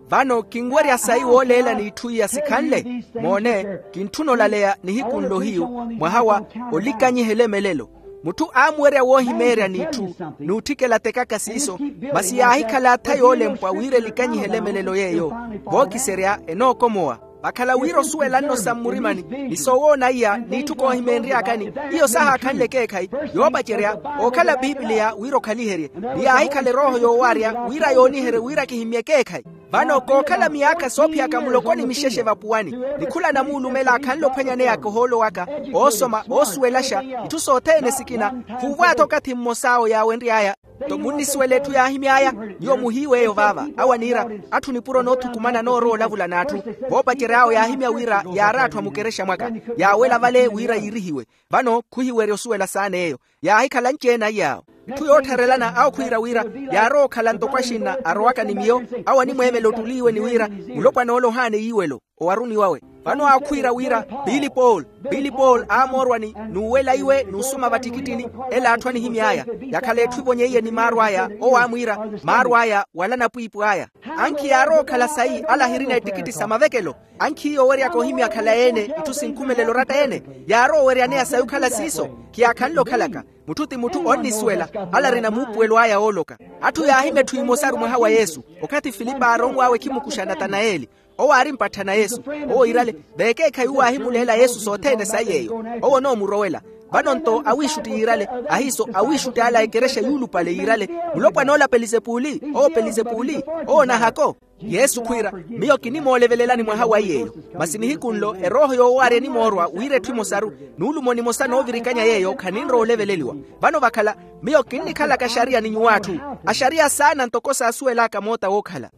Vano kinwerya sayi wooleela n'itthu iya sikhanle. Moone, kintthuna olaleya nihiku nlo hiyu, mwaha wa olikanyihela emelelo. Mutthu aamuwerya woohimeerya n'itthu, n'utthikela tekaka siiso, masi yaahikhala atha yoolempwa wira elikanyihela emelelo yeeyo. Vookiserya enookomowa. Vakhala wira osuwela nno sa mmurimani, ni soowoona iya n'itthu koohimeenry'akani, iyo sahaakhanle ekeekhayi. Yoopacerya, ookhala pipiliya wira okhaliherye. Ni yaahikhala erooho yoowarya wira yooniherye wira kihimmye ekeekhayi. Vano kookhala miyaakha soophiyaka muloko ni mixexe vapuwani, ni khula namuulumela akhanle ophwanyaneyaka ohoolo waka, oosoma oosuwelaxa itthu sothene sikina. Khuuvo atha okathi mmos'awo yaawenry'aya. Nto munnisuwela etthu yaahimy'aya. Nyuwo muhiiw'eyo vaava. Awo aniira, atthu nipuro noothukumana noorowa olavula n'atthu. Voopacery'awo yaahimya wira yaari atthu a mukerexa mwaka, yaawela vale wira yiirihiwe. Vano khuhiwerya osuwela saana eyo. Yaahikhala anci-ene aiy'awo. Itthu yoottharelana awo khwiira wira yaarowa okhala ntoko axinna arowaka ni miyo. Awo animweemela ottuliiwe ni wira, mulopwan'ole ohaana eyiiwelo, owaruni wawe. Vano awo khwiira wira, pili paul, pili paul aamoorwani, n'uwela iwe n'usuma vattikittini. Ela atthu anihimy'aya, yakhala etthu evonyeiye ni maaru aya. Owo aamwiira, maaru aya wala napwiipwi aya. Ankhi yaarowa okhala sayi ala ahirina ettikitti sa mavekelo. Ankhiiya oweryaka ohimya akhala-ene itthu sinkhumelela oratta-ene. Yaarowa oweryaneya sayi okhala siiso. Khiyaakhanle okhalaka. Mutthu ti mutthu onnisuwela. Ala arina muupuwelo aya ooloka. Atthu yaahimya etthu emosaru mwaha wa yesu. Okathi filipe aaronw'awe khimukuxa natanayeli. Owo aari mpatthana yesu. Owo yiirale, veekeekhayi uwo aahimuleela yesu sothene sayi yeeyo. Owo onoomurowela. Vano-nto awiixutti yiirale, ahiiso awiixutti ala a ekerexa yuulupale yiirale, mulopwan'ola pelisepuli. Owo pelisepuli. Owo nahako. Yesu khwiira, miyo kinimoolevelelani mwaha wa iy'eyo. Masi nihiku nlo erooho yoowarya enimoorwa wira etthu emosaru, n'ulumo nimosa noovirikanya yeeyo khaninrowa oleveleliwa. Vano vakhala, miyo kinnikhalaka axariya ni nyuw'atthu, axariya saana ntoko saasuwel'aka moota wookhala.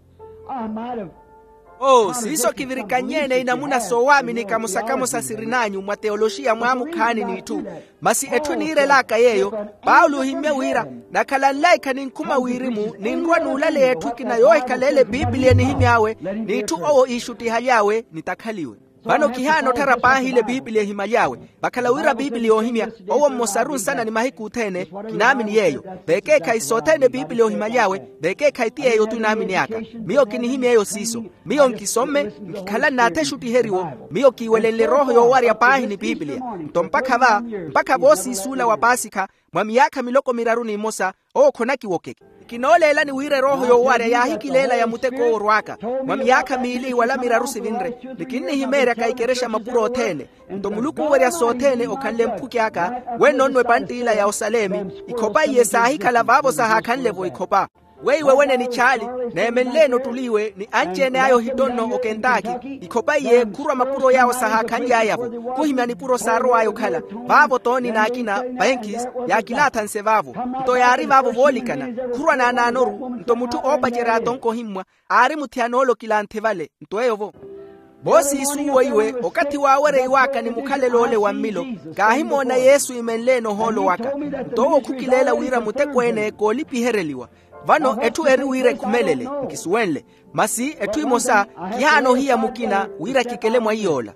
Oo siiso kivirikannye-ene inamuna soowaaminika mosa kamosa sirin'anyu mwa teyoloxiya mwaamukhaani n'itthu. Masi etthu eniirel'aka yeeyo, paulo ohimmye wira, nakhala nlaikha ninkhuma wirimu ninrwa n'ulaleya etthu ekina yoohikhala ele pipiliya enihimy'awe, n'itthu owo iixuttihaly'awe nitakhaliwe. Vano kihaana otthara paahi ile pipiliya ehimaly'awe. Vakhala wira pipiliya oohimya, owo mmosaru nsana ni mahiku othene. Kinaamini yeeyo. Veekeekhayi sothene pipiliya ohimaly'awe, veekeekhayi ti yeeyo-tu inaamini aka. Miyo kinihimya eyo siiso. Miyo nkisomme, nkikhala nnaathexuttiheriwo. Miyo kiiwelenle erooho yoowarya paahi ni pipiliya. Nto mpakha va, mpakha voosiisuula wa paasikha, mwa miyaakha miloko miraru ni mmosa, owo khonakiwokeke. Kinooleelani wira erooho yoowarya yaahikileela ya muteko owo orw'aka, mwa miyaakha miili wala miraru sivinre. Ni kinnihimeeryaka ikerexa mapuro othene. Nto muluku owerya sothene okhanle mphuki aka, wenno-nno epantt'ila ya osalemi. Ikhopa iye saahikhala vaavo sahaakhanle-vo ikhopa. Weiwe wene ni chaali, neemenleene ottuli iwe ni anci-ene aya ohittonno okentaki. Ikhopa iye khurwa mapuro yaawo sahaakhanly'aya-vo. Khuhimya nipuro saarow'aya okhala. Vaavo tooni n'akina, penkis, yaakilaathanse vaavo. Nto yaari vaavo voolikana. Khurwa naanaanoru. Nto mutthu oopacerya atonkohimmwa, aari muthiyanoole okilanthe vale. Nto eyo-vo. Voosiisuuwo iwe okathi waawerya-iw'aka ni mukhalelo ole wa mmilo, kaahimoona yesu imenleene ohoolo waka. Nto owo khukileela wira muteko-ene koolipihereliwa. Vano etthu eri wira ekhumelele. Nkisuwenle. Masi etthu emosa, kihaana ohiya mukina wira kikele mwa iy'ola.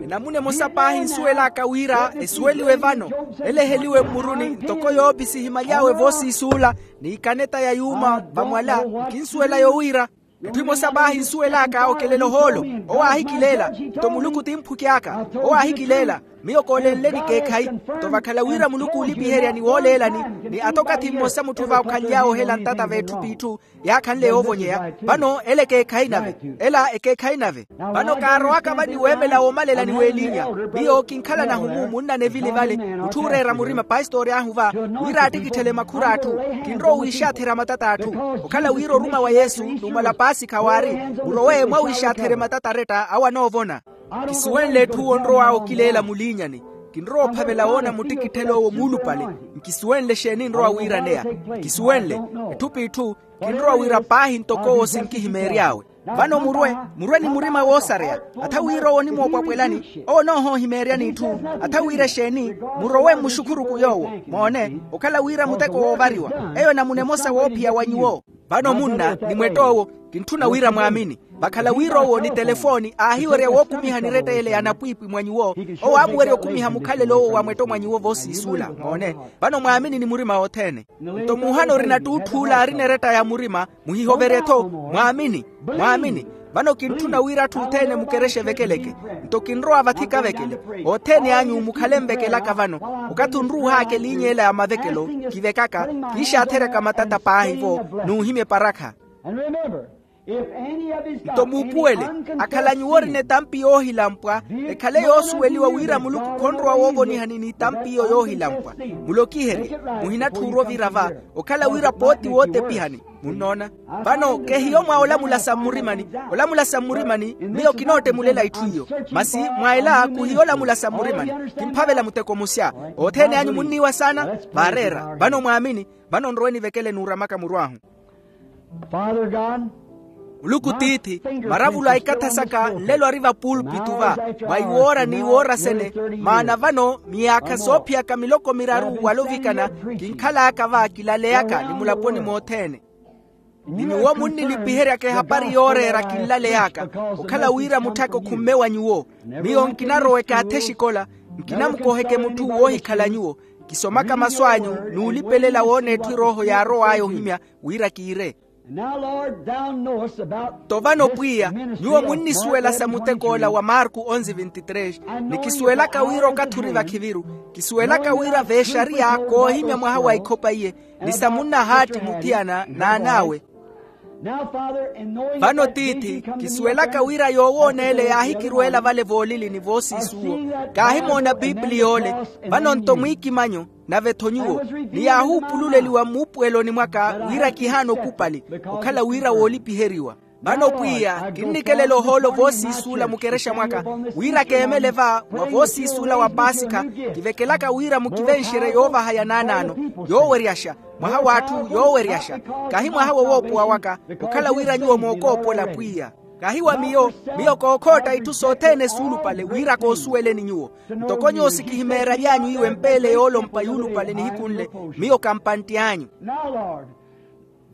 Enamuna emosa paahi nsuwel'aka wira esuweliwe vano, eleheliwe mmuruni ntoko yoopisi ehimaly'awe voosiisuula, n'ikaneta ya yuuma vamwala. Nkinsuwela yowira, etthu emosa paahi nsuwel'aka okelela ohoolo. Owo aahikileela, nto muluku ti mphuki aka. Owo aahikileela, miyo koolenleni ekeekhayi. Nto vakhala wira muluku oolipiherya ni wooleelani, ni ata okathi mmosa mutthu vaakhanly'awe ohela ntata v'etthu p'itthu, yaakhanle yoovonyeya. Vano ela ekeekhayi nave. Ela ekeekhayi nave. Vano kaarowaka vani weemela woomalela ni weelinya. Miyo kinkhala nahumu munna nevili vale, mutthu ooreera murima pastori ahuva, wira aattikitthele makhur'atthu. Kinrowa owiixatherya matat'atthu. Okhala wira oruma wa yesu n'umala paasikha waari, murowe mwawiixatherye matat'aretta awo anoovona. Kisuwenle etthu onrow'awe okileela muliinyani. Kinrowa ophavela woona muttikitthelo owo muulupale. Nkisuwenle exeeni nrowa wiiraneya? Nkisuwenle. Etthu p'itthu. Kinrowa wira paahi ntoko owo sinkihimeery'awe. Vano murwe, murwe ni murima woosareya. Atha wira owo onimoopwapwelani, owo onoohoohimeeryani itthu. Atha wira exeeni? Murowe mmuxukhuruku yoowo. Moone, okhala wira muteko woovariwa. Eyo enamuna emosa woophiya wa nyuwo. Vano munna ni mwettowo, kintthuna wira mwaamini. Vakhala wira owo ni telefooni aahiwerya wookumiha niretta ele ya napwiipwi mwa nyuwo. Owo aamuwerya okumiha mukhalelo owo wa mwetto mwa nyuwo voosiisuula. Moone, vano mwaamini ni murima wothene. Nto muhana orina ttuutthuula aarina eretta ya murima, muhihoverye-tho. Mwaamini. Mwaamini. Vano kintthuna wira atthu othene mukerexe evekeleke. Nto kinrowa vathi kavekele. Othene anyu mukhale nvekelaka vano. Okathi onruuh'aka eliinya ela ya mavekelo, kivekaka, kiixaatheryaka matata paahi-vo, n'uhimya eparakha. Nto muupuwele, akhala nyuwo orina etampi yoohilampwa, ekhale yoosuweliwa wira muluku khonrowa woovonihani n'itampi iyo yoohilampwa. Mulokiherye. Muhinatthi orwa ovira va, okhala wira pooti wootepihani. Munnoona? Vano kehiyo mwa olamula sa mmurimani. Olamula sa mmurimani miyo kinootemulela itthu iyo. Masi mwa ela khuhiyo olamula sa mmurimani. Kimphavela muteko musya. Othene anyu munniiwa saana. Vaareera vano mwaamini. Vano nrowe nivekele n'uramaka murw'ahu. Muluku tiithi, maravulu a ikatha saka nlelo ari vapuulpitu va, mwa iwoora n'iwoora sene. Maana vano miyaakha soophiyaka miloko miraru wala ovikana, kinkhal'aka va kilaleyaka ni mulaponi mothene. Ni nyuwo munnilipiheryaka ehapari yooreera kinlaley'aka. Okhala wira mutthaka okhumme wa nyuwo. Miyo nkinarowa ekaathi exikola, nkinamukoheke mutthu woohikhala nyuwo. Kisomaka masu anyu, n'ulipelela woona etthu erooho yaarow'aya ohimya, wira kiire. Nto vano pwiya, nyuwo munnisuwela sa mutek'ola wa marku onzi vinti tres. Ni kisuwelaka wira okathi ori vakhiviru. Kisuwelaka wira v'exariya koohimya mwaha wa ikhopa iye, ni sa munnahaatti muthiyana n'an'awe. Vano tiithi, kisuwelaka wira yoowoona ele yaahikirweela vale voolilini voosiisuwo. Kaahimoona pipili yoole. Vano nto mwiikimanyo, nave-tho nyuwo, ni yaahuupululeliwa mmuupuweloni mwaka wira kihaana okupali, okhala wira woolipiheriwa. Vano pwiya, kinnikelela ohoolo voosiisuula mukerexa mwaka, wira keemele va mwa voosiisuula wa paasikha. Kivekelaka wira mukivenxerye yoovaha ya naanaano, yooweryaxa, mwaha w'atthu yooweryaxa. Kahi mwaha wowoopowa waka, okhala wira nyuwo mookoopola pwiya. Kahi wa miyo. Miyo kookhootta itthu sothene suulupale wira koosuweleni nyuwo. Ntoko nyuwo sikihimeery'anyu iwe mpeele yoolompa yuulupale nihiku nle, miyo kampantti anyu.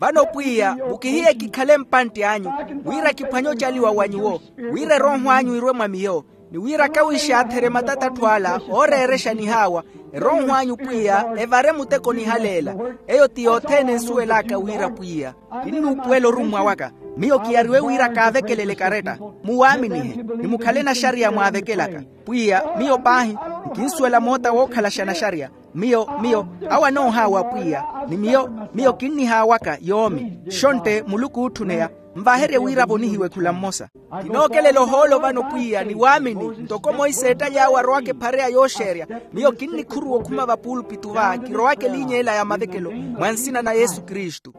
Vano pwiya, mukihiye kikhale mpantti anyu, wira kiphwanye ocaliwa wa nyuwo, wira erooho anyu irwe mwa miyo, ni wira kawixaatherye matata atthu ala ooreerexa nihaawa. Erooho anyu pwiya evare muteko nihaleela. Eyo ti yothene nsuwel'aka wira pwiya. Kinnuupuwela orummwa waka. Miyo kiyariwe wira kaavekelele karetta. Muwaaminihe, ni mukhale naxariya mwaavekelaka. Pwiya, miyo paahi, nkinsuwela moota wookhalaxa naxariya. Miyo, miyo, awo anoohaawa pwiya. Ni miyo, miyo kinnihaawaka yoomi. Xontte muluku ootthuneya, nvaherye wira avonihiwe khula mmosa. Kinookelela ohoolo vano pwiya ni waamini. Ntoko monse eettaly'awe arowaka ephareya yooxeerya, miyo kinnikhuruwa okhuma vapuulpitu va kirowaka eliinya ela ya mavekelo, mwa nsina na yesu kristu.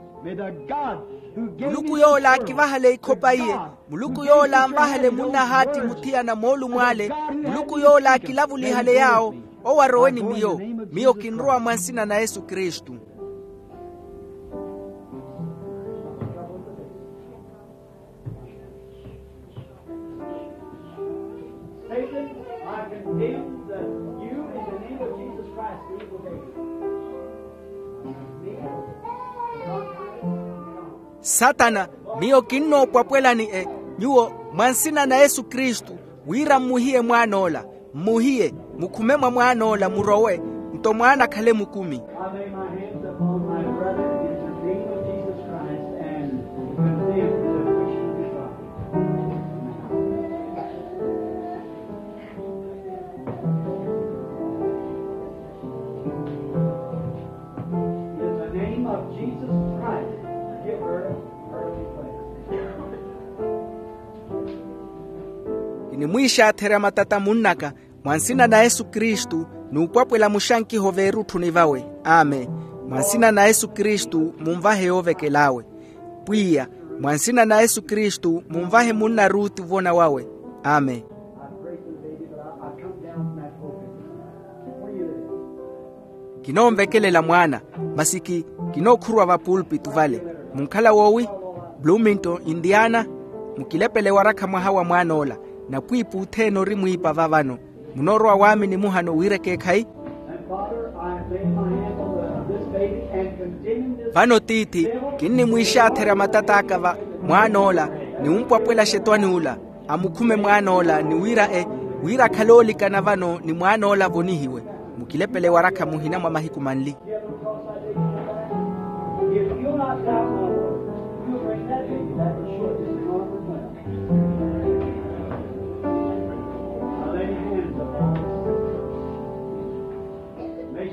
Muluku yoola akivahale ikhopa iye. Muluku yoola anvahale munnahaatti muthiyana moolumo ale. Muluku yoola akilavulihale yaawo. Owo arowe ni miyo. Miyo kinrowa mwa nsina na yesu kristu. Satan, I condemn that you in the name of Jesus Christ, evil David. Satana, miyo kinnoopwapwelani e nyuwo mwa nsina na yesu kristu, wira mmuhiye mwaan'ola. Mmuhiye, mukhume mwa mwaan'ola murowe, nto mwaana akhale mukumi. I lay my hands upon my brother in the name of Jesus Christ and condemn the wicked God. In the name of Jesus Christ, give her her request. Kinimwiixaatherya matata munnaka, mwa nsina na yesu kristu, n'upwapwela muxankiho veerutthuni vawe. Amen. Mwa nsina na yesu kristu munvahe yoovekel'awe. Pwiya, mwa nsina na yesu kristu munvahe munna ruuti ovona wawe. Amen. I prayed for the baby, but I, I come down from that pulpit. Kinoonvekelela mwaana, masi ki kinookhurwa vapulpitu vale. Munkhala woowi? Bloomington, indiana. Mukilepele warakha mwaha wa mwaan'ola, napwiipi othene ori mwiipa va vano. Munoorowa waamini muhano wira ekeekhayi? Vano tiithi, kinnimwiixaatherya matat'aka va mwaan'ola, ni wumpwapwela xetwani ula, amukhume mwaan'ola ni wira e wira akhale oolikana vano ni mwaan'ola avonihiwe. Mukilepele warakha muhina mwa mahiku manli.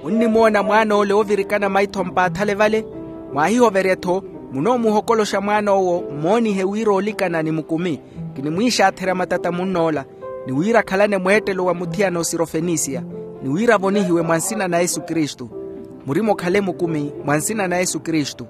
Munnimoona mwaan'ole oovirikana maitho mpaathale vale? Mwaahihoverye-tho. Munoomuhokoloxa mwaan'owo mmoonihe wira oolikana ni mukumi. Kinimwiixaatherya matata munn'ola, ni wira akhalane mweettelo wa muthiyana osirofenisiya, ni wira avonihiwe mwa nsina na yesu kristu. Murima okhale mukumi mwa nsina na yesu kristu.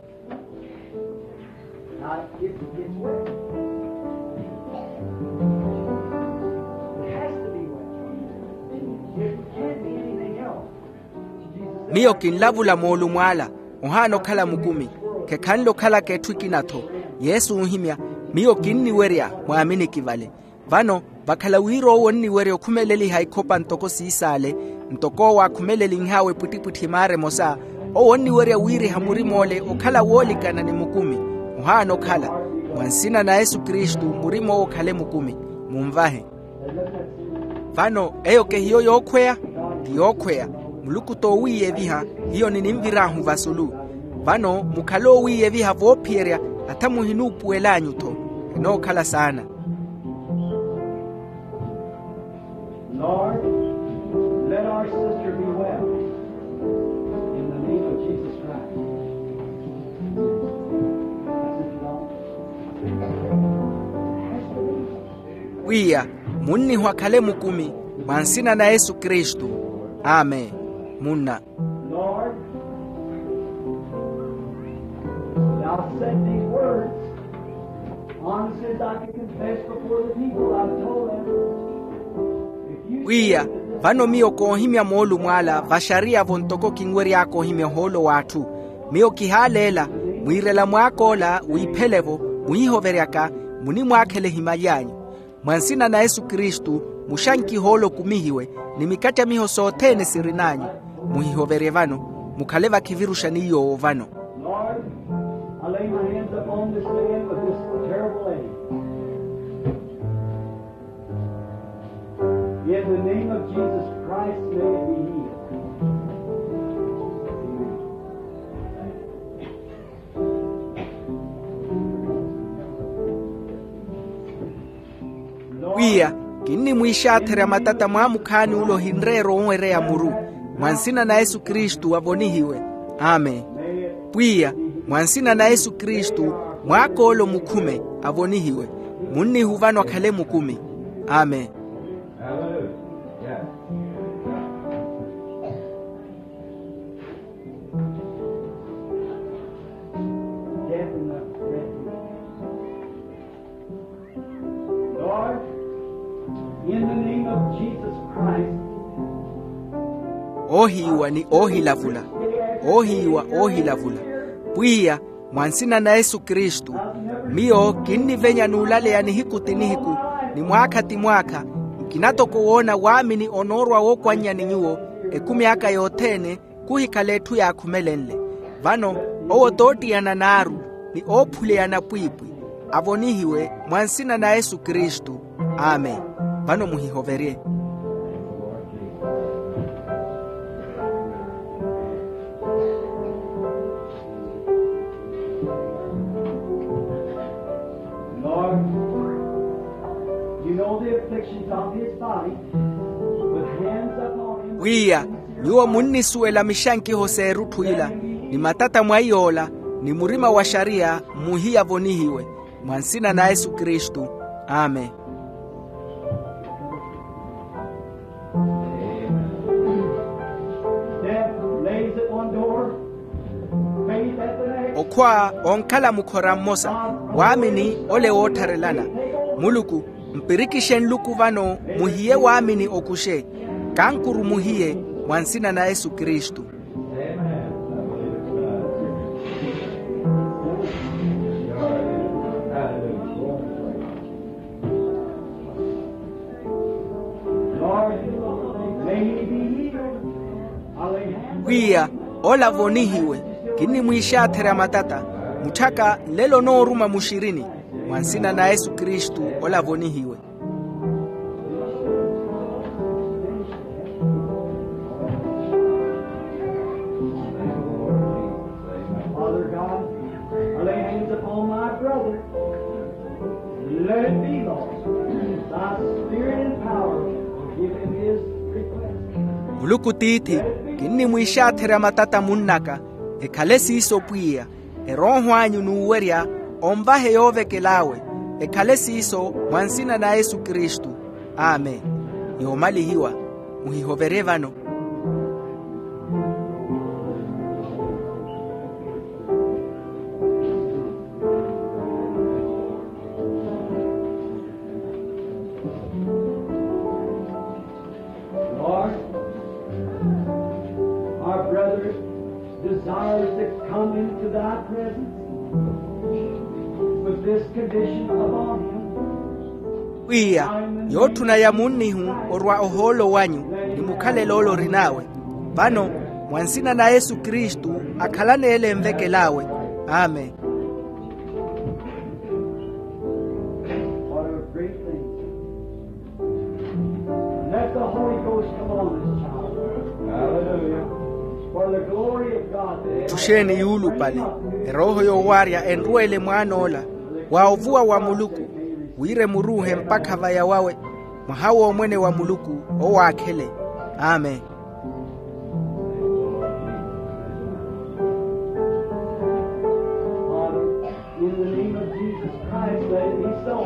Miyo kinlavula moolumo ala, ohaana okhala mukumi. Khekhanle okhalaka etthu ekina-tho. Yesu oohimya, miyo kinniwerya mwaaminiki vale. Vano, vakhala wira owo onniwerya okhumeleliha ikhopa ntoko siisaale, ntoko owo akhumelelinh'awe epwittipwitthi maara emosa, owo onniwerya wiiriha murim'ole okhala woolikana ni mukumi. Ohaana okhala. Mwa nsina na yesu kristu, murim'owo okhale mukumi. Munvahe. Vano eyo kehiyo yookhweya? Ti yookhweya. Muluku t'owiiyeviha. Hiyo nininvir'ahu vasulu. Vano mukhale owiiyeviha voophiyerya, hata muhinuupuwel'anyu-tho. Enookhala saana. Lord, let our sister be well. In the name of Jesus Christ. Pwiya, munniho akhale mukumi, mwa nsina na yesu kristu. Amen. Munna. Lord, thou said these words, honest as I can confess before the people, I've told them. Pwiya, vano miyo koohimya moolumo ala vaxariya-vo ntoko kinwery'aka ohimya ohoolo w'atthu. Miyo kihaaleela, mwiirela mwaak'ola wiiphele-vo, muhihoveryaka, munimwaakhela ehimaly'anyu. Mwa nsina na yesu kristu, muxankihe ole okumihiwe, ni mikattamiho sothene sirin'anyu. Muhihoverye vano. Mukhale vakhiviruxa ni yoowo vano. Lord, I lay my hands upon this man with this terrible ache. In the name of Jesus Christ, may it be healed. Amen. Pwiya, kinnimwiixaatherya matata mwaamukhaani ule ohinreera owereya muru. Mwa nsina na yesu kristu avonihiwe. Amen. Pwiya, mwa nsina na yesu kristu, mwaak'ole omukhume, avonihiwe. Munnihu vano akhale mukumi. Amen. Lord, in the name of Jesus Christ. Oohiiwa ni oohilavula. Oohiiwa oohilavula. Pwiya, mwa nsina na yesu kristu, miyo kinnivenya n'ulaleya nihiku ti nihiku, ni mwaakha ti mwaakha, nkina toko woona waamini onoorwa wookwannya ni nyuwo, ekumi aka yothene, khuhikhala etthu yaakhumelenle. Vano, owo toottiyana naaru, ni oophuleyana pwiipwi, avonihiwe mwa nsina na yesu kristu. Amen. Vano muhihoverye. Lord, you know the afflictions of his body, with hands upon him. Pwiya, nyuwo munnisuwela mixankiho s'erutthu ila, ni matata mwa iy'ola, ni murima wa xariya, muhiya avonihiwe. Mwa nsina na yesu kristu. Amen. Death lays at one door, faith at the next. Okhwa onkhala mukhora mmosa, waamini ole woottharelana. Muluku, mpirikixe nluku vano, muhiye waamini okuxe. Kankuru muhiye, mwa nsina na yesu kristu. Pwiya, ola vonihiwe. Kinnimwiixaatherya matata. Mutthaka nlelo onooruma muxirini. Mwa nsina na yesu kristu, ola vonihiwe. Father God, I lay hands upon my brother. Let it be, Lord, thy spirit and power give him his request. Muluku tiithi, kinnimwiixaatherya matata munnaka. Ekhale siiso pwiya. Erooho anyu n'uwerya onvahe yoovekel'awe. Ekhale siiso, mwa nsina na yesu kristu. Amen. Yoomalihiwa. Muhihoverye vano. Lord, our brother desires to come into thy presence with this condition upon him. Pwiya, yootthuna ya munnihu orwa ohoolo wanyu, ni mukhalelo ole orin'awe. Vano, mwa nsina na yesu kristu, akhalane ele envekel'awe. Amen. What a great thing. Let the Holy Ghost come on this child. Hallelujah. For the glory of God. Ttuxeeni yuulupale, erooho yoowaarya enrweele mwaan'ola, wa ovuwa wa muluku, wira emuruuhe mpakha vaya wawe, mwaha w'omwene wa muluku, owaakhele. Amen. In the name of Jesus Christ, let it be so,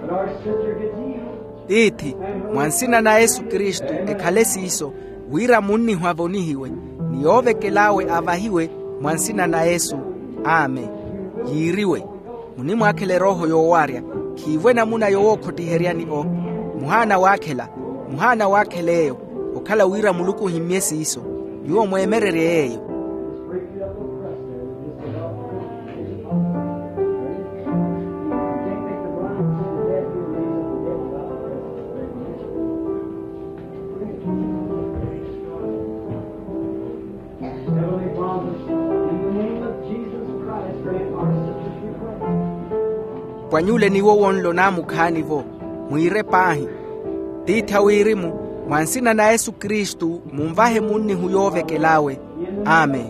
that our sister gets healed. Tiithi, mwa nsina na yesu kristu, ekhale siiso, wira munnihu avonihiwe, ni yoovekel'awe avahiwe, mwa nsina na yesu. Amen. Yiiriwe. Munimwaakhela erooho yoowaarya. Khiivo enamuna yowookhottiheryani o. Muhaana waakhela. Muhaana waakhela eyo. Okhala wira muluku ohimmye siiso. Nyuwo mweemererye yeeyo. Heavenly Father, in the name of Jesus Christ, grant our sister's request. Pwanyule niwo wonlo naamukhaani-vo, mwiire paahi. Tiithi a wirimu, mwa nsina na yesu kristu, munvahe munnihu yoovekel'awe. Amen.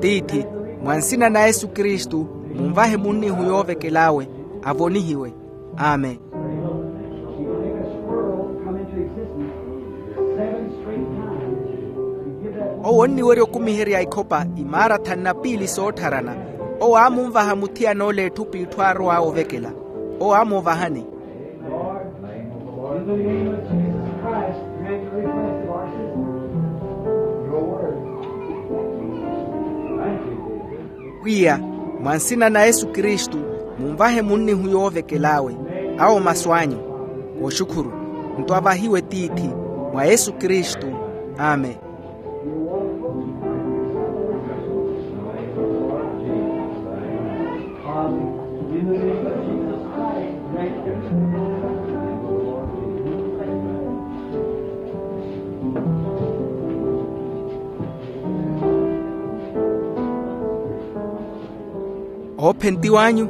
Tiithi, mwa nsina na yesu kristu, munvahe munnihu yoovekel'awe, avonihiwe. Amen. Owo onniwerya okumiherya ikhopa imaara thanu na piili soottharana. Owo aamunvaha muthiyan'ole etthu p'itthu aarow'awe ovekela. Owo aamunvahani. Pwiya, mwa nsina na yesu kristu, munvahe munnihu yoovekel'awe. Awo masu anyu. Wooxukhuru. Nto avahiwe tiithi, mwa yesu kristu. Amen. Oophentiw'anyu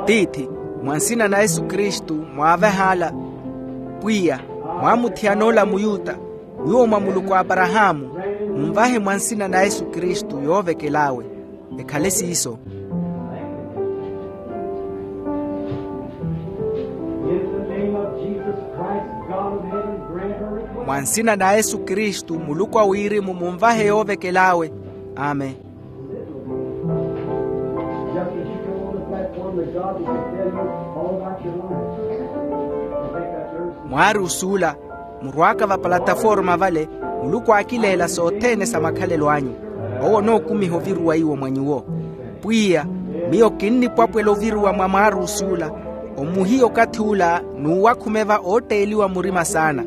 tiithi, mwa nsina na yesu kristu, mwaavehaala. Pwiya, mwaamuthiyan'ola muyuta, nyuwo mwa muluku a aparahaamu, munvahe mwa nsina na yesu kristu yoovekel'awe. Ekhale siiso. Mwa nsina na yesu kristu, muluku a wirimu, munvahe yoovekel'awe. Amen. Mwaari osuula, murw'aka va palataforma vale, muluku aakileela sothene sa makhalelo anyu. Owo onookumiha oviruwa iwo mwa nyuwo. Pwiya, miyo kinnipwapwela oviruwa mwa mwaari osuula, omuhiya okathi ula n'uwakhumeva ootteeliwa murima saana.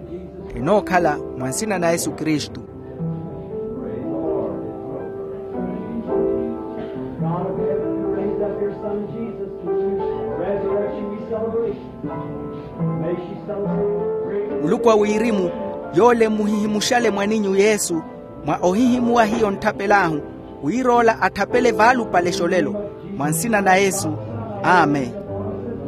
Enookhala mwa nsina na yesu kristu. Muluku a wirimu, yoole muhihimuxale mwaninyu yesu, Mwa ohihimuwa hiyo ntthapel'ahu, wir'ola atthapele vaalupale xolelo. Mwa nsina na yesu. Amen.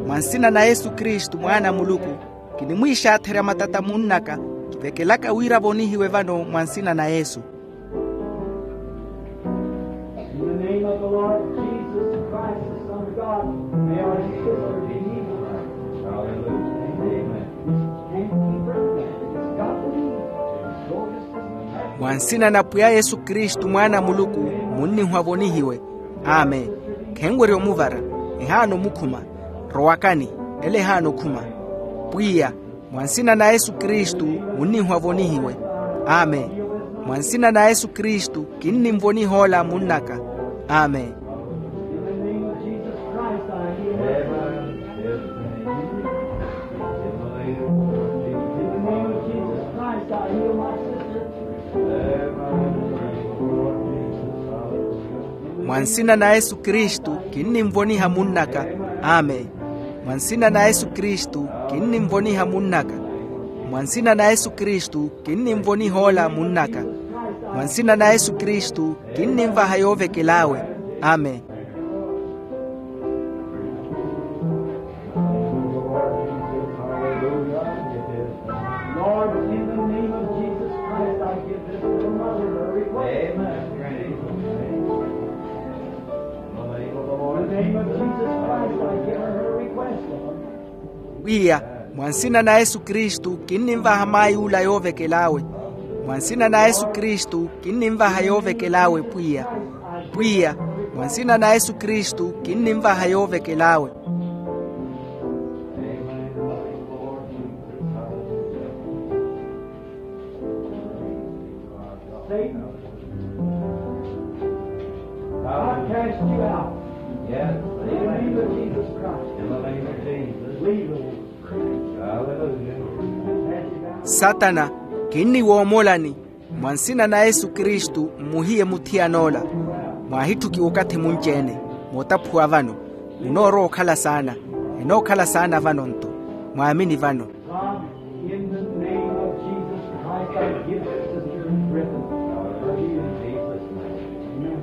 Mwa nsina na yesu kristu mwaana a muluku, kinimwiixaatherya matata munn'aka, kivekelaka wira avonihiwe vano mwa nsina na yesu. In the name of the Lord Jesus Christ, the Son of God, may our sister be healed. Hallelujah. Amen. Can't keep her. It's got to be. Go to sister. Mwa nsina na pwiya yesu kristu mwaana a muluku, munnihu avonihiwe. Amen. Khenwerya omuvara. Ehaana omukhuma. Rowakani. Ele ehaana okhuma. Pwiya, mwa nsina na yesu kristu, munnihu avonihiwe. Amen. Mwa nsina na yesu kristu, kinnimvoniha ola munn'aka. Amen. Mwa nsina na yesu kristu, kinnimvoniha munn'aka. Amen. Mwa nsina na yesu kristu, kinnimvoniha munn'aka. Mwa nsina na yesu kristu, kinnimvoniha ola munn'aka. Mwa nsina na yesu kristu, kinnimvaha yoovekel'awe. Amen. Lord, in the name of Jesus Christ, I give this little mother her request. Amen. In the name of Jesus Christ, I give her her request, Lord. Pwiya, mwa nsina na yesu kristu, kinnimvaha mayi ula yoovekel'awe. Mwa nsina na yesu kristu, kinnimvaha yoovekel'awe pwiya. Pwiya, mwa nsina na yesu kristu, kinnimvaha yoovekel'awe. Satan, I cast you out. Yes. In the name of Jesus Christ. In the name of Jesus. Leave the woman. Hallelujah. Satana, kinniwoomolani. Mwa nsina na yesu kristu, mmuhiye muthiyan'ola. Mwaahitthukiwa okathi munci-ene, mootaphuwa vano. Munoorowa okhala saana. Enookhala saana vano-nto. Mwaamini vano. God, in the name of Jesus Christ, I give Sister Griffin her healing. Amen.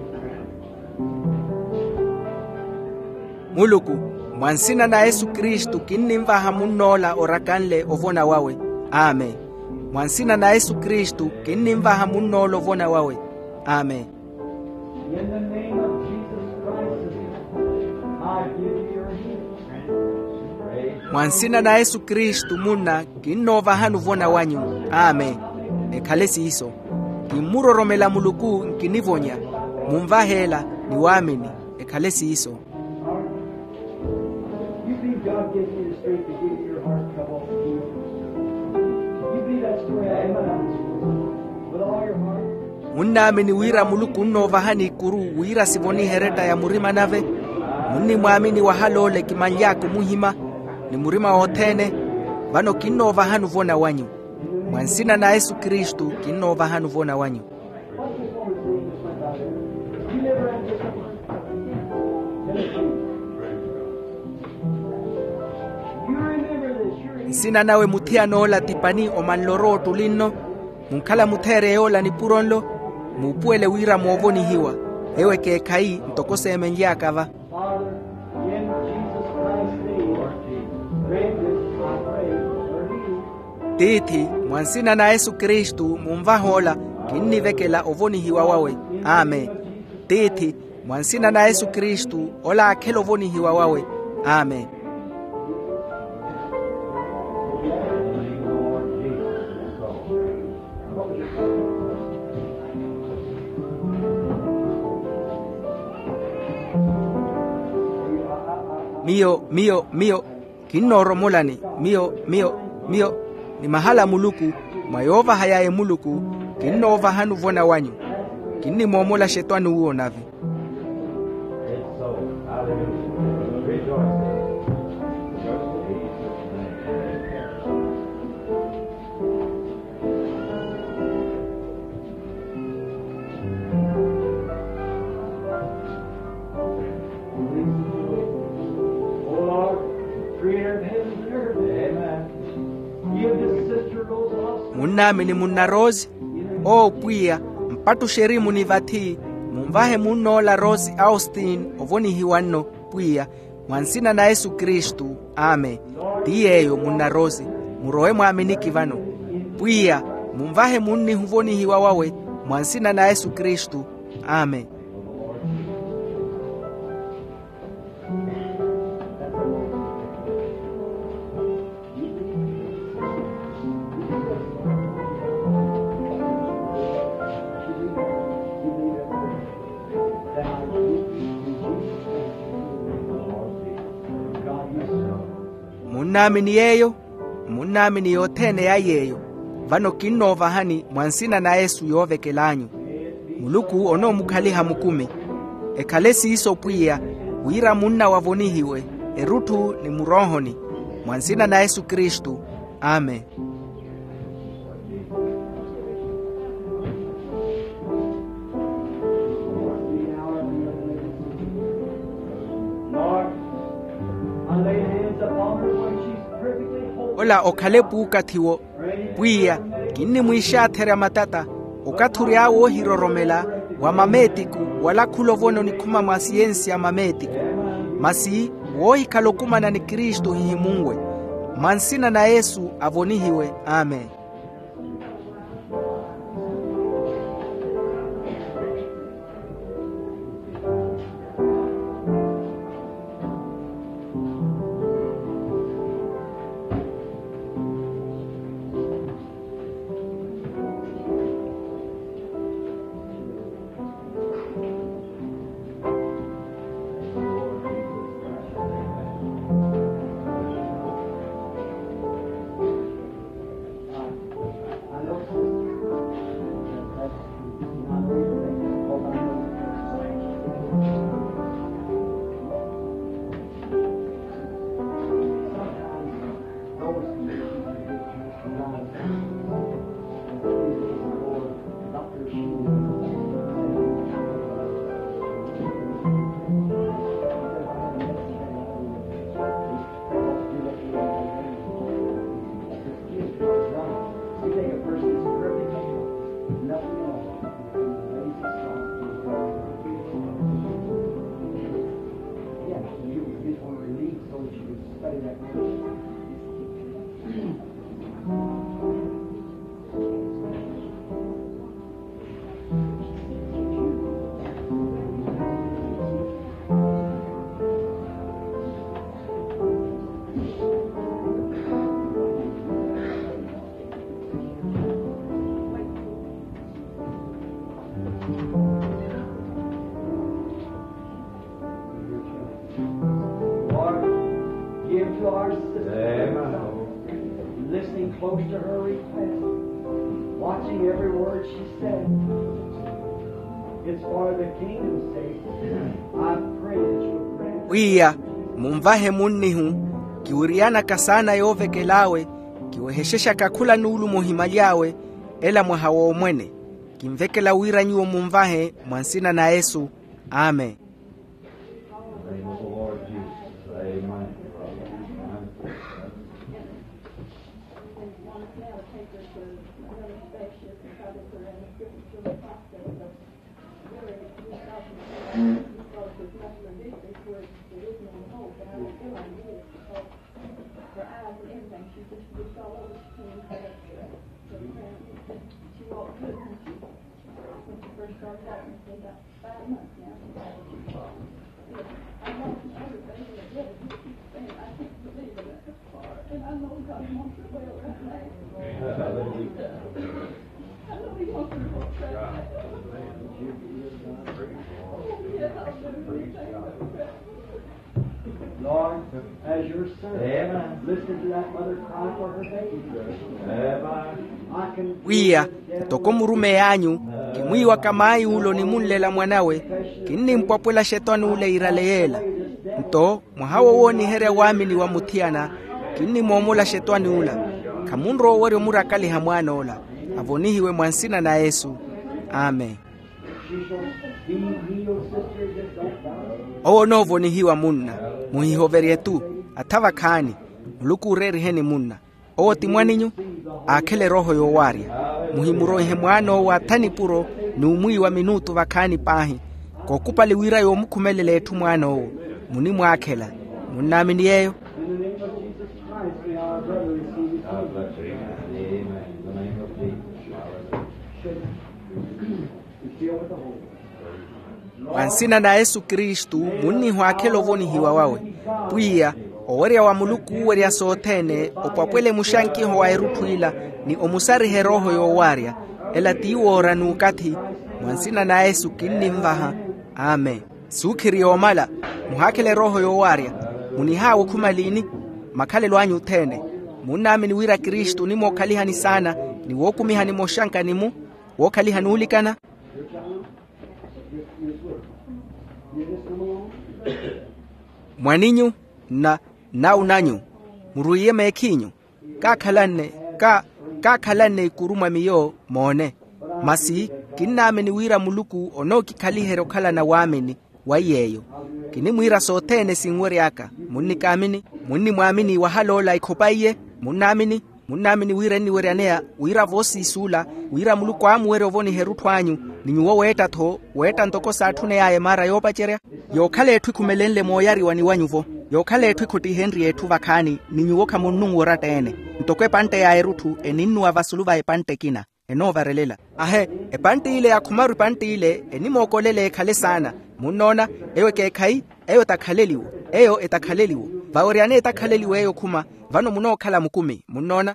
Muluku, mwa nsina na yesu kristu, kinnimvaha munn'ola orakanle ovona wawe. Amen. Mwa nsina na yesu kristu, kinnimvaha munn'ola ovona wawe. Amen. In the name of Jesus Christ, I give you your healing. Mwa nsina na yesu kristu munna, kinnoovahani ovona wanyu. Amen. Ekhale siiso. Kimmuroromela muluku, nkinivonya. Munvahe ela, ni waamini. Ekhale siiso. You think God gives you the strength to give your heart trouble? You believe that story out of my mouth with all your heart? Munnaamini wira muluku onnoovahani ikuru wira sivonihe eretta ya murima nave? Munnimwaamini wahal'ole kimanly'aka omuhima, ni murima wothene. Vano kinnoovahani ovona wanyu. Mwa nsina na yesu kristu, kinnoovahani ovona wanyu. Nsina nawe muthiyan'ola ti pani omanle orowa ottuli nno. Munkhala mutheereye ola nipuro nlo. Muupuwele wira moovonihiwa. Ewo ekeekhayi ntoko seemenly'aka va. Father, in Jesus Christ's name, grant this, I pray, for you. Tiithi, mwa nsina na yesu kristu munvahe ola. Kinnivekela ovonihiwa wawe. Amen. Tiithi, mwa nsina na yesu kristu, ola akhele ovonihiwa wawe. Amen. Miyo, miyo, miyo, kinnooromolani. Miyo, miyo, miyo, ni mahala a muluku, mwa yoovahay'aya muluku, kinnoovahani ovona wanyu. Kinnimoomola xetwani uwo nave. Munnaamini munna rose. Owo pwiya, Pattuxerimu ni vathi, munvahe munn'ola rosi austin ovonihiwa nno, pwiya, mwa nsina na yesu kristu. Amen. Ti yeeyo munna rosi, murowe mwaaminiki vano. Pwiya, munvahe munnihu ovonihiwa wawe, mwa nsina na yesu kristu. Amen. Munnaamini yeeyo? Munnaamini yothene ya yeeyo. Vano kinnoovahani mwa nsina na yesu yoovekel'anyu. Muluku onoomukhaliha mukumi. Ekhale siiso pwiya, wira munnawe avonihiwe erutthu ni muroohoni, mwa nsina na yesu kristu. Amen. Ola okhale puukathiwo. Pwiya, kinnimwiixaatherya matata, okathi ory'awe oohiroromela wa mameetiku, wala khula ovona onikhuma mwa siyensi ya mameetiku. Masi woohikhala okumana ni kristu ohihimunwe. Mwa nsina na yesu avonihiwe. Amen. Lord, give to our sister, listening close to her request, watching every word she said. It's for the kingdom's sake. I pray that you would grant. Pwiya, munvahe munnihu, kiwiriyanaka saana yoovekel'awe, kiwehexexaka khula nuulumo ohimaly'awe, ela mwaha w'omwene. Kinvekela wira nyuwo munvahe mwa nsina na yesu. Amen. Lord, as your servant, listen to that mother cry for her baby. I can. Pwiya, ntoko murumeyi anyu, kimwiiwaka maayi ule onimunlela mwanawe, kinnimpwapwela xetwani ule iirale yeela. Nto mwaha wo wooniherya waamini wa muthiyana, kinnimoomola xetwani ula. Khamunrowa owerya omurakaliha mwaan'ola. Avonihiwe mwa nsina na yesu. Amen. Owo onoovonihiwa munna. Muhihoverye-tu. Atha vakhaani. Muluku ooreeriheni munna. Owo ti mwaninyu. Aakhele erooho yoowaarya. Muhimuroihe mwaan'owo atha nipuro. n'umwiiwa minuutu vakhaani paahi. Kookupali wira yoomukhumelela etthu mwaan'owo. Munimwaakhela. Munnaamini yeeyo? Mwa nsina na yesu kristu, munnihwaakhela ovonihiwa wawe. Pwiya, owerya wa muluku uuwerya sothene opwapwele muxankiho wa erutthu ila, ni omusariha erooho yoowaarya. Ela ti woora n'ukathi. Mwa nsina na yesu kinnimvaha. Amen. Suukhiri yoomala. Muhaakhele erooho yoowaarya. Munihaawe okhuma liini? Makhalelo anyu othene. Munnaamini wira kristu onimwookhalihani saana, ni wookumihani moxankani-mu, wookhalihani oolikana. Mwaninyu, nna nnaunanyu, murwiiye meekhiinyu. Kaakhalanne, ka kaakhalanne ikuru mwa miyo. Moone. Masi, kinnaamini wira muluku onookikhaliherya okhalana waamini. Wa iy'eyo, kinimwiira sothene sinwery'aka. Munnikaamini? Munnimwaamini wahal'ola ekhopaiye? Munnaamini? Munnaamini wira enniweryaneya wira voosiisuula, wira muluku aamuwerya ovoniha erutthu anyu, ni nyuwo weetta-tho, weetta ntoko saatthuney'aya emaara yoopacerya? Yookhala etthu ekhumelenle mooyariwani wa nyuwo, yookhala etthu ekhottihenrye etthu vakhaani, ni nyuwo khamunnunwa oratta-ene. Ntoko epantte ya erutthu eninnuwa vasulu va epantte ekina, enoovarelela. Ahe, epantte ile ya khumaru epantte ile enimookolela ekhale saana. Munnoona? Eyo ekeekhayi. Eyo etakhaleliwo. Eyo etakhaleliwo. Vaweryane etakhaleliwo eyo okhuma. Vano munookhala mukumi. Munnoona?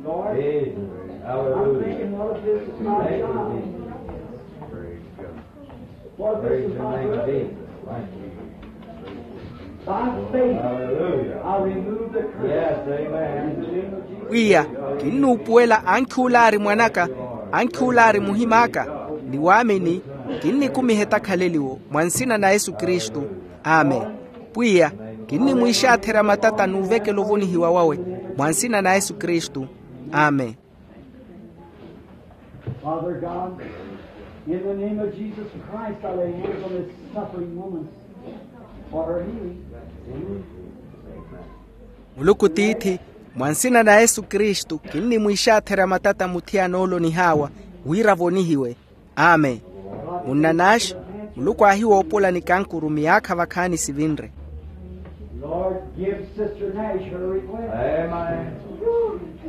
Lord, I'm thinking what if this is not God? For this is my brother. By faith, I remove the curse. Yes, amen. In the name of Jesus. Pwiya, kinnuupuwela ankhi ulaari mwanaka, ankhi ulaari muhim'aka, ni waamini, kinnikumiha etakhaleliwo mwa nsina na yesu kristu. Amen. Pwiya, kinnimwiixaatherya matata n'uvekela ovonihiwa wawe mwa nsina na yesu kristu. Amen. Father God, in the name of Jesus Christ, I lay hands on this suffering woman for her healing. Muluku tiithi, mwa nsina na yesu kristu kinnimwiixaatherya matata muthiyana ole onihaawa, wira avonihiwe. Amen. Munnanaaxi, muluku aahiwoopola nikankuru miyaakha vakhaani sivinre. Lord, give Sister Nash her request. Amen.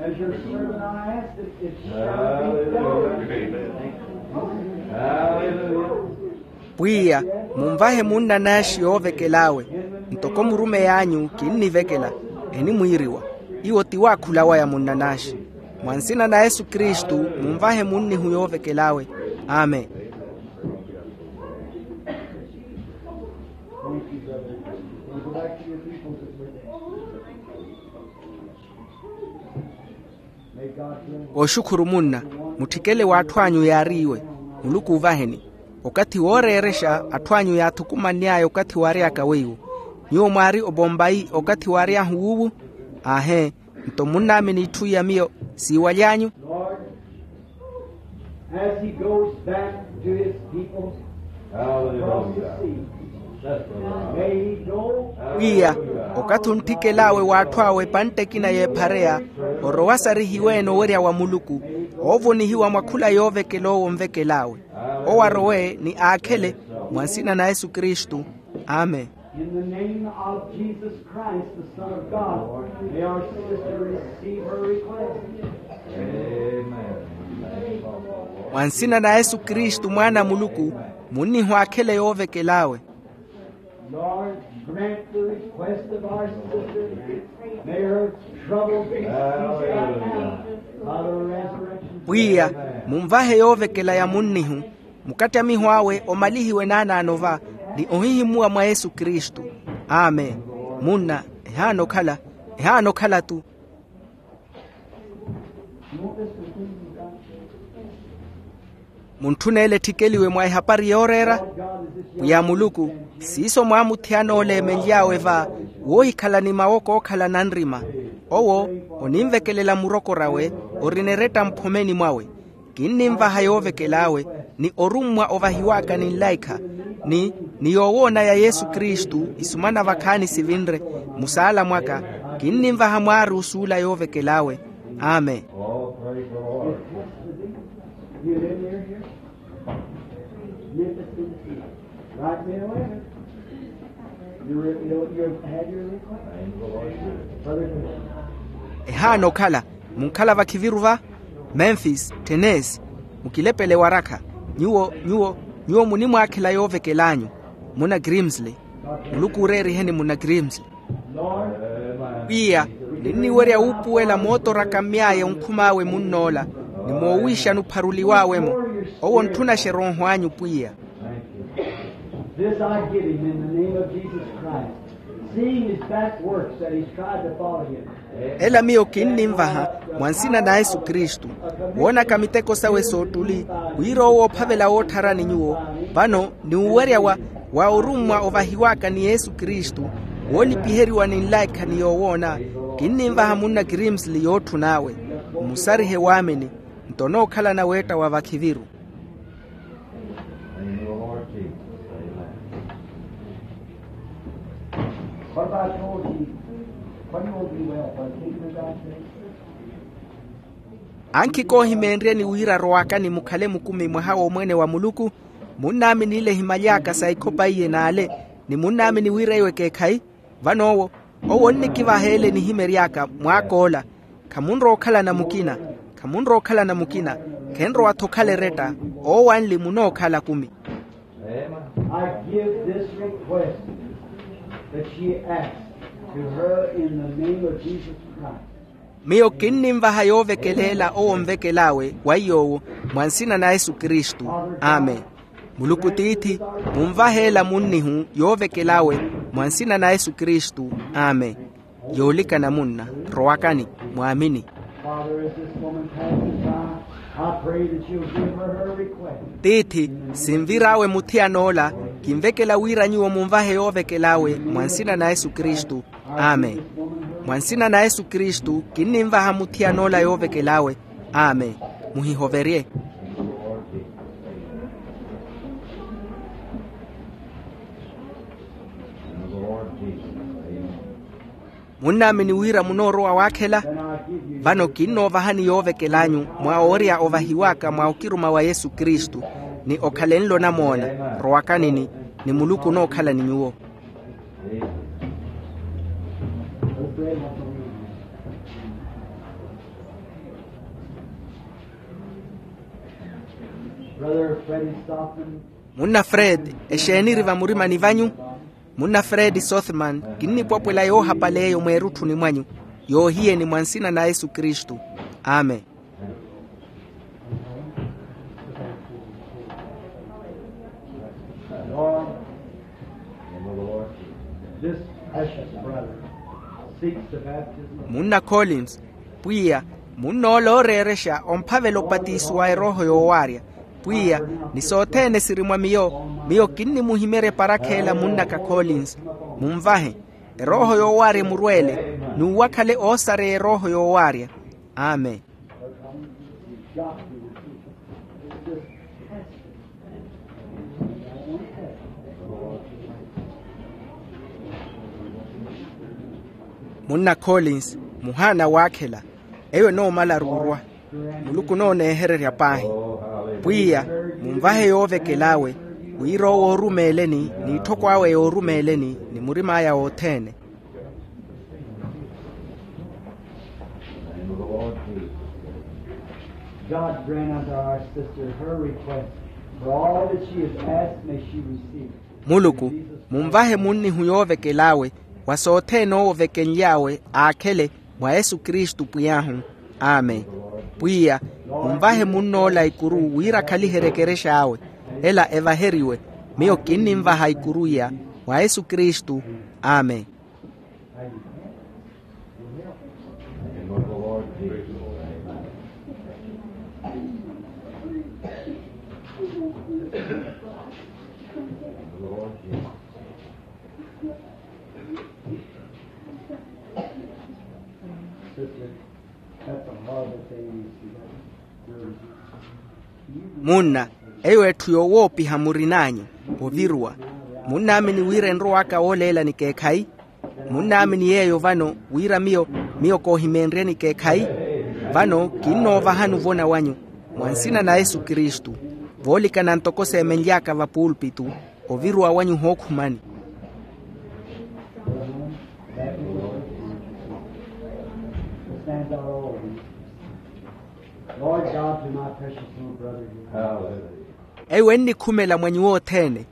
As your servant I ask it, it shall be done. Hallelujah. Pwiya, munvahe munnanaaxi yoovekel'awe. Ntoko murumeyi anyu kinnivekela, enimwiiriwa. Iwo ti waakhula waya munnanaaxi. Mwa nsina na yesu kristu, munvahe munnihu yoovekel'awe. Amen. Oxukhuru munna, mutthikele w'atthu anyu yaariiwe. Muluku oovaheni. Okathi wooreerexa atthu anyu yaathukumanny'aya okathi waary'aka weiwo. Nyuwo mwaari obombayi okathi waary'ahu wuuwu? Aahee. Nto munnaamini itthu iya miyo siiwaly'anyu? Lord, as he goes back to his people across the sea, may he go. Pwiya, okathi ontthikel'awe w'atthu awe epantte ekina y'ephareya, orowa sarihiwe-ene owerya wa muluku, oovonihiwa mwa khula yoovekel'owo onvekel'awe. Owo arowe ni aakhele. Mwa nsina na yesu kristu. Amen. In the name of Jesus Christ, the Son of God, may our sister receive her request. Amen. Mwa nsina na yesu kristu mwaana a muluku, munnihwaakhele yoovekel'awe. Lord, grant the request of our sister. May her trouble be ceased right now by the resurrection. Pwiya, munvahe yoovekela ya munnihu, mukattamiho awe omalihiwe naanaano va, ni ohihimuwa mwa yesu kristu. Amen. Munna, ehaana okhala, ehaana okhala-tu. Muntthuna ele etthikeliwe mwa ehapari yooreera. Pwiya muluku, siiso mwaamuthiyana ole eemenly'awe va, woohikhala ni mawoko ookhala nanrima. Owo oninvekelela murokor'awe, orina eretta mphomeni mwawe. Kinninvaha yoovekel'awe, ni orummwa ovahiw'aka ni nlaikha, ni ni yoowoona ya yesu kristu isumana vakhaani sivinre. Musaala mwaka, kinninvaha mwaari osuula yoovekel'awe. Amen. You live near here? Memphis, Tennessee. Right there, where? You, you, you had your request? Brother Green. Ehaana okhala, munkhala vakhiviru va Memphis, Tennessee. Mukilepele warakha. Nyuwo, nyuwo, nyuwo munimwaakhela yoovekel'anyu. Muna Grimsley. Muluku ooreeriheni muna Grimsley. Pwiya, ninniwerya wuupuwela mootoraka myaaya onkhum'awe munn'ola, ni moowiixani opharuliw'awe-mo. Owo ontthuna xerooho anyu pwiya. This I give him in the name of Jesus Christ, seeing his back works that he's tried to follow him. Ela miyo kinnimvaha mwa nsina na yesu kristu, woonaka miteko sawe soottuli, wira owo oophavela woottharani nyuwo. Vano ni uwerya wa, wa orummwa ovahiw'aka ni yesu kristu, woolipiheriwa ni nlaikha ni yoowoona. Kinnimvaha munna grimsli yootthun'awe. Mmusarihe waamini. Nto onookhalana weetta wa vakhiviru. What about your Jesus? What do you want to be well for? Kingdom of God? Ankhi koohimeenryeni wira rowakani mukhale mukumi mwaha w'omweene wa muluku. Munnaamini ile ehimaly'aka sa ikhopa iye n'ale, ni munnaamini wira eyo ekeekhayi. Vano owo, owo onnikivaha ele nihimery'aka mwaak'ola. Khamunrowa okhalana mukina. Khamunrowa okhalana mukina. Khenrowa-tho okhala eretta. Owo anli munookhala kumi. I give this request that she asks to her in the name of Jesus Christ. Miyo kinnimvaha yoovekeleela owo onvekel'awe wa iy'owo, mwa nsina na yesu kristu. Amen. Muluku tiithi, munvahe ela munnihu yoovekel'awe, mwa nsina na yesu kristu. Amen. Yoolikana munna, rowakani, mwaamini. Father, as this woman passes by, I pray that you'll give her her request. Tiithi, sinvir'awe muthiyan'ola, kinvekela wira nyuwo munvahe yoovekel'awe mwa nsina na yesu kristu. Amen. Mwa nsina na yesu kristu kinninvaha muthiyan'ola yoovekel'awe. Amen. Muhihoverye. Munnaamini wira munoorowa waakhela? Vano kinnoovahani yoovekel'anyu mwa oorya ovahiw'aka mwa okiruma wa yesu kristu. Ni okhale nlo namoona, rowakanini, ni muluku onookhala ni nyuwo. Brother Freddie Stockman. Munna fred, exeeniri vamurimani vanyu? Munna fred sothman, kinnipwapwela yoohapala eyo mweerutthuni mwanyu, yoohiyeni mwa nsina na yesu kristu. Amen. This precious brother seeks the baptism of munna collins. Pwiya, munn'ola ooreerexa omphavela opatiso wa erooho yoowaarya. Pwiya, ni sothene siri mwa miyo, miyo kinnimuhimerya eparakheela munnaka collins. Munvahe. Erooho yoowaarya emurweele, n'uwo akhale oosareya erooho yoowaarya. Amen. Munna collins, muhaana waakhela. Eyo enoomalaru orwa. Muluku onooneehererya paahi. Pwiya, munvahe yoovekel'awe, wira owo oorumeeleni n'itthoko awe yoorumeeleni ni murim'aya wothene. God grant unto our sister her request, for all that she has asked may she receive. Muluku, munvahe munnihu yoovekel'awe, wa sothene owo ovekenly'awe aakhele, mwa yesu kristu pwiy'ahu. Amen. Pwiya, munvahe munn'ola ikuru wira akhaliherye ekerex'awe. Ela evaheriwe. Miyo kinninvaha ikuru iya, mwa yesu kristu. Amen. Munna, eyo etthu yoowoopiha murin'anyu, oviruwa. Munnaamini wira enrow'aka wooleela ni keekhayi? Munnaamini yeeyo vano wira miyo, miyo koohimeenryeni keekhayi? Vano kinnoovahani ovona wanyu. Mwa nsina na yesu kristu. Voolikana ntoko seemenly'aka vapuulpitu, oviruwa wanyu hookhumani. Lord God, to my precious little brother here. Eyo ennikhumela mwa nyuwo othene.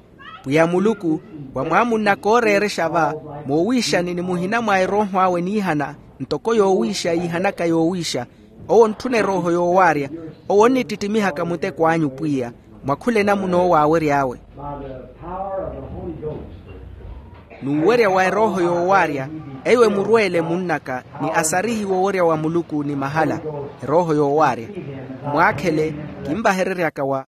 Pwiya muluku, wa mwaamunnaka ooreerexa va, moowiixani ni muhina mwa erooho awe niihana, ntoko yoowiixa yiihanaka yoowiixa. Owo ontthuna erooho yoowaarya. Owo onnittittimihaka muteko anyu pwiya, mwa khula enamuna owo aawery'awe. By the power of the Holy Ghost. N'uwerya wa erooho yoowaarya, eyo emurweele munnaka ni asarihiwe owerya wa muluku ni mahala. Erooho yoowaarya, mwaakhele, kinvahereryaka wa